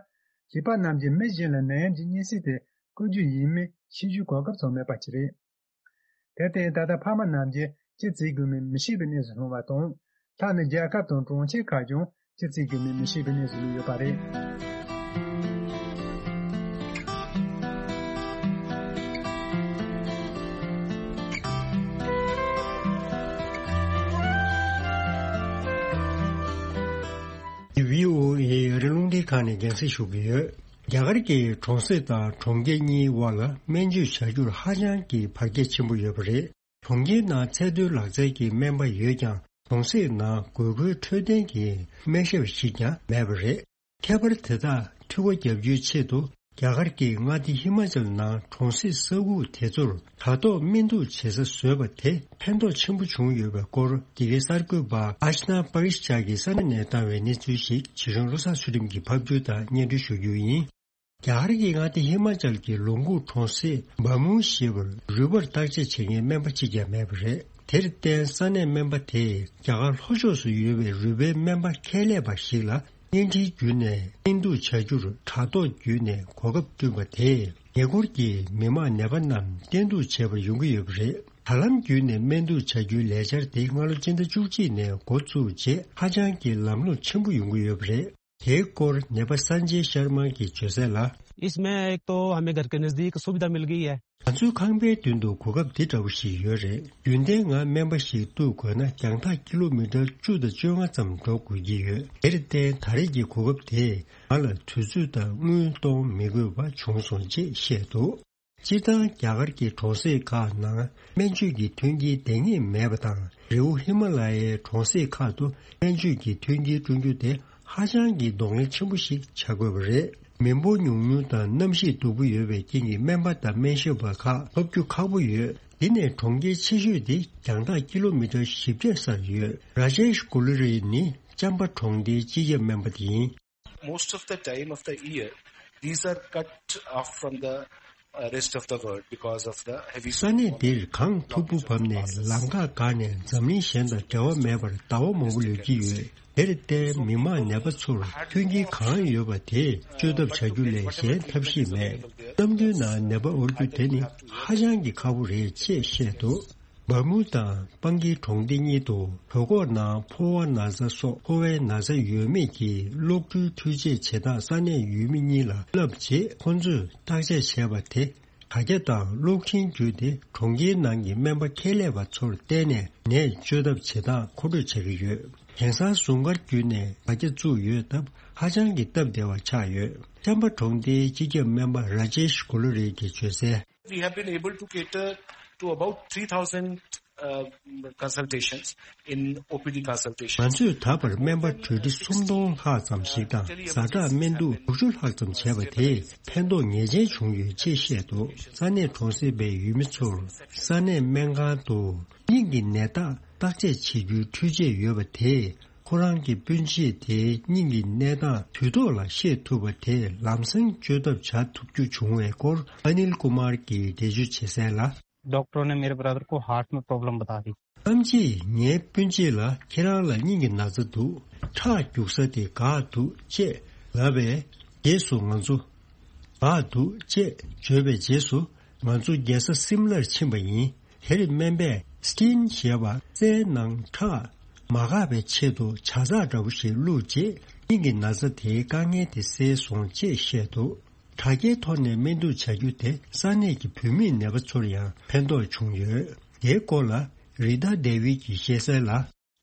བྱིས་པ་རྣམས་ཀྱིས་མི་གཞན་ལ་ནད་ཡམས་ཀྱི་གཉན་སྲིན་དེ་བཀོལ་རྒྱུ་ཡིན་མིན་ཤེས་རྒྱུའི་གོ་སྐབས་བྱུང་མེད་པ་ཞིག་རེད། དེར་བརྟེན་ད་ལྟ་ཕ་མ་རྣམས་ཀྱིས་ཅི་བྱེད་དགོས་མིན་མི་ཤེས་པའི་གནས་སུ་ལྷུང་བ་དང་། ཐ་ན་རྒྱལ་ཁབ་དང་གྲོང་ཁྱེར་ཁག་ཀྱང་ཅི་བྱེད་དགོས་མིན་མི་ཤེས་པའི་གནས་སུ་ལུས་ཡོད་པ་རེད། བྷི་ཨོ་ཨེ་ཨ་རི་རླུང་འཕྲིན་ཁང་ནས་རྒྱང་སྲིང་ཞུ་གི་ཡོད། རྒྱ་གར་གྱི་གྲོང་གསེབ་དང་གྲོང་ཁྱེར་གཉིས་དབར་ལ་སྨན་བཅོས་བྱ་རྒྱུར་ཧ་ཅང་གི་བར་ཁྱད་ཆེན་པོ་ཡོད་པ་རེད། གྲོང་ཁྱེར་ནང་ཚད་མཐོའི་ལག་རྩལ་གྱི་སྨན་པ་ཡོད་ཀྱང་། གྲོང་གསེབ་ནང་དགོས་མཁོའི་འཕྲོད་བསྟེན་གྱི་སྨན་ཞབས་ཤིག་ཀྱང་མེད་པ་རེད། ཁྱད་པར་དེ་དག་འཐུས་སྒོ་བརྒྱབ་རྒྱུའི་ཆེད་དུ། རྒྱ་གར་གྱི་མངའ་སྡེ་ཧི་མ་ཅལ་ནང་གྲོང་གསེབ་ས་ཁུག་དེ་ཚོར་དྲ་ཐོག་སྨན་འཐུ་བྱེད་ས་བཟོས་པ་དེ་ཕན་ཐོགས་ཆེན་པོ་བྱུང་ཡོད་པའི་སྐོར། འདི་གའི་གསར་འགོད་པ་ཨཤ་ན་པ་རིཤ་ཅག་གིས་ས་གནས་ནས་བཏང་བའི་གནས་ཚུལ་ཞིག་ཇི་གཞུང་བློ་བཟང་ཚུལ་ཁྲིམས་ཀྱིས་ཕབ་སྒྱུར་དང་སྙན་སྒྲོན་ཞུ་རྒྱུ་ཡིན། རྒྱ་གར་གྱི་མངའ་སྡེ་ཧི་མ་ཅལ་གྱི་ལོངས་སྐུ་གྲོང་གསེབ་བ་མུ་ཞེས་པར་རུས་པར་བརྟག་དཔྱད་བྱེད་མཁན་སྨན་པ་གཅིག་ཀྱང་མེད་པ་རེད། དེར་བརྟེན་ས་གནས་སྨན་པ་དེས་རྒྱ་གར་ལྷོ་ཕྱོགས་སུ་ཡོད་པའི་རུས་པའི་སྨན་པ་ཁྱད་ལས་པ་ཞིག་ལ་བརྙན་འཕྲིན་བརྒྱུད་ནས་སྨན་འཐུ་བྱ་རྒྱུར་དྲ་ཐོག་བརྒྱུད་ནས་གོ་སྐབས་བསྐྲུན་པ་དེས་ཉེ་འཁོར་གྱི་མི་མང་ནད་པ་རྣམས་བསྟེན་གཏུག་བྱེད་པར་ཡོང་གི་ཡོད་པ་རེད། དྲ་ལམ་བརྒྱུད་ནས་སྨན་འཐུ་བྱ་རྒྱུའི་ལས་འཆར་དེ་སྔ་ལོ་སྤྱི་ཟླ་བཅུ་གཅིག་ནས་འགོ་བཙུགས་རྗེས་ཧ་ཅང་གི་ལམ་ལྷོང་ཆེན་པོ་ཡོང་གི་ཡོད་པ་རེད། དེའི་སྐོར་ནད་པ་སན་ཇེ་ཤར་མ་གིས་བརྗོད་གསལ་ལ། इसमें एक तो हमें घर के नज़दीक सुविधा मिल गई है। ང་ཚོའི་ཁང་པའི་མདུན་དུ་གོ་སྐབས་འདི་འདྲ་བོ་ཞིག་ཡོད་རེད། རྒྱུན་ལྡན་ང་སྨན་པ་ཞིག་གཏུག་དགོས་ན་རྒྱང་ཐག་ཀི་ལོ་མི་ཊར་བཅུ་དང་བཅོ་ལྔ་ཙམ་འགྲོ་དགོས་ཀྱི་ཡོད། དེར་བརྟེན་ད་རེས་ཀྱི་གོ་སྐབས་དེས་ང་ལ་དུས་ཚོད་དང་དངུལ་གཏོང་མི་དགོས་པ་བྱུང་སོང་ཅེས་བཤད་འདུག་སྤྱིར་བཏང་རྒྱ་གར་གྱི་གྲོང་གསེབ་ཁག་ནང་སྨན་བཅོས་ཀྱི་མཐུན་རྐྱེན་ལྡང་ངེས་མེད་པ་དང་། རི་བོ་ཧི་མ་ལ་ཡའི་གྲོང་གསེབ་ཁག་ཏུ་སྨན་བཅོས་ཀྱི་མཐུན་རྐྱེན་བསྐྲུན་རྒྱུ་དེ་ཧ་ཅང་གི་གདོང་ལེན་ཆེན་པོ་ཞིག་བྱ་དགོས་པ་རེད། མི་འབོར་ཉུང་ཉུང་དང་གནམ་གཤིས་སྡུག་པོ་ཡོད་པའི་རྐྱེན་གྱིས་སྨན་པ་དང་སྨན་ཞབས་པ་ཁག་ཐོབ་རྒྱུ་ཁག་པོ་ཡོད། འདི་ནས་གྲོང་ཁྱེར་ཆེ་ཤོས་དེ་རྒྱང་ཐག་ཀི་ལོ་མི་ཊར་བཞི་བརྒྱ་སར་ཡོད། ར་ཇེཤ་གུ་ལི་རི་ནི་ཅམ་པ་གྲོང་སྡེའི་སྤྱི་ཁྱབ་སྨན་པ་དེ་ཡིན། Most of the time of the year, these are cut off from the uh, rest of the world because of the heavy ས་གནས་འདིར་གངས་མཐུག་པོ་བབས་ནས་ལམ་ཁ་འགག་ནས་འཛམ་གླིང་གཞན་དང་འབྲེལ་བ་མེད་པར་ཟླ་བ་མང་པོ་ལུས་ཀྱི་ཡོད། དེར་བརྟེན་མི་མང་ནད་པ་ཚོར་མཐུན་རྐྱེན་གང་ཡོད་པ་དེ་བཅོས་ཐབས་བྱ་རྒྱུ་ལས་གཞན་ཐབས་ཤེས་མེད། གནམ་དུས་ནང་ནད་པ་དབོར་རྒྱུ་དེ་ནི་ཧ་ཅང་གི་ཁག་པོ་རེད་ཅེས་བཤད་འདུག་བ་མུ་དང་སྤང་གི་གྲོང་སྡེ་གཉིས་དུ་བོད་ཁོག་ནང་ཕོ་བ་ན་ཚ་སོགས་ཕོ་བའི་ན་ཚ་ཡོད་མེད་ཀྱི་གློག་འཕྲུལ་འཕྲུལ་ཆས་བྱེད་སྟངས་ས་གནས་ཡུལ་མི་གཉིས་ལ་བསླབས་རྗེས་ཁོང་ཚོས་བརྟག་དཔྱད་བྱས་པ་དེ་དྲ་རྒྱ་དང་གློག་འཕྲིན་བརྒྱུད་དེ་གྲོང་ཁྱེར་ནང་གི་སྨན་པ་ཁྱད་ལས་པ་ཚོར་བརྟེན་ནས་ནད་བཅོས་ཐབས་བྱེད་སྟངས་མཁོ་སྤྲོད་བྱ་གི་ཡོད། དེང་སང་ཟུང་སྐར་བརྒྱུད་ནས་དྲ་རྒྱ་བཙུགས་ཡོད་སྟབས་ཧ་ཅང་གི་སྟབས་བདེ་བ་ཆགས་ཡོད། ཅམ་པ་གྲོང་སྡེའི་སྤྱི་ཁྱབ་སྨན་པ་ར་ཇེཤ་གུ་ལུ་རི་གིས་བརྗོད་གསལ། We have been able to cater to about three thousand uh, consultations in O P D consultations. ང་ཚོས་ད་བར་སྨན་པ་གྲོས་སྒྲིག་སུམ་སྟོང་ལྷག་ཙམ་ཞིག་དང་ཛ་དྲག་སྨན་འདུག་དྲུག་ཅུ་ལྷག་ཙམ་བྱས་པ་དེས་ཕན་ཐོགས་ངེས་ཅན་བྱུང་ཡོད་ཅེས་བཤད་འདུག་ས་གནས་གྲོང་གསེབ་པའི་ཡུལ་མི་ཚོར་ས་གནས་སྨན་ཁང་དུ་སྙིང་གི་ནད་རྟགས་བརྟག་དཔྱད་བྱེད་རྒྱུའི་འཕྲུལ་ཆས་ཡོད་པ་དེས། ཁོ་རང་གི་སྤུན་མཆེད་དེའི་སྙིང་གི་གནས་སྟངས་དུས་ཐོག་ལ་ཤེས་ཐུབ་པ་དེ་ལམ་སེང་བཅོས་ཐབས་བྱ་ཐུབ་རྒྱུ་བྱུང་བའི་སྐོར་ཨ་ནིལ་ཀུ་མར་གྱིས་འགྲེལ་བརྗོད་བྱེད་གསལ་ལ། डॉक्टरों ने मेरे ब्रदर को हार्ट में प्रॉब्लम बता दी। ཐམས་ཅད་ངའི་སྤུན་མཆེད་ལ་ཁྱེད་རང་ལ་སྙིང་གི་ན་ཚ་འདུག་ཁྲག་རྒྱུག་ས་དེ་འགག་འདུག་ཅེས་ལབ་པས། རྗེས་སུ་ང་ཚོ་འགག་འདུག་ཅེས་བརྗོད་པའི་རྗེས་སུ་ང་ཚོ་རྒྱལ་ས་སིམ་ལར་ཕྱིན་པ་ཡིན། དེར་སྨན་པས་སི་ཊིན་ཞེས་པ་རྩའི་ནང་ཁྲག་མ་འགག་པའི་ཆེད་དུ་ཇ་ཚགས་འདྲ་པོ་ཞིག་བླུགས་རྗེས་སྙིང་གི་ན་ཚ་དེའི་དཀའ་ངལ་དེ་སེལ་སོང་ཅེས་བཤད་འདུག་དྲ་རྒྱའི་ཐོག་ནས་སྨན་བསྡུར་བྱ་རྒྱུ་དེ་ས་གནས་ཀྱི་བུད་མེད་ནད་པ་ཚོར་ཡང་ཕན་ཐོགས་བྱུང་ཡོད། དེའི་སྐོར་ལ་རི་ཏཱ་ཌེ་བིད་ཀྱིས་བཤད་གསལ་ལ།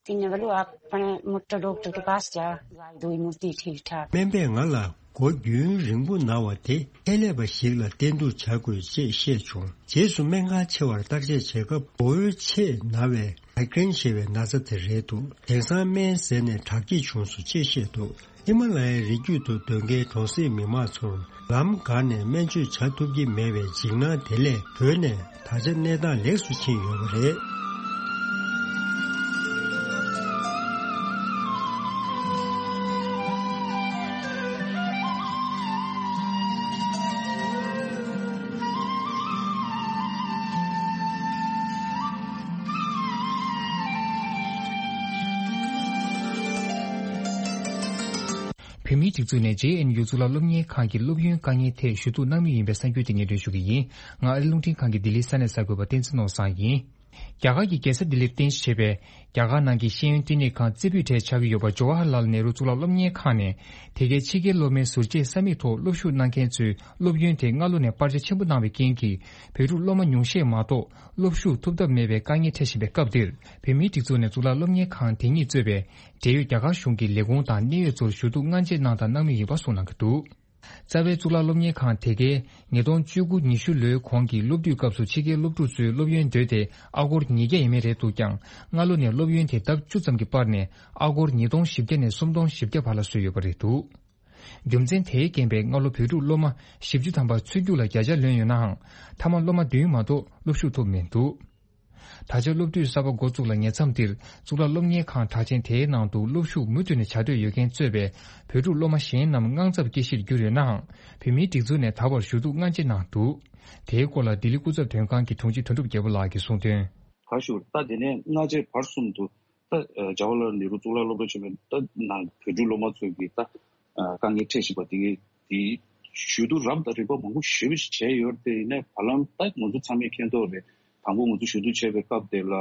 तीन बलू आपने मुट्टा डॉक्टर के पास जा, दवाई दो मूर्ति ठीक ठाक। སྨན་པས་ང་ལ་སྒོ་རྒྱུན་རིང་པོ་ན་བ་དེ་ཁྱད་ལས་པ་ཞིག་ལ་བསྟེན་གཏུག་བྱ་དགོས་ཅེས་བཤད་བྱུང་། རྗེས་སུ་སྨན་ཁང་ཆེ་བར་བརྟག་དཔྱད་བྱེད་སྐབས་མགོ་བོའི་ཆེས་ན་བའི་མའི་གྷི་རེན་ཞེས་པའི་ན་ཚ་དེ་རེད་འདུག་དེང་སང་སྨན་ཟས་ནས་དྲག་སྐྱེད་བྱུང་སོང་ཅེས་བཤད་འདུག་ཧི་མ་ལ་ཡའི་རི་རྒྱུད་དུ་སྡོད་མཁན་གྲོང་གསེབ་མི་མང་ཚོར་ལམ་འགག་ནས་སྨན་བཅོས་བྱ་ཐུབ་ཀྱི་མེད་པའི་འཇིགས་སྣང་དེ་ལས་བྲོས་ནས་ད་ཆ་གནས་སྟངས་ལེགས་སུ་ཕྱིན་ཡོད་པ་རེད། བོད་མིའི་སྒྲིག་འཛུགས་ནས་ཇེ་ཨེན་ཡུ་གཙུག་ལག་སློབ་གཉེར་ཁང་གི་སློབ་ཡོན་དཀའ་ངལ་ཐད་ཞུ་གཏུག་གནང་མུས་ཡིན་པའི་གསར་འགྱུར་དེ་སྙན་སྒྲོན་ཞུ་གི་ཡིན། ང་ཨ་རི་རླུང་འཕྲིན་ཁང་གི་ལྡི་ལིའི་ས་གནས་གསར་འགོད་པ་བསྟན་འཛིན་ནོར་བཟང་ཡིན། རྒྱ་གར་གྱི་རྒྱལ་ས་ལྡི་ལིར་རྟེན་གཞི་བྱས་པའི་རྒྱ་གར་ནང་གི་ཤེས་ཡོན་བསྟི་གནས་ཁང་རྩེ་ཕུད་གྲས་ཆགས་ཀྱི་ཡོད་པ་ཇོ་ཝ་ཧར་ལཱལ་ནེ་རུ་གཙུག་ལག་སློབ་གཉེར་ཁང་ནས་དེ་གའི་ཕྱི་རྒྱལ་སློབ་མའི་ཟུར་བཅད་ས་མིག་ཐོག་སློབ་ཞུགས་གནང་མཁན་ཚོའི་སློབ་ཡོན་དེ་སྔ་ལོ་ནས་སྤར་ཆ་ཆེན་པོ་གནང་བའི་རྐྱེན་གྱིས་བོད་ཕྲུག་སློབ་མ་ཉུང་ཤས་མ་གཏོགས་སློབ་ཞུགས་ཐུབ་ཐབས་མེད་པའི་དཀའ་ངལ་འཕྲད་བཞིན་པའི་སྐབས་འདིར། བོད་མིའི་སྒྲིག་འཛུགས་ནས་གཙུག་ལག་སློབ་གཉེར་ཁང་དེ་ཉིད་གཙོས་པའི་འབྲེལ་ཡོད་རྒྱ་གར་གཞུང་གི་ལས་ཁུངས་དང་གནད་ཡོད་ཚོར་ཞུ་གཏུག་སྔ་རྗེས་གནང་དང་གནང་མུས་ཡིན་པ་གསུངས་གནང་གི་འདུག་རྩ་བའི་གཙུག་ལག་སློབ་གཉེར་ཁང་དེ་གའི་ཉིས་སྟོང་བཅུ་དགུ་ཉི་ཤུ་ལོའི་གོང་གི་སློབ་དུས་སྐབས་སུ་ཕྱི་རྒྱལ་སློབ་ཕྲུག་ཚོའི་སློབ་ཡོན་འདོད་དེ་ཨ་སྒོར་ཉིས་བརྒྱ་ཡས་མས་རེད་འདུག་ཀྱང་། སྔ་ལོ་ནས་སློབ་ཡོན་དེ་ལྡབ་བཅུ་ཙམ་གྱིས་སྤར་ནས་ཨ་སྒོར་ཉིས་སྟོང་བཞི་བརྒྱ་ནས་སུམ་སྟོང་བཞི་བརྒྱ་བར་ལ་བཟོས་ཡོད་པ་རེད་འདུག་རྒྱུ་མཚན་དེའི་རྐྱེན་པས་སྔ་ལོ་བོད་ཕྲུག་སློབ་མ་བཞི་བཅུ་ཐམ་པ་ཚུར་རྒྱུགས་ལ་བརྒྱ་ཆ་ལོན་ཡོད་ནའང་། མཐའ་མ་སློབ་མ་བདུན་མ་གཏོགས་སློབ་ཞུགས་ཐུབ་མི་འདུག་ད་ཆ་སློབ་དུས་གསར་པ་འགོ་བཙུགས་ལ་ཉེ་མཚམས་འདིར་གཙུག་ལག་སློབ་གཉེར་ཁང་གྲགས་ཅན་དེའི་ནང་དུ་སློབ་ཞུགས་མུ་མཐུད་ནས་བྱ་འདོད་ཡོད་མཁན་གཙོས་པའི་བོད་ཕྲུག་སློབ་མ་གཞན་རྣམས་དངངས་འཚབ་སྐྱེ་གཞིར་གྱུར་ཡོད་ནའང་། བོད་མིའི་སྒྲིག་འཛུགས་ནས་ད་བར་ཞུ་གཏུག་སྔ་རྗེས་གནང་འདུག་དེའི་སྐོར་ལ་ལྡི་ལི་སྐུ་ཚབ་དོན་ཁང་གི་དྲུང་ཆེ་དོན་གྲུབ་རྒྱལ་པོ་ལགས་ཀྱིས་གསུངས་དོན། ག་ཞུ་ད་དེ་ནས་སྔ་རྗེས་བར་གསུམ་དུ་ད་ཇ་ཝ་ལལ་ནེ་རུ་གཙུག་ལག་སློབ་གྲྭ་ཆེན་མོའི་ད་ནང་བོད་ཕྲུག་སློབ་མ་ཚོ་གིས་ད་དཀའ་ངལ་འཕྲད་བཞིན་པ་དེ་གའི་དེ་ཞུ་གཏུག་རབ་དང་རིམ་པ་མང་པོ་ཞེ་པོ་ཞིག་བྱས་ཡོད་རེད་དེ། ཡིན་ནའི་བར་ལམ་ད་ང་ཚོ་ཚང་མས་མཁྱེན་རྟོགས་རེད། དང་པོ་ང་ཚོ་ཞུ་གཏུག་བྱས་པའི་སྐབས་དེ་ལ་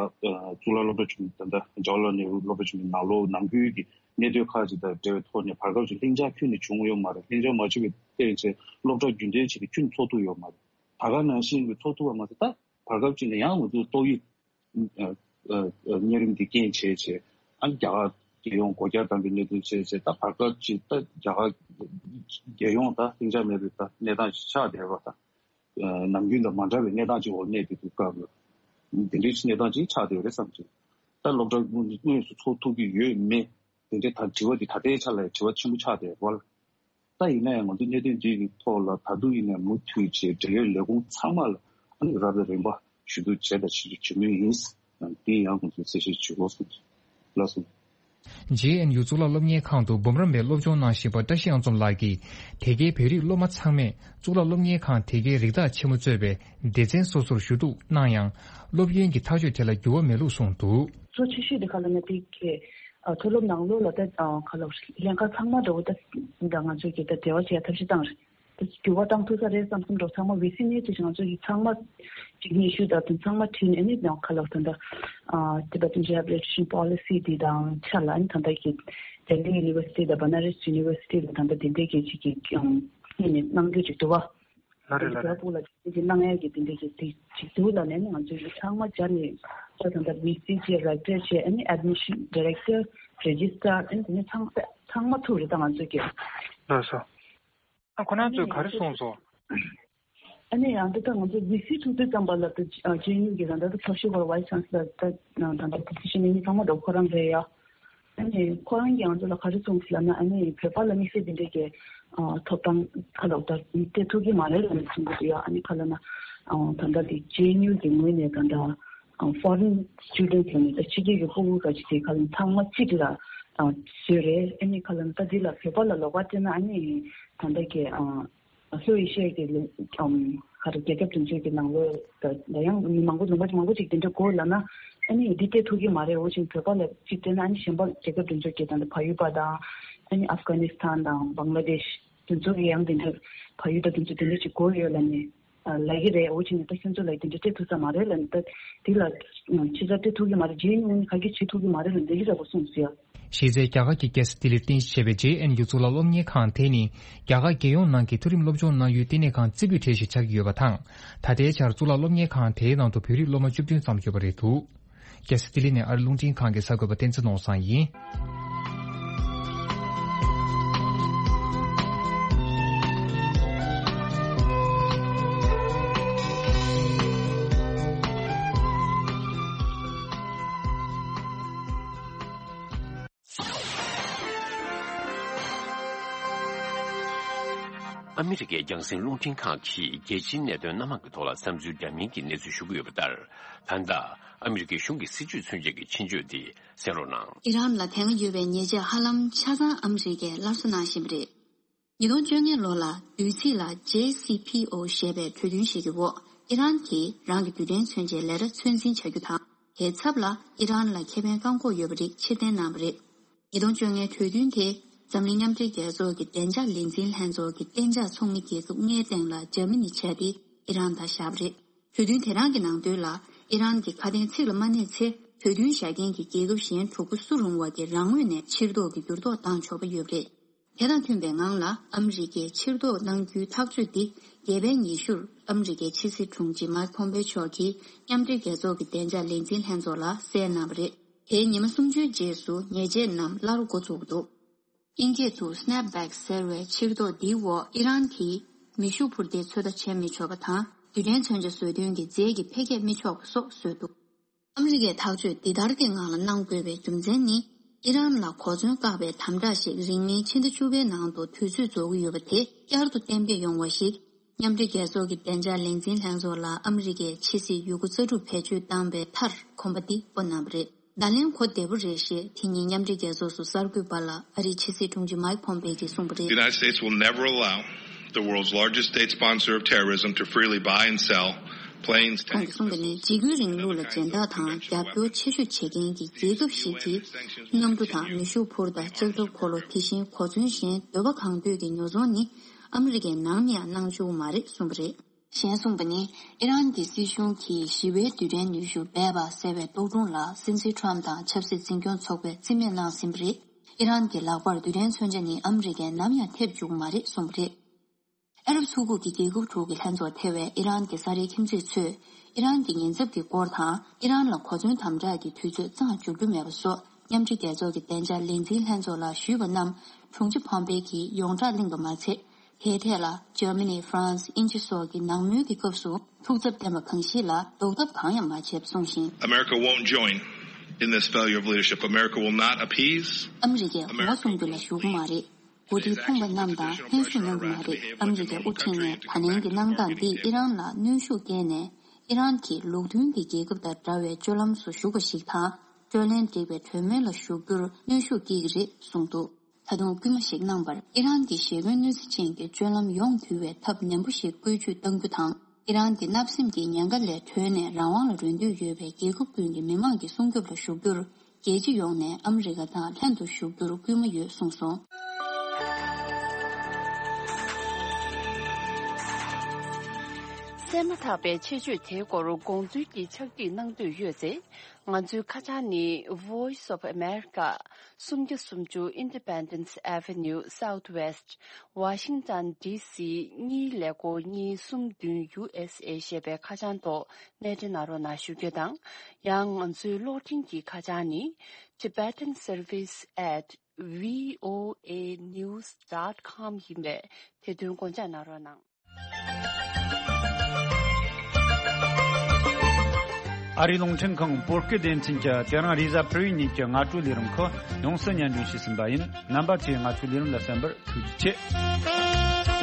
གཙུག་ལག་སློབ་གྲྭ་ཆེན་མོ་ད་ལྟ་ཇ་ཝ་ལལ་ནེ་རུ་སློབ་གྲྭ་ཆེན་མོའི་ནང་ལོགས་ནང་ཁུལ་གྱི་གནད་དོན་ཁག་ཅིག་དང་འབྲེལ་བའི་ཐོག་ནས་བར་སྐབས་ཅིག་ལྷིང་འཇགས་ཁྱོན་ནས་བྱུང་ཡོད་མ་རེད། ལྷིང་འཇགས་མ་བྱུང་བའི་ཐད་ཆེད་སློབ་གྲྭ་རྒྱུན་ལྡན་བྱས་ཏེ་ཁྱོན་ཚོགས་ཐུབ་ཡོད་མ་རེད། ད་ག་ནང་བཞིན་གྱི་ཚོགས་ཐུབ་པ་མ་ཟད་ད་བར་སྐབས་ཅིག་ནས་ཡང་ང་ཚོས་ཏོག་དབྱིབས་གཉན་རིམས་འདི་རྐྱེན་བྱས་བྱས་ཨ་ནི་རྒྱ་གར་རྒྱལ་ཡོངས་སྒོ་རྒྱ་བསྡམས་པའི་གནད་དོན་བྱས་བྱས་ད་བར་སྐབས་ཅིག་ད་རྒྱ་གར་རྒྱལ་ཡོངས་ད་ལྷིང་འཇགས་མེད་པའི་ད་གནས་སྟངས་ཅིག་ཆགས་བསྡད་པ་དང་། ནམ་རྒྱུན་དང་མ་འདྲ་བའི་གནས་སྟངས་ཅིག་འོག་གནས་བསྡད་དུས་སྐབས་ལ་འདི་འདྲའི་གནས་སྟངས་ཅིག་ཆགས་བསྡད་ཡོད་རེད་བསམ་གྱི། ད་སློབ་གྲྭ་དངོས་སུ་ཚོགས་ཐུབ་ཀྱི་ཡོད་མེད་དེ་འདྲའི་ད་དྲི་བ་འདི་ད་ལྟའི་ཆ་ལ་དྲི་བ་ཆེན་པོ་ཆགས་བསྡད་ཡོད་རེད། ད་ཡིན་ན་ཡང་ང་ཚོ་གནད་དོན་འདི་གི་ཐོག་ལ་ད་དུང་ཡིན་ནའི་མུ་མཐུད་བྱས་འབྲེལ་ཡོད་ལས་ཁུངས་ཚང་མ་ལ་ཨ་ནི་རབ་དང་རིམ་པ་ཞུ་གཏུག་བྱས་དང་བྱེད་རྒྱུ་བྱེད་མུས་ཡིན། དེ་ཡང་ང་ཚོས་གསལ་བཤད་ཞུ་དགོས་སོང་། ལགས་སོ། ཇེ་ཨེན་ཡུ་གཙུག་ལག་སློབ་གཉེར་ཁང་དུ་འབུམ་རམས་པའི་སློབ་སྦྱོང་གནང་བཞིན་པ་བཀྲ་ཤིས་དབྱངས་འཛོམས་ལགས་ཀྱིས་དེ་གའི་བོད་རིགས་སློབ་མ་ཚང་མས་གཙུག་ལག་སློབ་གཉེར་ཁང་དེ་གའི་རིགས་བདག་ཆེན་མོ་གཙོས་པའི་སྡེ་ཚན་སོ་སོར་ཞུ་གཏུག་གནང་ཡང་། སློབ་ཡོན་གྱི་ཐག་གཅོད་དེ་ལ་འགྱུར་བ་མེད་ལུགས་གསུངས་འདུག་གཙོ་ཆེ་ཤོས་དེ་ག་ལ་ན་དེ་གའི་ཨ་མཐོ་སློབ་ནང་ལོགས་ལ་ད་ཨ་ག་ལ་ལྷན་ཁག་ཚང་མ་འགྲོ་གི་ད་ད་ང་ཚོ་གི་ད་འབྲེལ་བ་བྱེད་ཡ་ཐབས་ཤེས་བཏང་རེད། ད་འགྱུར་བ་བཏང་ཐུབ་ས་རེད་བསམ་བསམ་འགྲོ་ཚང་མ་ཝི་སི་ནས་ཚུལ་ང་ཚོ་གི་ཚང་མ་ཅིག་སྙན་ཞུ་ད་དུང་ཚང་མ་བྲིས་ནས་ཨ་ནི་ནང་ག་ལ་ད་ད་ཨ་Tibetan Rehabilitation Policy འདི་དང་ཆ་ལ་ཨ་ནི་ད་ད་གི་Delhi University ད་Banaras University ད་ད་ད་དེ་འདྲས་གི་ཅིག་གི་ཨམ་ཨ་ནི་གནང་རྒྱུ་ཅིག་འདུག་བ། ལ་རེད་ལ་རེད། ཕྱི་ལོགས་ལ་དེ་གནང་ཡག་གི་དེ་འདྲ་གི་དེ་ཅིག་འདུག་ལ་ནས་ང་ཚོའི་ཚང་མ་སྦྱར་ནས་ད་ད་ལྟ་ཝི་སི་བྱས་རེག་ཊར་བྱས་ཨ་ནི་ཨེཌ་མི་ཤན་ཌི་རེག་ཊར་རེ་ཇི་སི་ཊར་ཨ་ནི་དེ་ནས་ཚང་མ་ཚང་མ་ཐུག་རེད་ད་ང་ཚོའི་གི། ལགས་སོ། ཨ་ཁོ་རང་ཚོས་ག་རེ་གསུངས་སོང་། ཨ་ནི་ཡང་ད་ལྟ་ང་ཚོ་ཝི་སི་ཐུག་དུས་ཙམ་པ་ལ་ད་ཇེ་ཨེན་ཡུ་གི་ད་ལྟ་ད་ཐབས་ཤེས་སྐོར་ཝའི་སི་ཆན་སི་ལར་ད་ད་ལྟ་ད་སི་ཤན་ནི་ཚང་མ་ད་ཁོ་རང་རེད་ཡ། ཨ་ནི་ཁོ་རང་གིས་ང་ཚོ་ལ་ག་རེ་གསུངས་ཟེར་ལབ་ན་ཨ་ནི་བོད་པ་ལ་དམིགས་བསལ་འདི་འདྲའི་གི་ཨ་ཐོབ་ཐང་ཁ་ལོག་ད་སྤྲད་ཐུབ་ཀྱི་མ་རེད་ལབ་ནས་གསུང་གི་འདུག་ཡ། ཨ་ནི་ཁ་ལ་ན་ཨ་ད་ལྟ་འདི་ཇེ་ཨེན་ཡུ་གི་ངོས་ནས་ད་ལྟ་ཨ་ཕོ་རེན་སི་ཊུ་ཌེན་ཊི་ལབ་ནས་ད་ཕྱི་རྒྱལ་གྱི་ཕྲུ་གུ་ག་ཅིག་དེ་ཁ་ལ་ཚང་མ་གཅིག་ལ་ ཨ་བཟོས་རེད། ཨ་ནི་ག་ལབ་ན་ད་འདི་ལ་བོད་པ་ལ་ལོགས་ཀ་བལྟས་ན་ཨ་ནི་ད་ལྟ་གི་ཨ་ལྷོ་ཨེ་ཤི་ཡ་གི་ལུང་ཨམ་ག་རེ་རྒྱལ་ཁབ་དེ་ཚོའི་གི་ནང་ལོགས་ད་ད་ཡང་མི་མང་པོ་ལུང་པ་མང་པོ་ཅིག་དེ་འདྲ་དགོས་ལབ་ན་ཨ་ནི་འདི་སྤྲད་ཐུབ་ཀྱི་མ་རེད། འོ་ཅིག་བོད་པ་ལ་ཅིག་བལྟས་ན་ཨ་ནི་གཞན་པ་རྒྱལ་ཁབ་དེ་ཚོའི་གི་ད་ལྟ་བལ་ཡུལ་པ་དང་ཨ་ནི་ཨབ་གྷ་ནི་སི་ཐན་དང་བང་ལ་དེཤ་དེ་ཚོ་གི་ཡང་དེ་འདྲ་བལ་ཡུལ་དང་དེ་ཚོ་དེ་འདྲ་ཅིག་དགོས་ཡོད་ལབ་ནས། ལབ་ཀྱི་རེད། འོ་བྱས་ནས་ད་ཁྱོད་ཚོ་ལ་དེ་འདྲ་སྤྲད་ཐུབ་ས་མ་རེད་ལབ་ནས། ད་དེ་ལ་ཕྱི་ས་སྤྲད་ཐུབ་ཀྱི་མ་རེད། རྗེས་ནས་ཁ་གིས་བྱེད་ཐུབ་ཀྱི་མ་རེད་ལབ་འདི་གི་འདྲ་པོ་གསུངས་ཟེར། གཞི་རྩའི་རྒྱ་གར་གྱི་རྒྱལ་ས་ལྡི་ལིར་རྟེན་གཞི་བྱས་པའི་ཇེ་ཨེན་ཡུ་གཙུག་ལག་སློབ་གཉེར་ཁང་དེ་ནི་རྒྱ་གར་རྒྱལ་ཡོངས་ནང་གི་མཐོ་རིམ་སློབ་སྦྱོང་གནང་ཡུལ་ལྟེ་གནས་ཁང་རྩེ་ཕུད་གྲས་ཤིག་ཆགས་ཀྱི་ཡོད་པ་དང་། ད་ལྟའི་ཆར་གཙུག་ལག་སློབ་གཉེར་ཁང་དེའི་ནང་དུ་བོད་རིགས་སློབ་མ་བཅུ་བདུན་ཙམ་ཡོད་པ་རེད་འདུག་རྒྱལ་ས་ལྡི་ལི་ནས་ཨ་རི་རླུང་འཕྲིན་ཁང་གི་གསར་འགོད་པ་བསྟན་འཛིན་ནོར་བཟང་ཡིན། ཨ་མི་རི་ཀའི་རྒྱང་སྲིང་རླུང་འཕྲིན་ཁང་གིས་རྒྱལ་སྤྱིའི་གནད་དོན་སྣ་མང་གི་ཐོག་ལ་བསམ་ཚུལ་འདྲ་མིན་གྱི་གནས་ཚུལ་ཞུ་གི་ཡོད་པ་ལྟར། ད་ལྟ་ཨ་མི་རི་ཀའི་གཞུང་གི་སྲིད་ཇུས་མཚོན་ཆེད་ཀྱི་ཆེད་བརྗོད་འདི་གསན་རོགས་གནང་། ཨི་རན་ལ་དེ་སྔ་ཡོད་པའི་ཉེས་ཆད་ཧ་ལམ་ཆ་ཚང་ཨ་མི་རི་ཀས་སླར་གསོ་གནང་བཞིན་པ་རེད། ཉིས་སྟོང་བཅོ་ལྔ་ལོ་ལ་དུས་ཚིགས་ལ་ཇེ་སི་ཕི་ཨོ་ཞེས་པའི་གྲོས་མཐུན་ཞིག་གི་འོག་ཨི་རན་གྱིས་རང་གི་རྡུལ་ཕྲན་མཚོན་ཆའི་ལས་གྲྭ་ཚོད་འཛིན་བྱ་རྒྱུ་དང་། དེའི་ཚབ་ལ་ཨི་རན་ལ་ཁེ་ཕན་བཀག་འགོག་ཡོད་པའི་རིགས་ཕྱིར་འཐེན་གནང་བ་རེད། ཉིས་སྟོང་བཅོ་ལྔའི་གྲོས་མཐུན་དེ་འཛམ་གླིང་མཉམ་འབྲེལ་རྒྱལ་ཚོགས་ཀྱི་བདེ་འཇགས་ལས་འཛིན་ལྷན་ཚོགས་ཀྱི་གཏན་འཇགས་ཚོགས་མི་རྒྱལ་ཁབ་ལྔའི་སྟེང་ལ་འཇར་མ་ནི་བྱས་ཏེ་ཨི་རན་དང་བཞག་པ་རེད། གྲོས་མཐུན་དེ་རང་གི་ནང་དོན་ལ་ཨི་རན་གྱི་ཁ་དན་ཚིག་ལ་མ་གནས་ཚེ་གྲོས་མཐུན་བཞག་མཁན་གྱི་རྒྱལ་ཁབ་གཞན་དྲུག་པོ་སུ་རུང་བ་གི་རང་ངོས་ནས་ཕྱིར་ལྡོག་གི་འགྱུར་ལྡོག་བཏང་ཆོག་པ་ཡོད་པ་རེད། དེ་དང་མཐུན་པའི་ངང་ལ་ཨ་མི་རི་ཀས་ཕྱིར་ལྡོག་གནང་རྒྱུའི་ཐག་གཅོད་འདི་རྒྱལ་བའི་ཉི་ཤུར་ཨ་མི་རི་ཀའི་ཕྱི་སྲིད་དྲུང་ཆེ་མཱིག་ཕོམ་པེ་མཆོག་གིས་མཉམ་འབྲེལ་རྒྱལ་ཚོགས་ཀྱི་བདེ་འཇགས་ལས་འཛིན་ལྷན་ཚོགས་ལ་གསལ་གནང་བ་རེད། དེའི་ཉི་མ་སུམ་ཅུའི་རྗེས་སུ་ཉེས་ཆད་རྣམས་སླར་འགོ་ཚུགས་འདུག་དབྱིན་སྐད་དུ་སི་ནེབ་བེག་ཟེར་བའི་ཕྱིར་ལྡོག་འདིའི་འོག་ཨི་རན་གྱིས་མེ་ཤུགས་འཕུར་མདེལ་ཚོད་ལྟ་བྱེད་མི་ཆོག་པ་དང་། རྡུལ་ཕྲན་མཚོན་ཆ་བཟོ་སྐྲུན་གྱི་རྫས་ཀྱི་འཕེལ་རྒྱས་མི་ཆོག་པ་སོགས་བཟོས་འདུག་ཨ་མི་རི་ཀས་ཐག་གཅོད་འདི་ལྟར་གྱི་ངང་ལ་གནང་དགོས་པའི་རྒྱུ་མཚན་ནི། ཨི་རན་ལ་གོ་མཚོན་བཀག་པའི་དམ་དྲག་ཞིག་རིང་མིན་ཕྱི་ཟླ་བཅུ་པའི་ནང་དུ་དུས་ཚོད་རྫོགས་ཀྱི་ཡོད་པ་དེ་བསྐྱར་དུ་གཏན་འབེབས་ཡོང་བ་ཞིག་མཉམ་འབྲེལ་རྒྱལ་ཚོགས་ཀྱི་བདེ་འཇགས་ལས་འཛིན་ལྷན་ཚོགས་ལ་ཨ་མི་རི་ཀས་ཕྱི་སྲིད་ཡི་གུ་རྩ་གྲུབ་བེད་སྤྱོད་བཏང་པའི་མཐར་གོམ་པ་འདི་སྤོ་གནང་བ་རེད། བརྡ་ལན་གོ་བདེ་པོ་རེད་ཞེས་དེ་ཉིན་མཉམ་འབྲེལ་རྒྱལ་ཚོགས་སུ་གསར་འགོད་པ་ལ་ཨ་རིའི་ཕྱི་སྲིད་དྲུང་ཆེ་མཱིག་ཕོམ་པེ་གྱིས་གསུངས་པ་རེད། The United States will never allow the world's largest state sponsor of terrorism to freely buy and sell planes, ཁོང་གིས་གསུངས་པ་ནི། འཇིགས་སྐུལ་རིང་ལུགས་ལ་སྦྱིན་བདག་དང་རྒྱབ་སྐྱོར་ཆེ་ཤོས་བྱེད་མཁན་གྱི་རྒྱལ་ཁབ་ཞིག་གིས་གནམ་གྲུ་དང་མེ་ཤུགས་འཕུར་མདའ། ལྕགས་ཐབ་འཁོར་ལོ། དེ་བཞིན་གོ་མཚོན་གཞན་འདོད་པ་གང་འདོད་ཀྱི་ཉོ་ཚོང་ནི་ཨ་མི་རི་ཀས་ནམ་ཡང་གནང་བཅུག་མ་རེད་གསུངས་པ་རེད། གཞན་གསུངས་པ་ནི། ཨི་རན་གྱི་སྲིད་གཞུང་གིས་ཞི་བའི་རྡུལ་ཕྲན་ནུས་ཤུགས་སྦས་པ་ཟེར་བའི་རྟོག་སྒྲུང་ལ་སྲིད་འཛིན་ཁྲོམ་དང་ཆབ་སྲིད་འཛིན་སྐྱོང་ཚོགས་པས་རྩིས་མེད་གནང་ཟིན་པ་རེད། ཨི་རན་གྱི་ལག་པར་རྡུལ་ཕྲན་མཚོན་ཆ་ནི་ཨ་མི་རི་ཀས་ནམ་ཡང་ཐེབས་བཅུག་མ་རེད་གསུངས་པ་རེད། ཨ་རབ་ཚོགས་པ་གི་རྒྱལ་ཁབ་དྲུག་གི་ལྷན་ཚོགས་ཐེ་བའི་ཨི་རན་གྱི་ས་རའི་ཁྱིམ་མཚེས་ཚོས་ཨི་རན་གྱི་ཉེན་ཚབས་ཀྱི་སྐོར་དང་ཨི་རན་ལ་གོ་མཚོན་དམ་དྲག་གི་དུས་ཚོད་རྩ་བ་འཇོག་རྒྱུ་མེད་པ་སོགས་མཉམ་འབྲེལ་རྒྱལ་ཚོགས་ཀྱི་བདེ་འཇགས་ལས་འཛིན་ལྷན་ཚོགས་ལ་ཞུས་པ་རྣམས་དྲུང་ཆེ་ཕོམ་པེ་གྱིས་ཡོངས་གྲགས་གླེང་པ་མ་ཚད། དེའི་ཐད་ལ་འཇར་མ་ནི། ཧྥ་རན་སི། དབྱིན་ཇི་སོགས་ཀྱི་ནང་མོལ་གྱི་སྐབས་སུ་ཐུགས་འཚབ་བསྟན་པ་གང་ཞིག་ལ་ལྡོག་ཐབས་གང་ཡང་མ་བྱས་པ་གསུངས་ཤིང་། America won't join in this failure of leadership. America will not appease. ཨ་མི་རི་ཀས་ངོ་སྲུང་རྒྱུ་ལ་ཞུགས་ཀྱི་མ་རེད། འགོ་ཁྲིད་ཕོངས་པ་རྣམས་དང་ལྷན་ཞུགས་གནང་གི་མ་རེད། ཨ་མི་རི་ཀའི་དབུ་ཁྲིད་ནས་ད་ལན་གྱི་གནང་སྟངས་འདིས་ཨི་རན་ལ་གནོན་ཤུགས་བསྐྱེད་ནས་ཨི་རན་གྱིས་ལུགས་མཐུན་གྱི་རྒྱལ་ཁབ་དང་འདྲ་བའི་སྤྱོད་ལམ་སུ་ཞུགས་པ་ཞིག་དང་། སྤྲོད་ལེན་འགྲིག་པའི་གྲོས་མོལ་ལ་ཞུགས་རྒྱུར་གནོན་ཤུགས་སྐྱེལ་གྱི་རེད་གསུངས་འདུག་ད་དུང་སྐུལ་མ་ཞིག་གནང་བར། ཨི་རན་གྱི་ཞེ་འཁོན་གནོད་འཚེ་ཅན་གྱི་སྤྱོད་ལམ་ཡོངས་དུལ་བའི་ཐབས་ནན་པོ་ཞིག་བཀོལ་སྤྱོད་གཏང་རྒྱུ་དང་། ཨི་རན་གྱི་བརྣབ་སེམས་ཀྱི་ཉེན་ཁ་ལས་གྲོལ་ནས་རང་དབང་ལ་རོལ་འདོད་ཡོད་པའི་རྒྱལ་ཁབ་ཀུན་གྱི་མི་དམངས་ཀྱི་སྲུང་སྐྱོབ་ལ་ཞུགས་རྒྱུར། རྒྱལ་སྤྱི་ཡོངས་ནས་ཨ་མི་རི་ཀ་དང་ལྷན་དུ་ཞུགས་རྒྱུར་སྐུལ་མ་ཡོད་གསུངས་སོང་། གསན་མ་ཐག་པའི་ཆེད་བརྗོད་དེའི་སྐོར་དགོངས་ཚུལ་གྱི་ཕྱག་བྲིས་གནང་འདོད་ཡོད་ཚེ། ང་ཚོའི་ཁ་བྱང་ནི། Voice of America། སུམ་བརྒྱ་སུམ་ཅུ་Independence Avenue Southwest། Washington D C གཉིས་ཀླད་ཀོར་གཉིས་གསུམ་བདུན། U S A ཞེས་པའི་ཁ་བྱང་ཐོག་གནས་འབྲེལ་གནང་རོགས་གནང་ཞུ་རྒྱུ་དང་། ཡང་ང་ཚོའི་གློག་འཕྲིན་གྱི་ཁ་བྱང་ནི། Tibetan Service at V O A news dot com ཡིན་པས་དེ་དོན་དགོངས་འཇགས་གནང་རོགས་གནང་། ཨ་རིའི་རླུང་འཕྲིན་ཁང་བོད་སྐད་སྡེ་ཚན་གྱིས་དེ་རིང་རེས་གཟའ་ཕུར་བུའི་ཉིན་གྱི་སྔ་དྲོའི་ལས་རིམ་ཁག་ཡོངས་སུ་སྙན་སྒྲོན་ཞུས་ཟིན་པ་ཡིན། རྣམ་པ་ཚོས་ང་ཚོའི་ལས་རིམ་ལ་གསན་པར་ཐུགས་རྗེ་ཆེ།